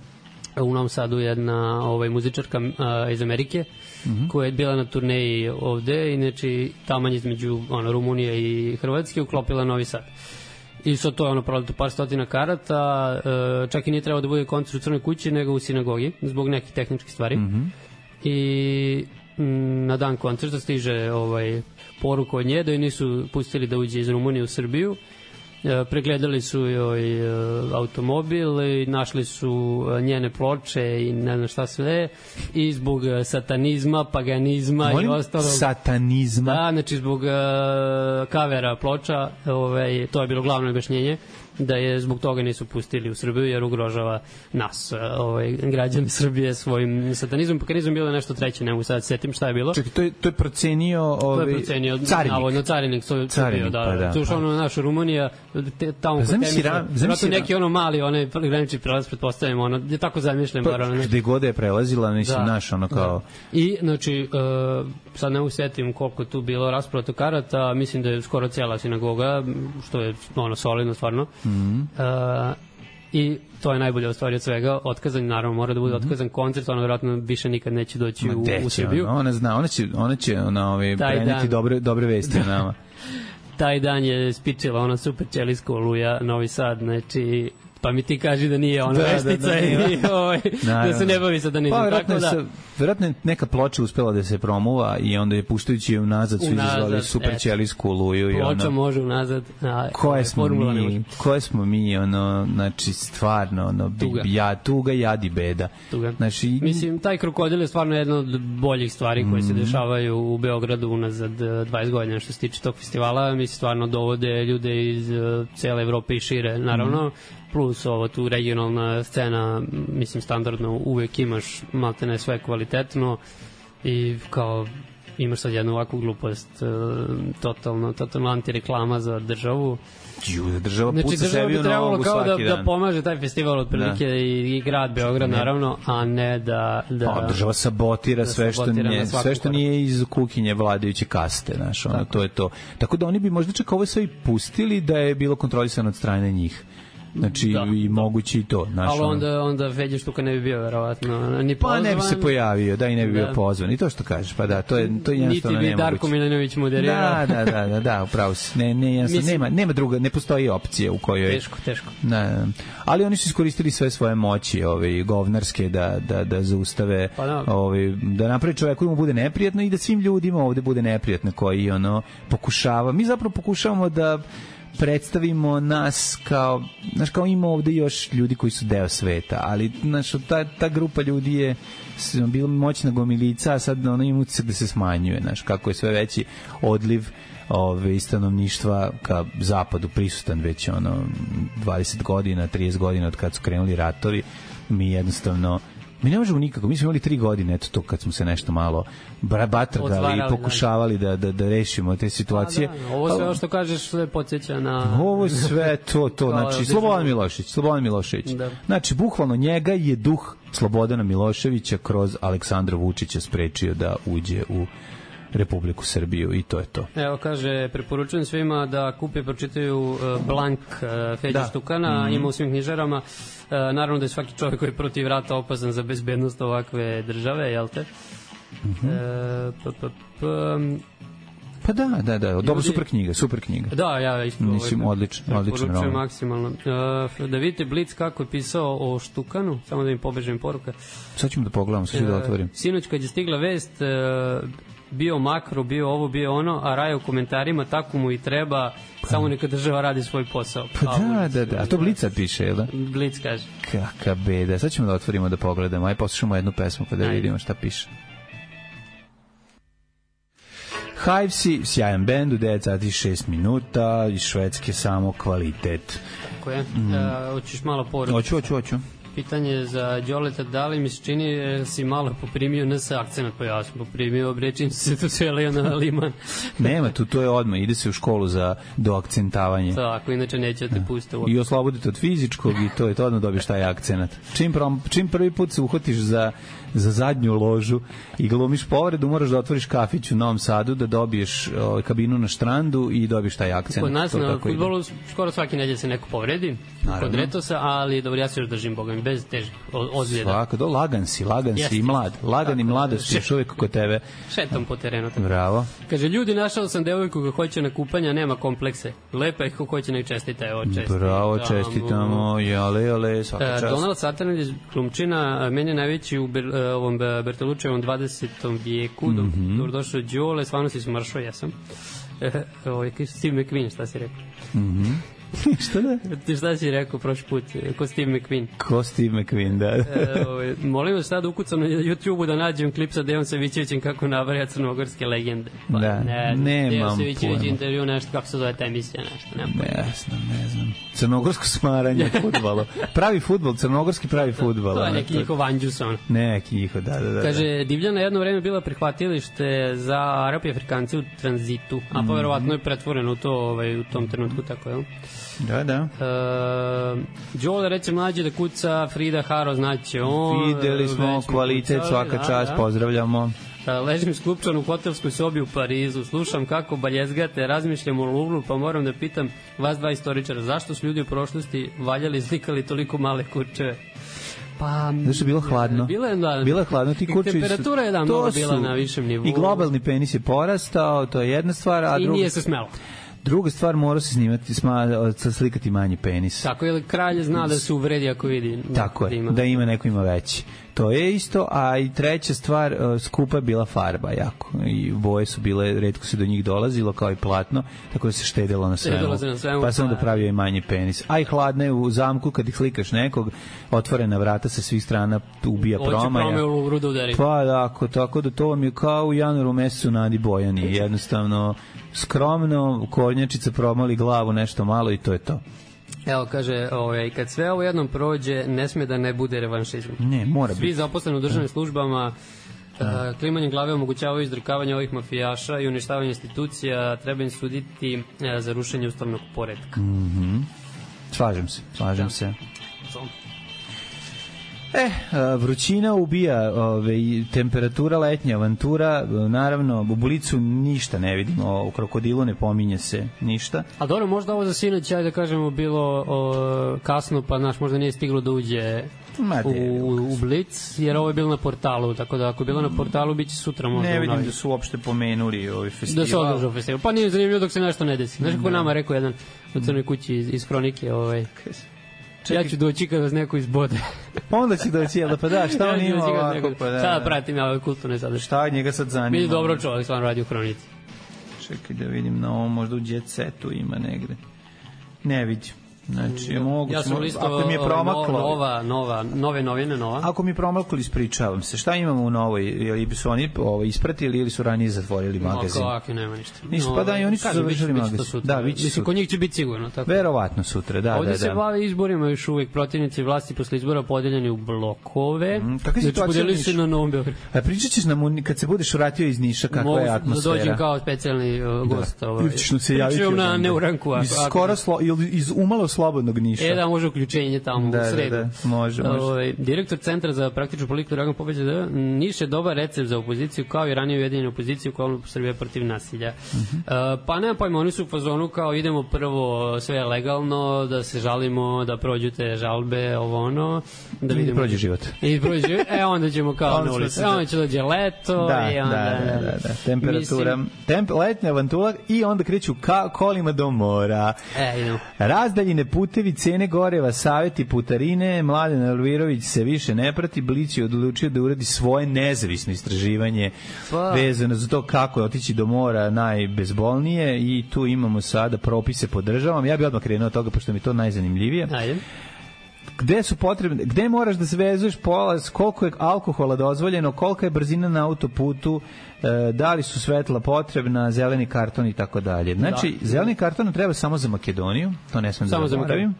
u Novom Sadu jedna muzičarka iz Amerike, koja je bila na turneji ovde, inače taman između Rumunije i Hrvatske, uklopila Novi Sad. I sad to je prodato par stotina karata, čak i nije trebalo da bude koncert u Crnoj kući, nego u sinagogi, zbog nekih tehničkih stvari. I na dan koncerta stiže poruka od nje da joj nisu pustili da uđe iz Rumunije u Srbiju. Pregledali su joj automobil i našli su njene ploče i ne znam šta sve, i zbog satanizma, paganizma i ostalo. Satanizma? Da, znači zbog kavera ploča, to je bilo glavno objašnjenje, da je zbog toga nisu pustili u Srbiju jer ugrožava nas, građani Srbije, svojim satanizmom. Paganizmom bilo nešto treće, ne mogu sad setim šta je bilo. Čekaj, to je procenio carinik. Navodno carinik, carinik, da. To je naša Rumunija, tamo kod Temiša, vratno neki mali, granični prelaz, pretpostavljamo, je tako zamišljen. Gde god je prelazila, mislim, naš, kao... I, znači, sad ne usetim koliko tu bilo raspravo karata, mislim da je skoro cijela sinagoga, što je solidno, stvarno. I to je najbolje stvari od svega. Otkazan, naravno, mora da bude otkazan koncert, ona vjerojatno više nikad neće doći u Srbiju. Ona zna, ona će preneti dobre vesti o nama. Taj dan je spičila super ćelijska Oluja, Novi Sad, znači, pa mi ti kaži da nije ona vestica da se ne bavi satanizmom. Pa vjerojatno je neka ploča uspela da se promuva i onda je puštajući je unazad su izazvali super ćelijsku Oluju. Ploča može unazad. Koje smo mi, znači stvarno, tuga, jad i beda. Mislim, taj krokodil je stvarno jedna od boljih stvari koje se dešavaju u Beogradu unazad 20 godina što se tiče tog festivala. Mi stvarno dovode ljude iz cele Evrope i šire, naravno. Plus tu regionalna scena, mislim, standardno uvek imaš maltene sve kvalitetno i kao imaš sad jednu ovakvu glupost, totalno antireklama za državu. Država puca sebi u nogu svaki dan. Da pomaže taj festival otprilike i grad Beograd, naravno, a ne da država sabotira sve što nije iz kuhinje vladajuće kaste, znaš, to je to. Tako da oni bi možda čak ovo sve i pustili da je bilo kontrolisano od strane njih. Znači, i moguće i to. Ali onda Feđa Štuka ne bi bio, verovatno, ni pozvan. Pa ne bi se pojavio, i ne bi bio pozvan. I to što kažeš, pa da, to je jednostavno nemoguće. Niti bi Darko Milanović moderirao. Da, upravo si. Nema druga, ne postoji opcija u kojoj... Teško. Ali oni su iskoristili sve svoje moći, govnarske, da zaustave, da napravi čovjeku da mu bude neprijatno i da svim ljudima ovde bude neprijatno koji pokušava. Mi zapravo pokušavamo da predstavimo nas kao, znaš, kao ima ovde još ljudi koji su deo sveta, ali znaš, ta grupa ljudi je bila moćna gomilica, a sad ona ima utisak da se smanjuje, znaš, kako je sve veći odliv stanovništva ka zapadu prisutan već 20 godina, 30 godina od kad su krenuli ratovi. Mi jednostavno ne možemo nikako, mi smo imali 3 godine, eto to kad smo se nešto malo batrgali i pokušavali da rešimo te situacije. Ovo sve što kažeš sve podsjeća na... Ovo sve to, znači Slobodan Milošević. Znači, bukvalno njega je duh Slobodana Miloševića kroz Aleksandra Vučića sprečio da uđe u Republiku Srbiju i to je to. Evo, kaže, preporučujem svima da kupe, pročitaju Blank Feđa Štukana, ima u svim knjižarama. Naravno da je svaki čovjek koji je protiv rata opasan za bezbednost ovakve države, jel te? Pa da, dobro, super knjiga. Da, ja isto odličan roman. Maksimalno. Da vidite Blic kako je pisao o Štukanu, samo da im pobežem poruka. Sad ćemo da pogledamo, sad ću da otvorim. Sinoć kad je stigla vest, bio makro, bio ovo, bio ono, a Raja u komentarima, tako mu i treba, samo neka država radi svoj posao. Pa da, a to Blic sad piše, jel da? Blic kaže. Kaka beda, sad ćemo da otvorimo, da pogledamo, aj poslušamo jednu pesmu pa da vidimo šta piše. Hivesi, sjajan bend u 9 sati 6 minuta, iz Švedske samo kvalitet. Tako je. Hoćeš malo poruku? Hoću. pitanje za Đoleta, da li mi se čini si malo poprimio NS akcenat, pa ja sam poprimio, čim se tu selio na liman. Nema, to je odmah, ide se u školu za doakcentavanje. Tako, inače neće te pustiti. I oslobodite od fizičkog i to je to, odmah dobiješ taj akcenat. Čim prvi put se uhvatiš za zadnju ložu i glumiš povredu, moraš da otvoriš kafić u Novom Sadu, da dobiješ kabinu na štrandu i dobiješ taj akcent. Kod nas na fudbalu skoro svaki nedelje se neko povredi, kod Retosa, ali dobro, ja se još držim, Boga mi, bez težih ozljeda. Svako, lagan si i mlad. Lagan i mladost još uvijek kod tebe. Šetam po terenu. Bravo. Kaže, ljudi, našao sam devojku koja hoće na kupanja, nema komplekse. Lepa je ko hoće nek čestita, evo čestitamo. Bravo, čestitamo, jale, svaka čast. Donald Satan iz Krumčina, meni je najveći u ovom Bertolučevom 20. vijeku, dok došao Đole, stvarno si smršao, jesam. Steve McQueen, šta si rekao? Šta da? Šta si rekao prošli put? Ko Steve McQueen? Ko Steve McQueen, da. Molim vas sad ukucam na YouTube-u da nađem klip sa Dejon Savićevićem kako nabraja crnogorske legende. Pa, da, nemam Dejon Savićević intervju, nešto, kako se zove ta emisija, nešto. Ne znam. Crnogorsko smaranje fudbalo. Pravi fudbal, crnogorski pravi fudbal. To je neki njihov Anđus, ono. Neki njihov, da. Kaže, Divljana jedno vreme bila prihvatilište za Arapi i Afrikanci u tranzitu, a pa verovatno je pretvoreno u to u tom trenutku, tako je. Da. Đole reče mlađe da kuca Frida Haro, znači on. Videli smo kvalitet, svaka čast, pozdravljamo. Ležim sklupčan u hotelskoj sobi u Parizu, slušam kako baljezgate, razmišljam o Luvru, pa moram da pitam vas dva istoričara, zašto su ljudi u prošlosti valjali i slikali toliko male kurčeve? Pa, zašto je bilo hladno? Bilo je hladno, ti kurčevi su... Temperatura je malo bila na višem nivou. I globalni penis je porastao, to je jedna stvar, a i nije se smelo. Druga stvar, mora se snimati, slikati manji penis. Tako je, kralj zna da se uvredi ako vidi. Tako je, da ima neko ima veći. To je isto, a i treća stvar, skupa je bila farba jako. I boje su bile, retko se do njih dolazilo, kao i platno, tako da se štedilo na svemu. Pa sam da pravio i manji penis. A i hladno je u zamku, kad ih slikaš nekog, otvorena vrata sa svih strana, ubija promaja. Hoće prome u rudu udari. Pa tako da to vam je kao u januaru mesecu Nadi Bojani. Jednostavno, skromno, kornjačica promali glavu nešto malo i to je to. Evo, kaže, kad sve ovo jednom prođe, ne sme da ne bude revanšizam. Ne, mora biti. Svi zaposleni u državnim službama klimanjem glave omogućavaju izdrkavanje ovih mafijaša i uništavanje institucija, treba im suditi za rušenje ustavnog poretka. Slažem se. Vrućina ubija, temperatura, letnja avantura, naravno, u Blicu ništa ne vidimo, u Krokodilu ne pominje se ništa. A dobro, možda ovo za sinoć, da kažemo, bilo kasno, pa možda nije stiglo da uđe u Blic, jer ovo je bilo na portalu, tako da ako je bilo na portalu, bit će sutra možda. Ne vidim da su uopšte pomenuli ovaj festival. Da se održao festival, pa nije zanimljivo dok se nešto ne desi. Znaš kako nama rekao jedan u Crnoj kući iz Hronike, ja ću doći kad vas neko izbode. Onda će doći, pa da, šta on ima ovako? Sada pratim ja ove kulturne sadržaje. Šta njega sad zanima? Bili dobro čovjek, stvarno radi u Hronici. Čekaj da vidim na ovom, možda u Jet Setu ima negde. Ne vidim. Znači, mogu, ja sam listo nove novine. Ako mi je promaklo, ispričavam se. Šta imamo u novoj? Ili su oni ispratili ili su ranije zatvorili magazin? Kako, nema ništa. Nisu, pa da, i oni su završili magazin. Da, mislim, kod njih će biti sigurno. Tako. Verovatno sutra, da. Ovdje se bave izborima još uvijek, protivnici vlasti posle izbora podeljeni u blokove. Kakva je situacija u Nišu? Na Novom Beogradu. A pričat ćeš nam, kad se budeš vratio iz Niša, kakva je atmosfera? Da dođem kao specijalni gost. Pričam na Neuranku. Iz umalo slobodnog Niša. Da, može uključenje tamo u sredu. Da, može. Direktor Centra za praktičnu politiku Dragan Popović da Niš je dobar recept za opoziciju, kao i ranije ujedinjenu opoziciju koja je Srbija protiv nasilja. Pa nema pojma, oni su u fazonu kao idemo prvo sve legalno, da se žalimo, da prođu te žalbe, ovo ono. Da vidimo. I prođe život. Onda ćemo kao na ulici. Onda će dođe leto. Da. Temperatura, letnja avantura i onda kreću kolima do mora. Razdaljine putevi, cene goreva, saveti putarine, Mladen Elvirović se više ne prati, Blić je odlučio da uradi svoje nezavisno istraživanje vezano za to kako je otići do mora najbezbolnije i tu imamo sada propise po državama. Ja bih odmah krenuo od toga, pošto mi je to najzanimljivije. Ajde. Gde su potrebne, gde moraš da se vezuješ polaz, koliko je alkohola dozvoljeno, kolika je brzina na autoputu, da li su svetla potrebna, zeleni karton i tako dalje. Znači, zeleni karton treba samo za Makedoniju, to ne smem da zaboravim.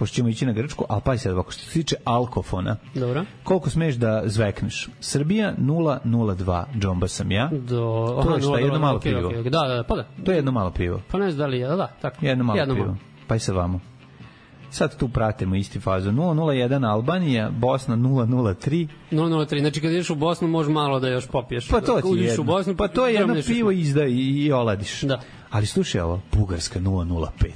pošto ćemo ići na Grčku, ali pa sad ovako, što se tiče alkofona, dobro. Koliko smeš da zvekneš? Srbija 002, džomba sam ja. To je šta, jedno malo pivo. Da, pa da. To je jedno malo pivo. Pa ne znam da li je, da, tako. Jedno malo pivo. Pa i sa vamo. Sad tu pratimo isti fazu. 001 Albanija, Bosna 003. 003, znači kad ideš u Bosnu možeš malo da još popiješ. Pa to ti je jedno. Bosnu, pa to je jedno pivo izda i oladiš. Da. Ali slušaj ovo, Bugarska 005.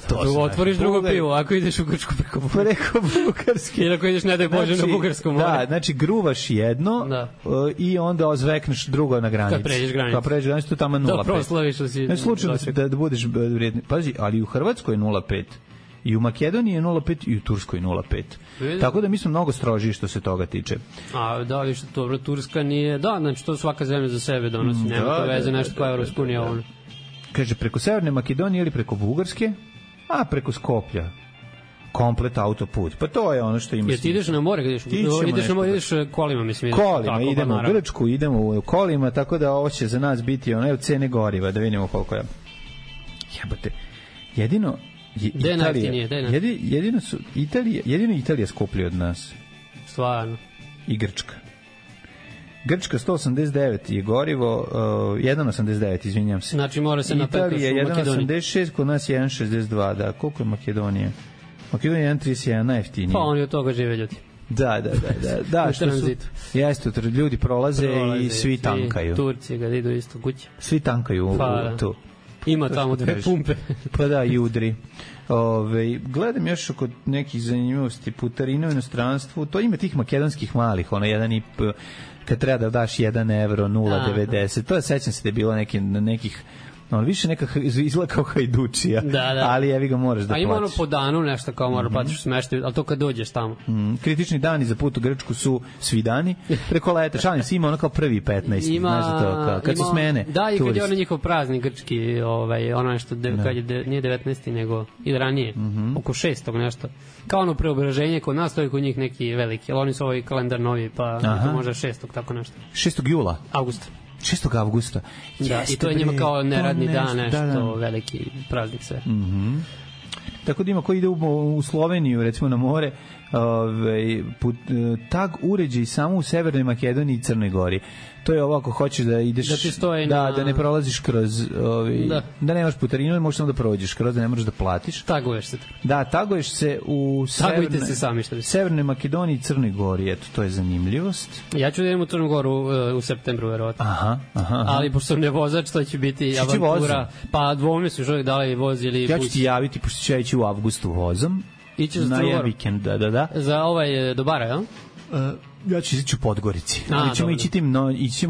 To otvoriš drugo pivo, ako ideš u Grčku preko Bugarske. Ili ako ideš, ne daj Bože, na Bugarsko more. Da, znači gruvaš jedno i onda ozvekneš drugo na granici. Kad pređeš granicu. Kad pređeš granicu, tu tamo 0,5. Da proslaviš da si... Ne slučajno da budeš vrijedni. Pazi, ali u Hrvatskoj je 0,5. I u Makedoniji je 0,5 i u Turskoj 0,5. Tako da mi smo mnogo strožiji što se toga tiče. A da li što dobro, Turska nije... Da, znači to svaka zemlja za sebe donosi. Nema to veze nešto kao Evropska unija ono. Kaže, preko Severne Makedonije ili preko Bugarske, a preko Skoplja. Komplet autoput. Pa to je ono što ima. Jer ti ideš na more, ideš na more, ideš kolima, mislim. Kolima, idemo u Grčku, idemo u kolima, tako da ovo će za nas biti ono, cene goriva, da vidimo koliko je. Jebote, jedino jedino Italija skuplja od nas. Stvarno. I Grčka. Grčka 189 je gorivo, 1,89, izvinjam se. Znači mora se napetkaš u Makedoniji. Italija 1,86, kod nas je 1,62, da. Koliko je Makedonija? Makedonija je 1,31, najjeftinije. Pa oni od toga žive ljudi. Da. Da, što su, jeste, ljudi prolaze i svi tankaju. Turci ga idu isto kući. Svi tankaju tu. Ima tamo dve pumpe. Pa da, i udri. Gledam još oko nekih zanimljivosti, putarina u inostranstvu, to ima tih makedonskih malih, ono jedan i kad treba da daš 1 evro, 0,90, to je, sećam se da je bilo nekih više neka izgleda kao hajdučija, ali evi ga moraš da platiš. A ima ono po danu nešto kao moraš platiš smeštaj, ali to kad dođeš tamo. Kritični dani za put u Grčku su svi dani, preko leta, šalim se, ima ono kao prvi 15, znaš za to, kad su smene. Da, i kad je ono njihov praznik grčki, ono nešto, kad je, nije 19. nego i ranije, oko 6. nešto. Kao ono preobraženje, kod nas to je kod njih neki veliki, ali oni su ovaj kalendar novi, pa to možda 6. tako nešto. 6. jula? Augusta. 6. avgusta. Da, i to je njima kao neradni dan, nešto veliki praznik sve. Tako da ima ko ide u Sloveniju, recimo na more, tag uređaj samo u Severnoj Makedoniji i Crnoj Gori. To je ovo ako hoćeš da ideš, da ne prolaziš kroz, da nemaš putarinu, možeš samo da prođeš kroz, da ne moraš da platiš. Taguješ se. Da, taguješ se u Severnoj Makedoniji i Crnoj Gori, eto, to je zanimljivost. Ja ću da idem u Crnu Goru u septembru, verovatno. Aha. Ali pošto sam ne vozač, to će biti avantura. Pa dvome su čovjek da li voz ili bus. Ja ću ti javiti, pošto ću ja ići u avgustu vozom. Ićeš na jedan vikend, da. Za do bara, jel? Ja ću ići u Podgorici. Ali ćemo ići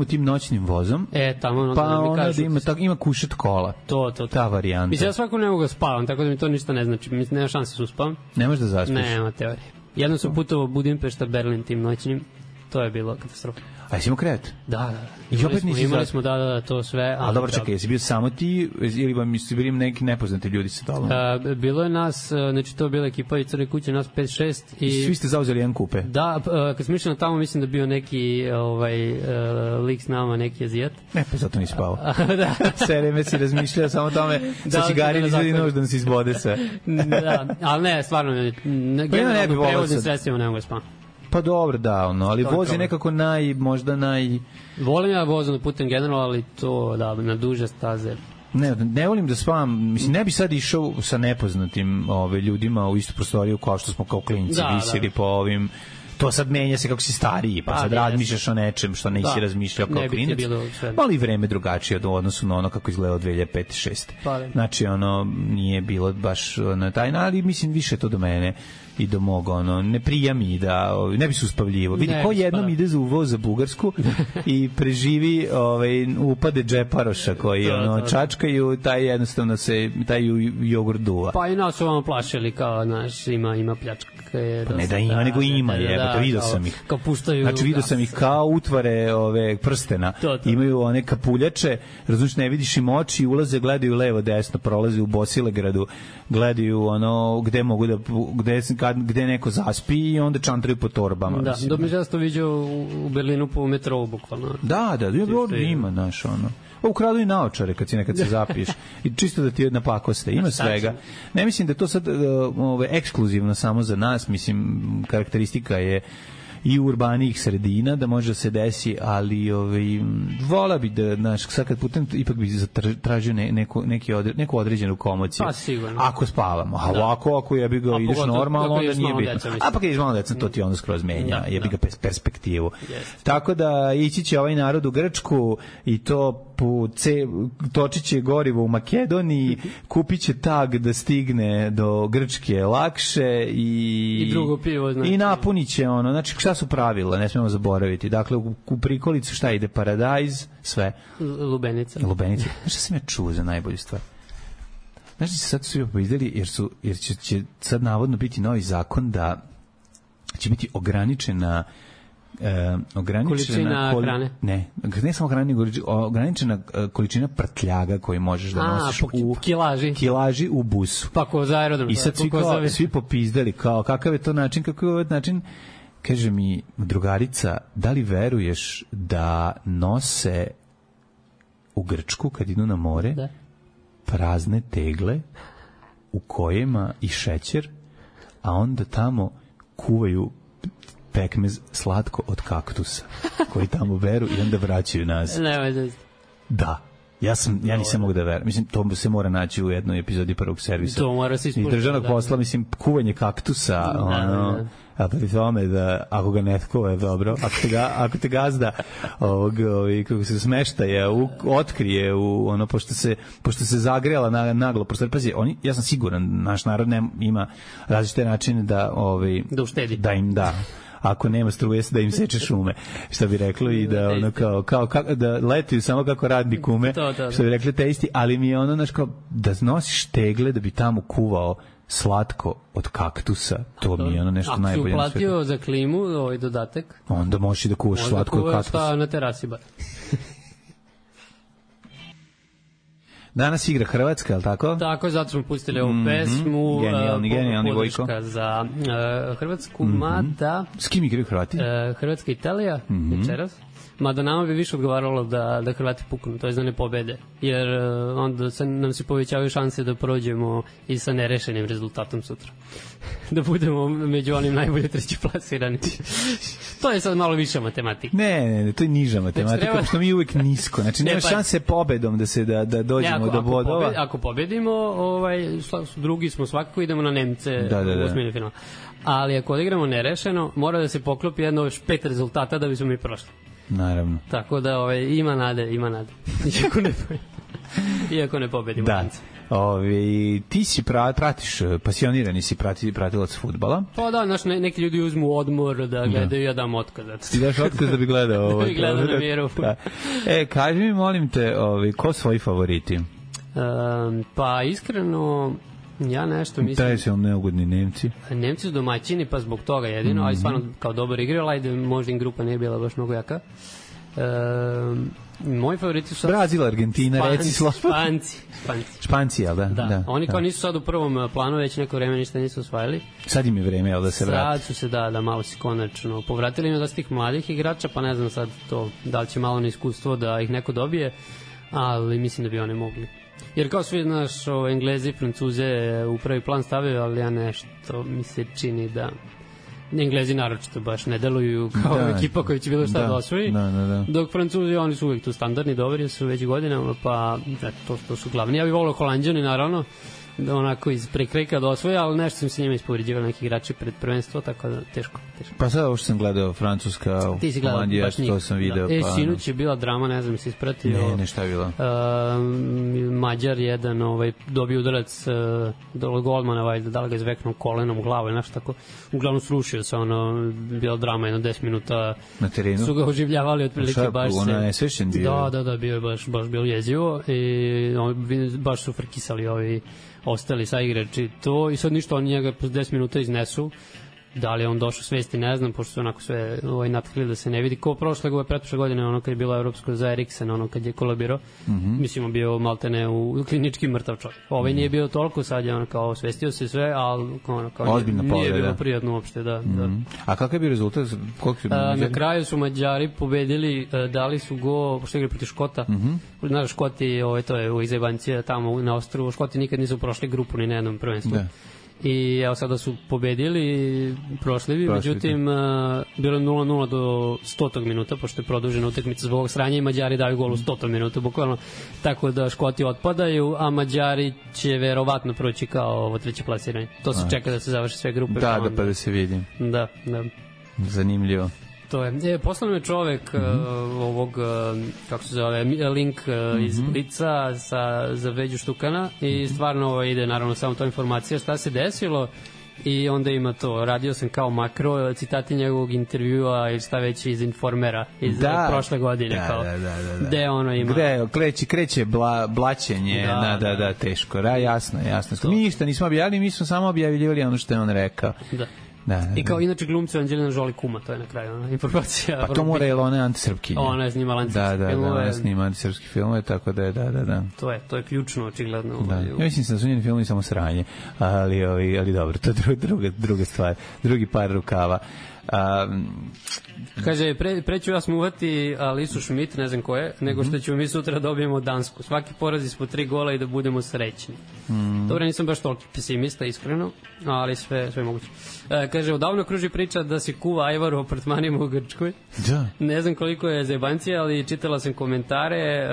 tim noćnim vozom. Tamo pa onda ima kušet kola. Ta varijanta. Mislim, ja svako ne mogu da spavam, tako da mi to ništa ne znači. Mislim, nema šanse da uspavam. Nemaš da zaspiš? Nema teorije. Jedno sam putovao Budimpešta, Berlin tim noćnim. To je bilo katastrofa. A jesi imao krevet? Da. Imali smo, to sve. Ali dobro, čekaj, jesi bio samo ti ili vam su bili neki nepoznati ljudi sa tobom? Bilo je nas, znači to je bila ekipa i Crne kuće, nas 5-6. I svi ste zauzeli jedan kupe? Da, kad smo išli na tamo, mislim da bio neki lik s nama, neki Azijat. Ne, pa zato nisi spao. Da. Sve vreme si razmišljao samo tome sa cigarin izvedi nož da nas izbode sve. Da, ali ne, stvarno, generalno prevoznim sredstvima ne mogu da spavam. Pa dobro, da, ali voz je nekako možda Volim ja vozom da putem generalno, ali to, na duže staze. Ne volim da spavam, mislim, ne bi sad išao sa nepoznatim ljudima u istu prostoriju kao što smo kao klinci visili po ovim... To sad menja se kako si stariji, pa sad razmišljaš o nečem što nisi razmišljao kao klinac. Ali vreme drugačije u odnosu na ono kako izgleda od 2005-2006. Znači, nije bilo baš na taj, ali mislim više to do mene i do mog, ne prija mi da, ne bi se uspavljivo. Vidi, ko jednom ide za uvoz za Bugarsku i preživi upade džeparoša koji čačkaju, taj jednostavno se, taj jogurt duva. Pa i nas su vam plašili kao, znaš, ima pljačka. Pa ne da ima, nego ima, vidio sam ih. Kao puštaju. Znači vidio sam ih kao utvare ove prstena. To. Imaju one kapuljače, razumiješ, ne vidiš im oči, ulaze, gledaju levo, desno, prolaze u Bosilegradu, gledaju ono gde mogu da gde neko zaspi i onda čantraju po torbama. Da, dok mi ja to vidio u Berlinu po metrou bukvalno. Da, ima naš ono. Ukradu i naočare kad se zapiješ. I čisto da ti napakoste. Ima svega. Ne mislim da to sad ekskluzivno samo za nas. Mislim, karakteristika je i urbanijih sredina da može da se desi, ali vola bi da, znaš, sad kad putem ipak bi tražio neku određenu komociju. Pa sigurno. Ako spavamo. A ovako, ako jebi ga ideš normalno, onda nije bitno. A pa kad ideš malo deca, to ti onda skroz menja. Jebi ga perspektivu. Tako da ići će ovaj narod u Grčku i to točit će gorivo u Makedoniji, kupit će tag da stigne do Grčke lakše i drugo pivo, znači. I napunit će ono, znači šta su pravila, ne smemo zaboraviti. Dakle, u prikolicu šta ide? Paradajz, sve. Lubenica. Šta sam ja čuo za najbolju stvar? Znači, sad su svi poizdeli jer će sad navodno biti novi zakon da će biti ograničena količina hrane. Ne samo hrane, nego ograničena količina prtljaga koju možeš da nosiš u kilaži u busu. Pa ko za aerodrom. I sad svi popizdali kao kakav je to način, kako je ovaj način. Kaže mi drugarica, da li veruješ da nose u Grčku kad idu na more prazne tegle u kojima i šećer, a onda tamo kuvaju pekmez slatko od kaktusa koji tamo beru i onda vraćaju nazad. Da. Ja nisam mogu da verujem. Mislim, to se mora naći u jednoj epizodi Prvog servisa. To mora se ispuniti. I državnog posla, mislim, kuvanje kaktusa, a pri tome da, ako ga netko je dobro, ako te gazda kako se smeštaje, otkrije pošto se zagrela naglo, pazi, ja sam siguran, naš narod ima različite načine da uštedi. Da im da. Ako nema struje, da im seče šume, što bi reklo, i da ono kao da letuju samo kako radni kume, što bi rekli te isti, ali mi je ono, znaš, kao da nosiš tegle da bi tamo kuvao slatko od kaktusa, to mi je ono nešto najbolje. Ako si uplatio za klimu ovaj dodatak, onda možeš i da kuvaš slatko od kaktusa. Onda kuvaš na terasi bar. Danas igra Hrvatska, je li tako? Tako, zato smo pustili ovu pesmu. Genijalni Vojko. Podrška za Hrvatsku, mada... S kim igraju Hrvati? Hrvatska i Italija, večeras. Mada nama bi više odgovaralo da Hrvati puknu, to je da ne pobede. Jer onda nam se povećavaju šanse da prođemo i sa nerešenim rezultatom sutra. Da budemo među onim najbolje treći plasirani. To je sad malo viša matematika. Ne, to je niža matematika, pošto mi uvek nisko. Znači, nema šanse pobedom da dođemo do bodova. Ako pobedimo, drugi smo svakako, idemo na Nemce u osmini finala. Ali ako odigramo nerešeno, mora da se poklopi jedno 5 rezultata da bismo mi prošli. Naravno. Tako da ima nade. Iako ne pobedimo. Da. Ti si pasionirani si pratilac fudbala. Pa da, znaš, neki ljudi uzmu odmor da gledaju, ja dam otkaz. Ti daš otkaz da bi gledao ovo? Gledao na mjeru. Kaži mi, molim te, ko svoji favoriti? Pa iskreno, ja nešto mislim... Taj su neugodni Nemci. Nemci su domaćini, pa zbog toga jedino, ali stvarno kao dobar igrao, ajde, možda im grupa nije bila baš mnogo jaka. Moji favoriti su... Brazil, Argentina, reci slobodno. Španci, jel da? Da. Oni kao nisu sad u prvom planu, već neko vreme ništa nisu osvajali. Sad im je vreme, jel da se vrati? Sad su se, da malo si konačno povratili. Ima dosta tih mladih igrača, pa ne znam sad to, da li će malo na iskustvo da ih neko dobije, ali mislim da bi oni mogli. Jer kao svi, znaš, Englezi i Francuze u prvi plan stavio, ali ja nešto mi se čini da Englezi naročito baš ne deluju kao ekipa koja će bilo šta da osvoji. Dok Francuzi, oni su uvijek tu standardni, dobri su već godinama, pa to su glavni. Ja bih volio Holanđani, naravno, da onako iz prekreka da osvoje, ali nešto sam se njima ispovređivali neki igrači pred prvenstvo, tako da teško. Pa sad ovo što sam gledao, Francuska, Holandija, to sam video. Sinoć je bila drama, ne znam, se ispratio. Ne, šta je bila? Mađar jedan dobio udarac do golmana, da li ga izveknuo kolenom u glavu ili nešto tako. Uglavnom srušio se, bila drama, jedno 10 minuta. Na terenu? Su ga oživljavali otprilike baš se. Ona je svešen bio? Da, bio je baš bilo jezivo i baš su frkisali ovi ostali sa igrači to i sad ništa, oni njega po 10 minuta iznesu Da li je on došao svesti, ne znam, pošto su onako sve natkili da se ne vidi. Ko pretprošle godine, ono kad je bilo evropsko za Eriksen, ono kad je kolabirao, mislimo bio maltene u klinički mrtav čovjek. Nije bio toliko, sad je ono kao svestio se sve, ali ono kao nije bilo prijatno uopšte, da. A kakav je bio rezultat? Na kraju su Mađari pobedili, dali su go, pošto igrali protiv Škota. Znaš, Škoti, to je u Izajbancija tamo na ostrvu, Škoti nikad nisu prošli grupu ni na jednom prvenstvu. I evo sada su pobedili prošlivi, međutim bilo je 0-0 do 100. minuta, pošto je produžena utakmica zbog ovog sranja i Mađari daju gol u 100. minuta, bukvalno, tako da Škoti otpadaju, a Mađari će verovatno proći kao ovo treće plasiranje. To se čeka da se završi sve grupe. Da, pa da se vidi. Da. Zanimljivo. To je. Poslao je čovek ovog, kako se zove, link iz Blica za Veđu Štukana i stvarno ide naravno samo to informacija šta se desilo i onda ima to, radio sam kao makro, citati njegovog intervjua ili šta već iz Informera iz prošle godine. Gde ono ima? Gde kreće blaćenje, teško, jasno. Mi ništa nismo objavili, mi smo samo objavljivali ono što je on rekao. Da. I kao inače glumci Anđelina Jolie kuma, to je na kraju informacija. Pa to mora je ona antisrpkinja. Ona je snimala antisrpske filmove. Da, ona snima antisrpske filmove, tako da je, da. To je ključno, očigledno. Ja mislim da su njeni filmovi samo sranje, ali dobro, to je druga stvar, drugi par rukava. Kaže, preću ja smuvati Alisu Schmidt, ne znam ko je, nego što ćemo mi sutra dobijemo Dansku. Svaki poraz ispod 3 gola i da budemo srećni. Dobro, nisam baš toliko pesimista, iskreno, ali sve moguće. Kaže, odavno kruži priča da se kuva ajvar u apartmanima u Grčkoj. Da. Ne znam koliko je zajebancija, ali čitala sam komentare,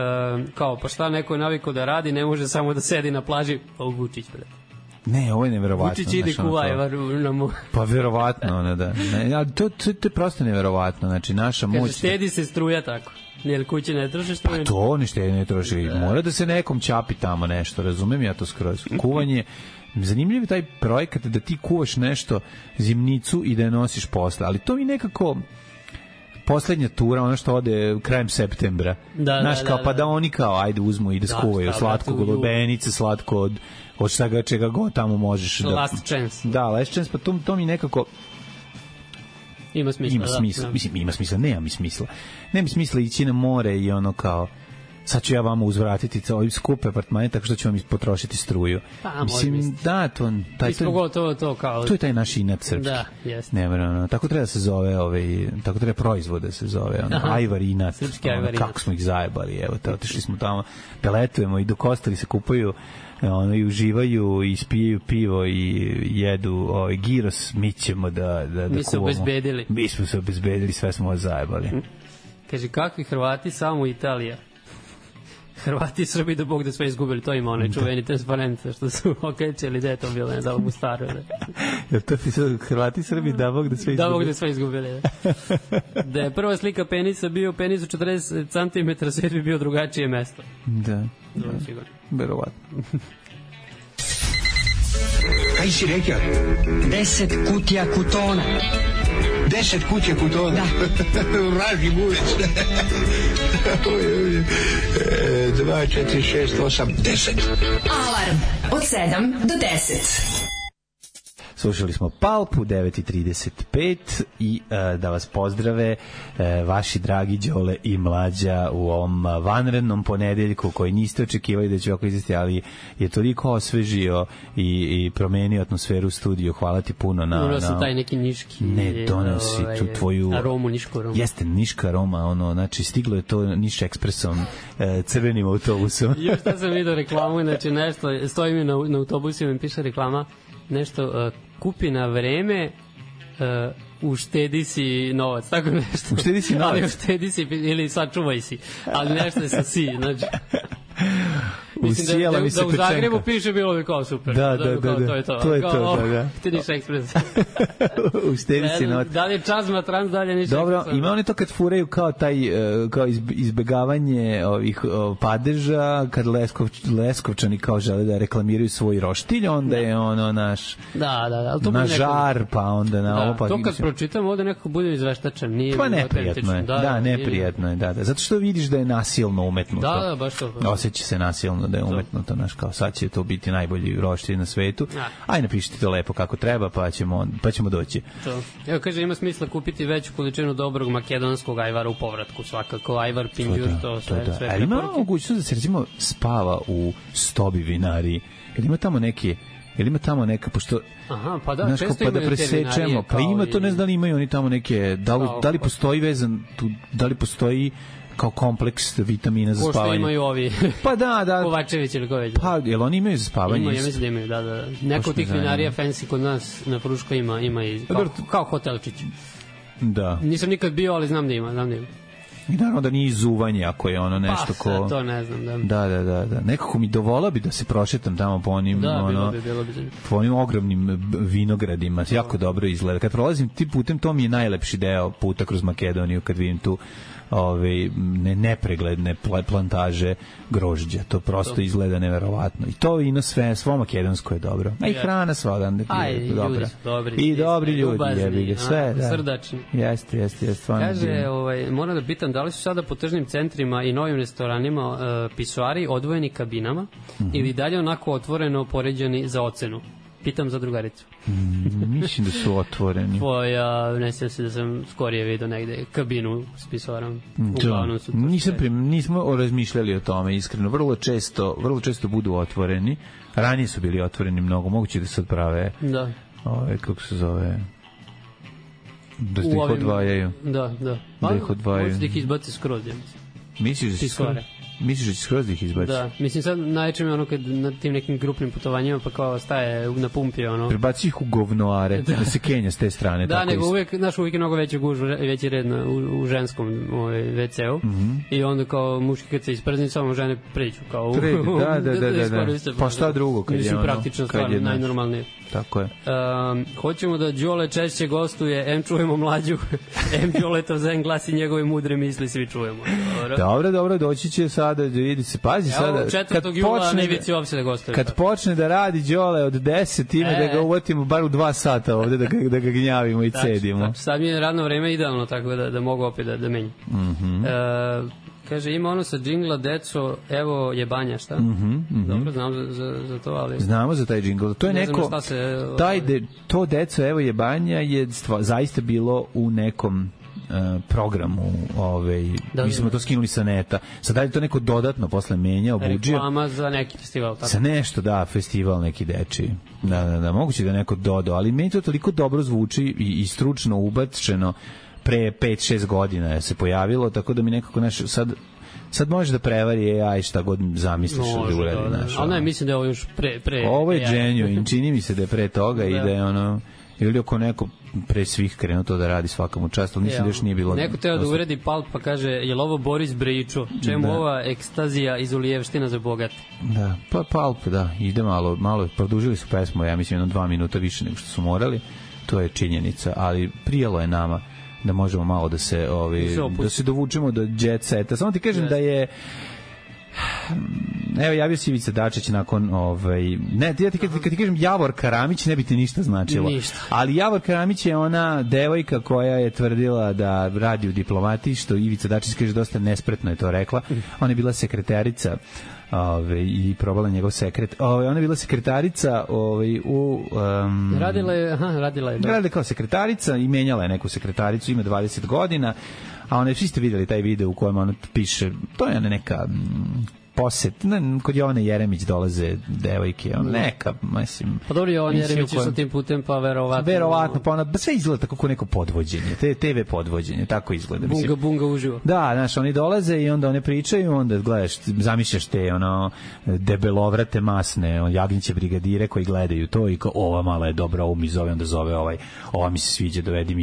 kao, pa šta neko je navikao da radi, ne može samo da sedi na plaži, pa Vučić, brate. Ne, ovo je neverovatno. Vučić ide kuva ajvar na mu. Pa verovatno, da. Ali to je prosto neverovatno, znači naša moć... Kaže, štedi se struja tako. Jer kuće ne troši struju. Pa to ni štedi ne troši. Mora da se nekom čapi tamo nešto, razumem ja to skroz. Kuvanje, zanimljiv je taj projekat da ti kuvaš nešto, zimnicu i da je nosiš posle, ali to mi nekako poslednja tura, ono što ode krajem septembra. Znaš, kao, pa da oni kao, ajde uzmu i da skuvaju slatko golubenice, slatko od čega god tamo možeš. Last chance. Da, last chance, pa to mi nekako... Ima smisla. Mislim, ima smisla, nema mi smisla. Nema mi smisla ići na more i ono kao... sad ću ja vama uzvratiti ovim skupe apartmane tako što ću vam potrošiti struju. Mislim, da, to je taj naš inat srpski. Da, jeste. Ne, tako treba da se zove, tako treba proizvod da se zove, ajvar inat. Srpski ajvar inat. Kako smo ih zajebali, evo te, otišli smo tamo, peletujemo i dok ostali se kupaju i uživaju i spijaju pivo i jedu giros, mi ćemo da mi se obezbedili. Mi smo se obezbedili, sve smo vas zajebali. Kaže, kakvi Hrvati, samo Italija. Hrvati i Srbi da Bog da sve izgubili, to ima onaj čuveni transparent što su okrećeli, da je to bilo, ne da mu staro. Jel to ti su Hrvati i Srbi da Bog da sve izgubili? Da Bog da sve izgubili, da je prva slika penisa bio penis u 40 cm, sve bi bio drugačije mesto. Da, verovatno. Kaj si rekao? 10 kutija kutona. 10 kutija kutona? Da. Vraži buvec. 2, 4, 6, 8, 10. Alarm od 7 do 10. Slušali smo Palpu, 9:35 i da vas pozdrave vaši dragi Đole i Mlađa u ovom vanrednom ponedeljku koji niste očekivali da će ovako izvesti, ali je toliko osvežio i promenio atmosferu u studiju. Hvala ti puno na... Donosi taj neki niški... Ne, donosi tu tvoju... Aromu, nišku aromu. Jeste, niška aroma, znači stiglo je to Niš ekspresom, crvenim autobusom. Još da sam vidio reklamu, znači nešto, stoji mi na autobusu i mi piše reklama, nešto... kupi na vreme, uštedi si novac, tako nešto. Uštedi si novac? Ali uštedi si, ili sačuvaj si, ali nešto je sa si, znači... Mislim da u Zagrebu piše bilo bi kao super. Da. To je to, da. Ti Niš ekspres. Uštedi si novac. Da li je Čazma Trans, dalje Niš ekspres. Dobro, ima oni to kad furaju kao taj, kao izbegavanje ovih padeža, kad Leskovčani kao žele da reklamiraju svoj roštilj, onda je ono naš... Da. Na žar, pa onda na ovo... To kad pročitam, ovde nekako bude izveštačan. Pa neprijatno je. Da, neprijatno je, da. Zato što vidiš da je nasilno umetnuto. Da, baš to. Osjeća se nasilno. naravno da je umetnuto, znaš, kao sad će to biti najbolji roštilj na svetu. Aj napišite to lepo kako treba, pa ćemo doći. To. Evo, kaže, ima smisla kupiti veću količinu dobrog makedonskog ajvara u povratku, svakako ajvar, pinđur, to sve preporuke. Ali ima mogućnost da se recimo spava u Stobi vinariji, jer ima tamo neka, pošto aha, pa da, često pa da presečemo, pa ima to, ne znam da li imaju oni tamo neke, da li postoji vezan tu, da li postoji kao kompleks vitamina za spavanje. Ko što imaju ovi pa da Kovačević ili ko već. Pa, jel oni imaju za spavanje? Ja mislim da imaju, da. Neko od tih vinarija fancy kod nas na Fruškoj ima i kao hotelčić. Da. Nisam nikad bio, ali znam da ima. I naravno da nije izuvanje ako je ono nešto ko... Pa, to ne znam, da. Nekako mi dovola bi da se prošetam tamo po onim, bilo bi. Po onim ogromnim vinogradima. Jako dobro izgleda. Kad prolazim tim putem, to mi je najlepši deo puta kroz Makedoniju, kad vidim tu nepregledne plantaže grožđa. To prosto izgleda neverovatno. I to vino svo makedonsko je dobro. A i hrana sva odande je dobra. I dobri ljudi, jebi ga, sve. Srdačni. Jeste. Kaže, moram da pitam, da li su sada po tržnim centrima i novim restoranima pisoari odvojeni kabinama ili dalje onako otvoreno poređani za ocenu? Pitam za drugaricu. Mislim da su otvoreni. Ne sjećam se da sam skorije vidio negde kabinu s pisoarom. Nismo razmišljali o tome, iskreno. Vrlo često budu otvoreni. Ranije su bili otvoreni mnogo. Moguće da se odprave. Da. Kako se zove... Da ih odvajaju. Da. Da ih odvajaju. Možda ih izbaci skroz, ja mislim. Misliš da će skroz da ih izbaci? Da, mislim sad najčešće je ono kad na tim nekim grupnim putovanjima pa kao staje na pumpi ono. Prebaci ih u govnoare, da se kenja s te strane. Da, nego uvijek je mnogo veći gužva, veći red u ženskom WC-u i onda kao muški kad se isprzni samo žene pređu kao da. Pa šta drugo kad je ono? Praktično stvar, najnormalnije. Tako je. Hoćemo da Đole češće gostuje, em čujemo mlađu, em Đoletov zen glas i njegove mudre misli svi čujemo. Dobro, doći će sada, vidi se, pazi sada. 4. jula na Ivici uopšte da gostuje. Kad počne da radi Đole od 10, time da ga uvatimo bar u 2 sata ovde, da ga gnjavimo i cedimo. Sad mi je radno vreme idealno, tako da mogu opet da menjam. Kaže, ima ono sa džingla, deco, evo jebanja, šta? Dobro, znam za to, ali... Znamo za taj džingl. To je neko... To deco, evo jebanja je zaista bilo u nekom programu, mi smo to skinuli sa neta. Sad dalje to neko dodatno posle menja, obuđio. Reklama za neki festival, tako? Sa nešto, festival neki dečiji. Da, moguće da neko dodao, ali meni to toliko dobro zvuči i stručno ubačeno pre 5-6 godina se pojavilo, tako da mi nekako sad može da prevari AI šta god zamisliš da uradi. Ali ne, mislim da je ovo još pre ovo je genuine, čini mi se da je pre toga i da je ono, ili ako neko pre svih krenuo to da radi svakamu čast, ali mislim da još nije bilo... Neko teo da uredi Palp pa kaže, je li ovo Boris Bričo? Čemu ova ekstazija iz Ulijevština za bogate? Da, pa Palp, ide malo, produžili su pesmu, ja mislim 2 minuta više nego što su morali, to je činjenica, ali prijelo je nama da možemo malo da se dovučemo do jet seta. Samo ti kažem da je evo javio se Ivica Dačić nakon kad ti kažem Javor Karamić ne bi ti ništa značilo. Ali Javor Karamić je ona devojka koja je tvrdila da radi u diplomatiji, što Ivica Dačić kaže dosta nespretno je to rekla. Ona je bila sekretarica i probala njegov sekret. Ona je bila sekretarica radila je kao sekretarica i menjala je neku sekretaricu, ima 20 godina, a ona, svi ste vidjeli taj video u kojem ona piše, to je neka poset, kod Jovane Jeremić dolaze devojke, neka, mislim... Pa dobro, Jovan Jeremić išao tim putem, pa verovatno, pa ona, sve izgleda tako kao neko podvođenje, TV podvođenje, tako izgleda. Bunga uživo. Da, znaš, oni dolaze i onda one pričaju, onda gledaš, zamišljaš te, debelovrate masne, jagnjeće brigadire koji gledaju to i kao, ova mala je dobra, ovo mi zove, onda zove ova mi se sviđa, dovedi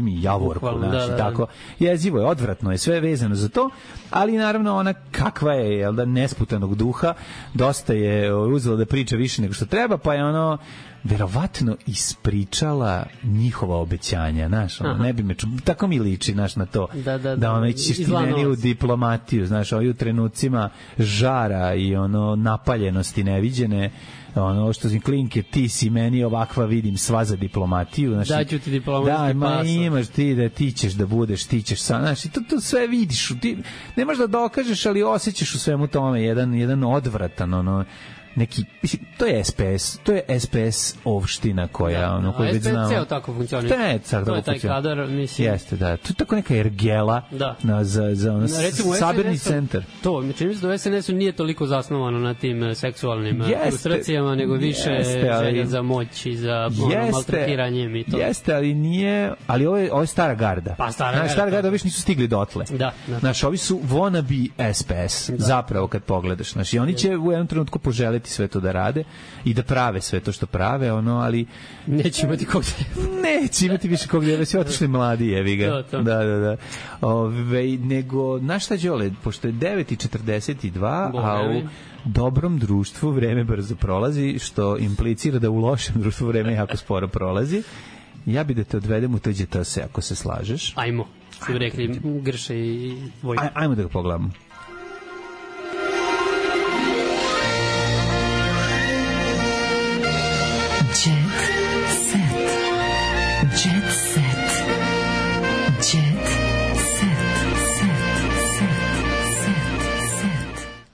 mi Javorku, znaš, i tako. Jezivo je, odvratno je, sve vezano za to, ali naravno ona kakva je, nesputanog duha, dosta je uzela da priča više nego što treba, pa je verovatno ispričala njihova obećanja, znaš, ne bi me tako mi liči, znaš, na to, da ono, ćeš ti meni u diplomatiju, znaš, ovi u trenucima žara i ono, napaljenosti neviđene, ono što si klinke, ti si meni ovakva, vidim, sva za diplomatiju, znači daću ti diplomatski pas. Imaš ti da ti ćeš da budeš, ti ćeš sam, znači to sve vidiš, ti ne možeš da dokažeš, ali osjećaš u svemu tome jedan odvratan, ono, neki, to je SPS, to je SPS ovština koja, ono, koju već znamo. SPS tako funkcioniše. To je taj kadar, mislim. Jeste, da. To je tako neka ergela za ono, sabirni centar. To, čini mi se da u SNS-u nije toliko zasnovano na tim seksualnim frustracijama, nego više želja za moć i za maltretiranjem i to. Jeste, ali nije, ali ovo je stara garda. Pa stara garda više nisu stigli dotle. Da. Znaš, ovi su wannabe SPS, zapravo kad pogledaš. Znaš, i oni će u jednom trenutku poželeti sve to da rade i da prave sve to što prave, ono, ali neće imati kog neće imati više kog djeva, svi otišli mladi, jevi ga. Da. Nego, znaš šta, Đole, pošto je 9:42, a u dobrom društvu vreme brzo prolazi, što implicira da u lošem društvu vreme jako sporo prolazi. Ja bi da te odvedem u to GTS, ako se slažeš. Ajmo, što bi rekli Grše i Vojko. Ajmo da ga pogledamo.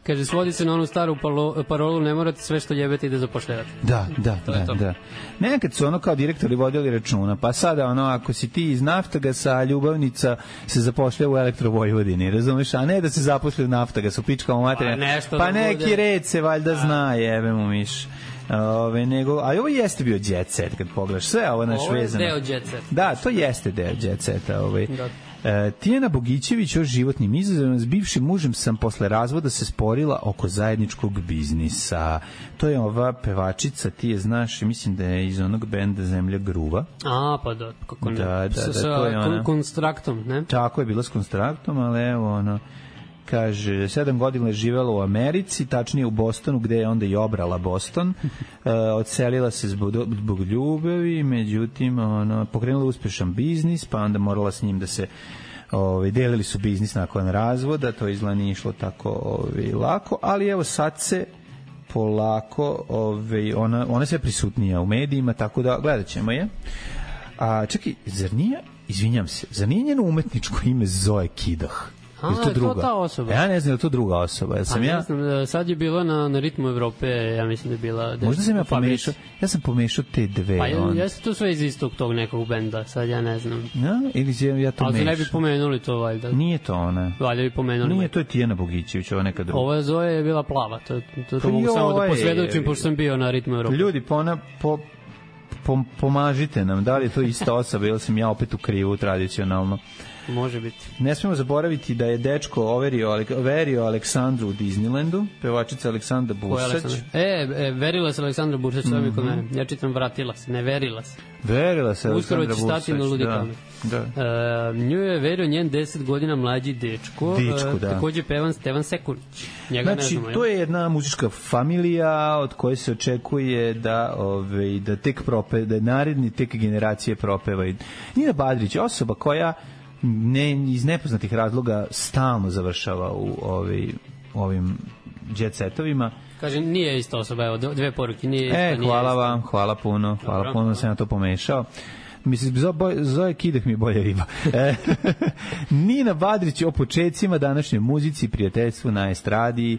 Kaže, svodi se na onu staru parolu, ne morate sve što jebete i da zapošljavate. Da. Nekad su ono kao direktori vodili računa, pa sada ono, ako si ti iz Naftagasa, ljubavnica se zapošlja u Elektrovojvodini, razumeš, a ne da se zapošlja u Naftagasu, pičkamo materija, pa neki red se valjda zna, jebe mu miš. Ali ovo jeste bio jet set, kad pogledaš sve ovo naš vezano. Ovo je deo jet set. Da, to jeste deo jet seta. Tijana Bogićević o životnim izazovima. S bivšim mužem sam posle razvoda se sporila oko zajedničkog biznisa. To je ova pevačica, ti je znaš, mislim da je iz onog benda Zemlja gruva. Pa da, kako ne. Da, to je ona. Konstraktom, ne? Tako je, bila s Konstraktom, ali evo ono, kaže, 7 godina je živela u Americi, tačnije u Bostonu, gde je onda i obrala Boston. Odselila se zbog ljubavi, međutim, pokrenula uspešan biznis, pa onda morala s njim da se delili su biznis nakon razvoda, to izgleda nije išlo tako lako, ali evo sad se polako, ona sve prisutnija u medijima, tako da gledat ćemo je. A čekaj, zar nije njeno umetničko ime Zoe Kidah? Je to ta osoba? Ja ne znam, je to druga osoba. Ne znam, sad je bila na Ritmu Evrope, ja mislim da je bila... Možda sam ja sam pomešao te dve. Pa jeste to sve iz istog tog nekog benda, sad ja ne znam. Ili ja to mešam. Ali ne bi pomenuli to, valjda. Nije to ona. Valjda bi pomenuli. Nije, to je Tijana Bogićević, ovo neka druga. Ova Zoe je bila plava, to mogu samo da posvedočim, pošto sam bio na Ritmu Evrope. Ljudi, pomažite nam, da li je to ista osoba ili sam ja opet u krivu tradicionalno. Može biti. Ne smemo zaboraviti da je dečko verio Aleksandru u Disneylandu, pevačica Aleksandra Bursać. Verila se Aleksandra Bursać, to mi kod mene. Ja čitam vratila se, ne verila se. Verila se Aleksandra Bursać. Uskoro će stati na ludikama. Nju je verio njen 10 godina mlađi dečko, takođe pevan Stevan Sekulić. Znači, to je jedna muzička familija od koje se očekuje da tek da naredni tek generacije propevaju. Nina Badrić, osoba koja iz nepoznatih razloga stalno završava u ovim jet setovima. Kaže, nije ista osoba, evo, dve poruke. Hvala vam, hvala puno, da sam ja to pomešao. Mislim, Zoe Kidah mi je bolja riba. Nina Badrić o početcima današnjoj muzici, prijateljstvu na estradi.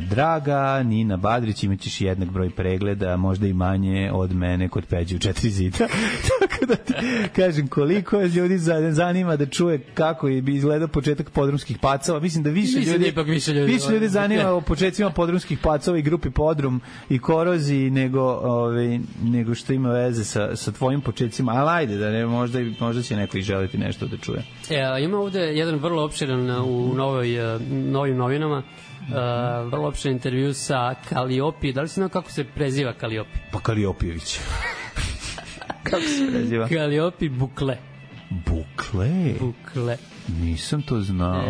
Draga Nina Badrić, imaćeš jednak broj pregleda, možda i manje od mene kod Peđe u 4 zida. Tako da ti kažem, koliko ljudi zanima da čuje kako je izgledao početak Podrumskih pacova. Mislim da više ljudi zanima o početcima Podrumskih pacova i grupi Podrum i Korozi nego što ima veze sa tvojim početcima. Ali ajde, da ne, možda će neko i želiti nešto da čuje. Ima ovde jedan vrlo opširan u novim novinama, vrlo opšten intervju sa Kaliopi. Da li si znao kako se preziva Kaliopi? Pa Kaliopijević. Kako se preziva? Kaliopi Bukle. Bukle? Bukle. Nisam to znao.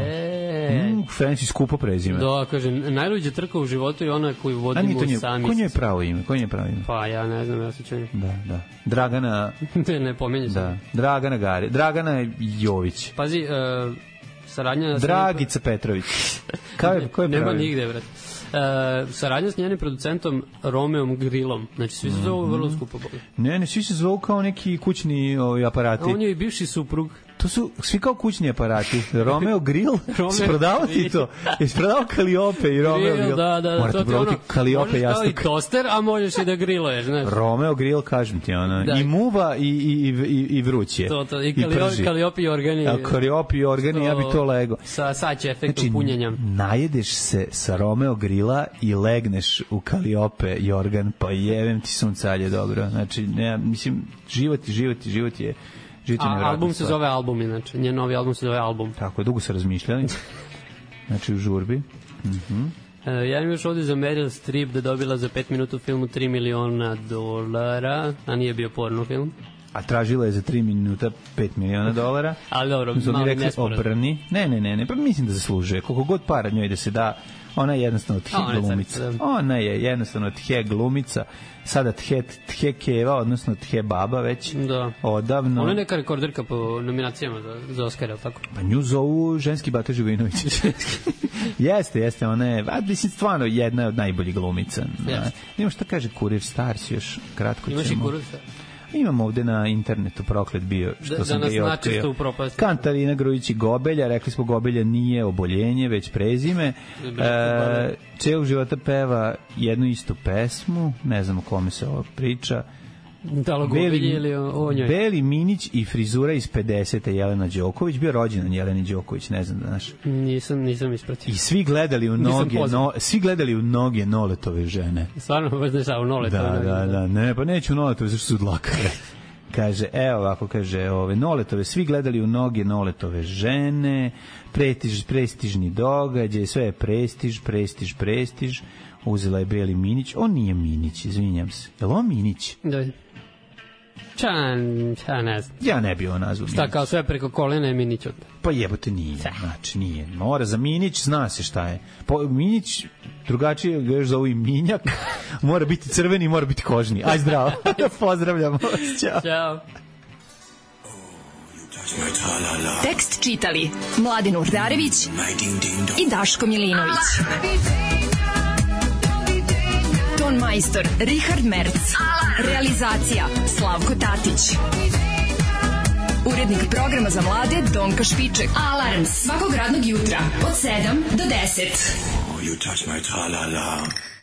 Francis skupo prezime. Da, kaže, najluđa trka u životu je ona koju vodimo sami. Ko nje je pravo ime? Pa ja ne znam, ja se čujem. Da. Dragana... ne pomenju se. Da. Dragana Gari. Dragana Jović. Pazi, saradnja... Dragica Petrović. Ko je pravo? Nema nigde, brate. Saradnja s njenim producentom Romeom Grillom. Znači, svi se zovu vrlo skupo boli. Ne, svi se zovu kao neki kućni aparati. On je i bivši suprug. To su svi kao kućni aparati. Romeo Grill? Isprodavao ti to? Isprodavao Kaliope i Romeo Grill? Da. Morate probati Kaliope jastuk. Možeš kao i toster, a možeš i da griluješ, znaš. Romeo Grill, kažem ti, i muva i vruće. To, i Kaliope i organi. Kaliope i organi, ja bi to lego. Sad će efektom punjenja. Najedeš se sa Romeo Grilla i legneš u Kaliope i organ, pa jevem ti suncalje, dobro. Znači, mislim, život je album se zove Album, inače. Njen novi album se zove Album. Tako je, dugo se razmišljali. Znači, u žurbi. Ja imam još ovdje za Meryl Streep da dobila za 5 minuta u filmu $3 miliona, a nije bio porno film. A tražila je za 3 minuta $5 miliona. Ali dobro, mali nespored. Ne, pa mislim da zaslužuje. Koliko god para njoj da se da, ona je jednostavno glumica. Ona je jednostavno glumica. Sada tje keva, odnosno tje baba već odavno. Ona je neka rekorderka po nominacijama za Oscara, tako? Pa nju zovu ženski Bata Živinović. Jeste, ona je, mislim, stvarno jedna od najboljih glumica. Nemo šta kaže Kurir Stars, još kratko ćemo. Imaš i Kurir Stars? Imam ovde na internetu proklet bio, što sam ga i otkrio. Katarina Grujić i Gobelja, rekli smo Gobelja nije oboljenje, već prezime. Celog života peva jednu istu pesmu, ne znam o kome se ovo priča. Da li Gobelji ili o njoj? Beli Minić i frizura iz 50. Jelena Đoković, bio rođendan Jeleni Đoković, ne znam da znaš. Nisam ispratio. I svi gledali u noge Noletove žene. Stvarno, baš ne sao Noletove. Da, ne, pa neću Noletove, zašto su dlakare. Kaže, Noletove, svi gledali u noge Noletove žene, prestižni događaj, sve je prestiž, uzela je Beli Minić, on nije Minić, izvinjam se. Je li on Minić? Da. Ne znam. Ja ne bi ovo nazvao Minić. Šta, kao sve preko kolena je Minić od... Pa jebote nije, znači nije. Mora za Minić, zna se šta je. Minić, drugačije ga još zovu i Minjak, mora biti crveni, mora biti kožni. Aj zdravo, pozdravljamo vas, ćao. Tekst čitali Mladin Urdarević i Daško Milinović. Ton majstor Richard Merc. Realizacija Slavko Tatić. Urednik programa za mlade Donka Špiček. Alarms svakog radnog jutra od 7 do 10. You touch my tra-la-la.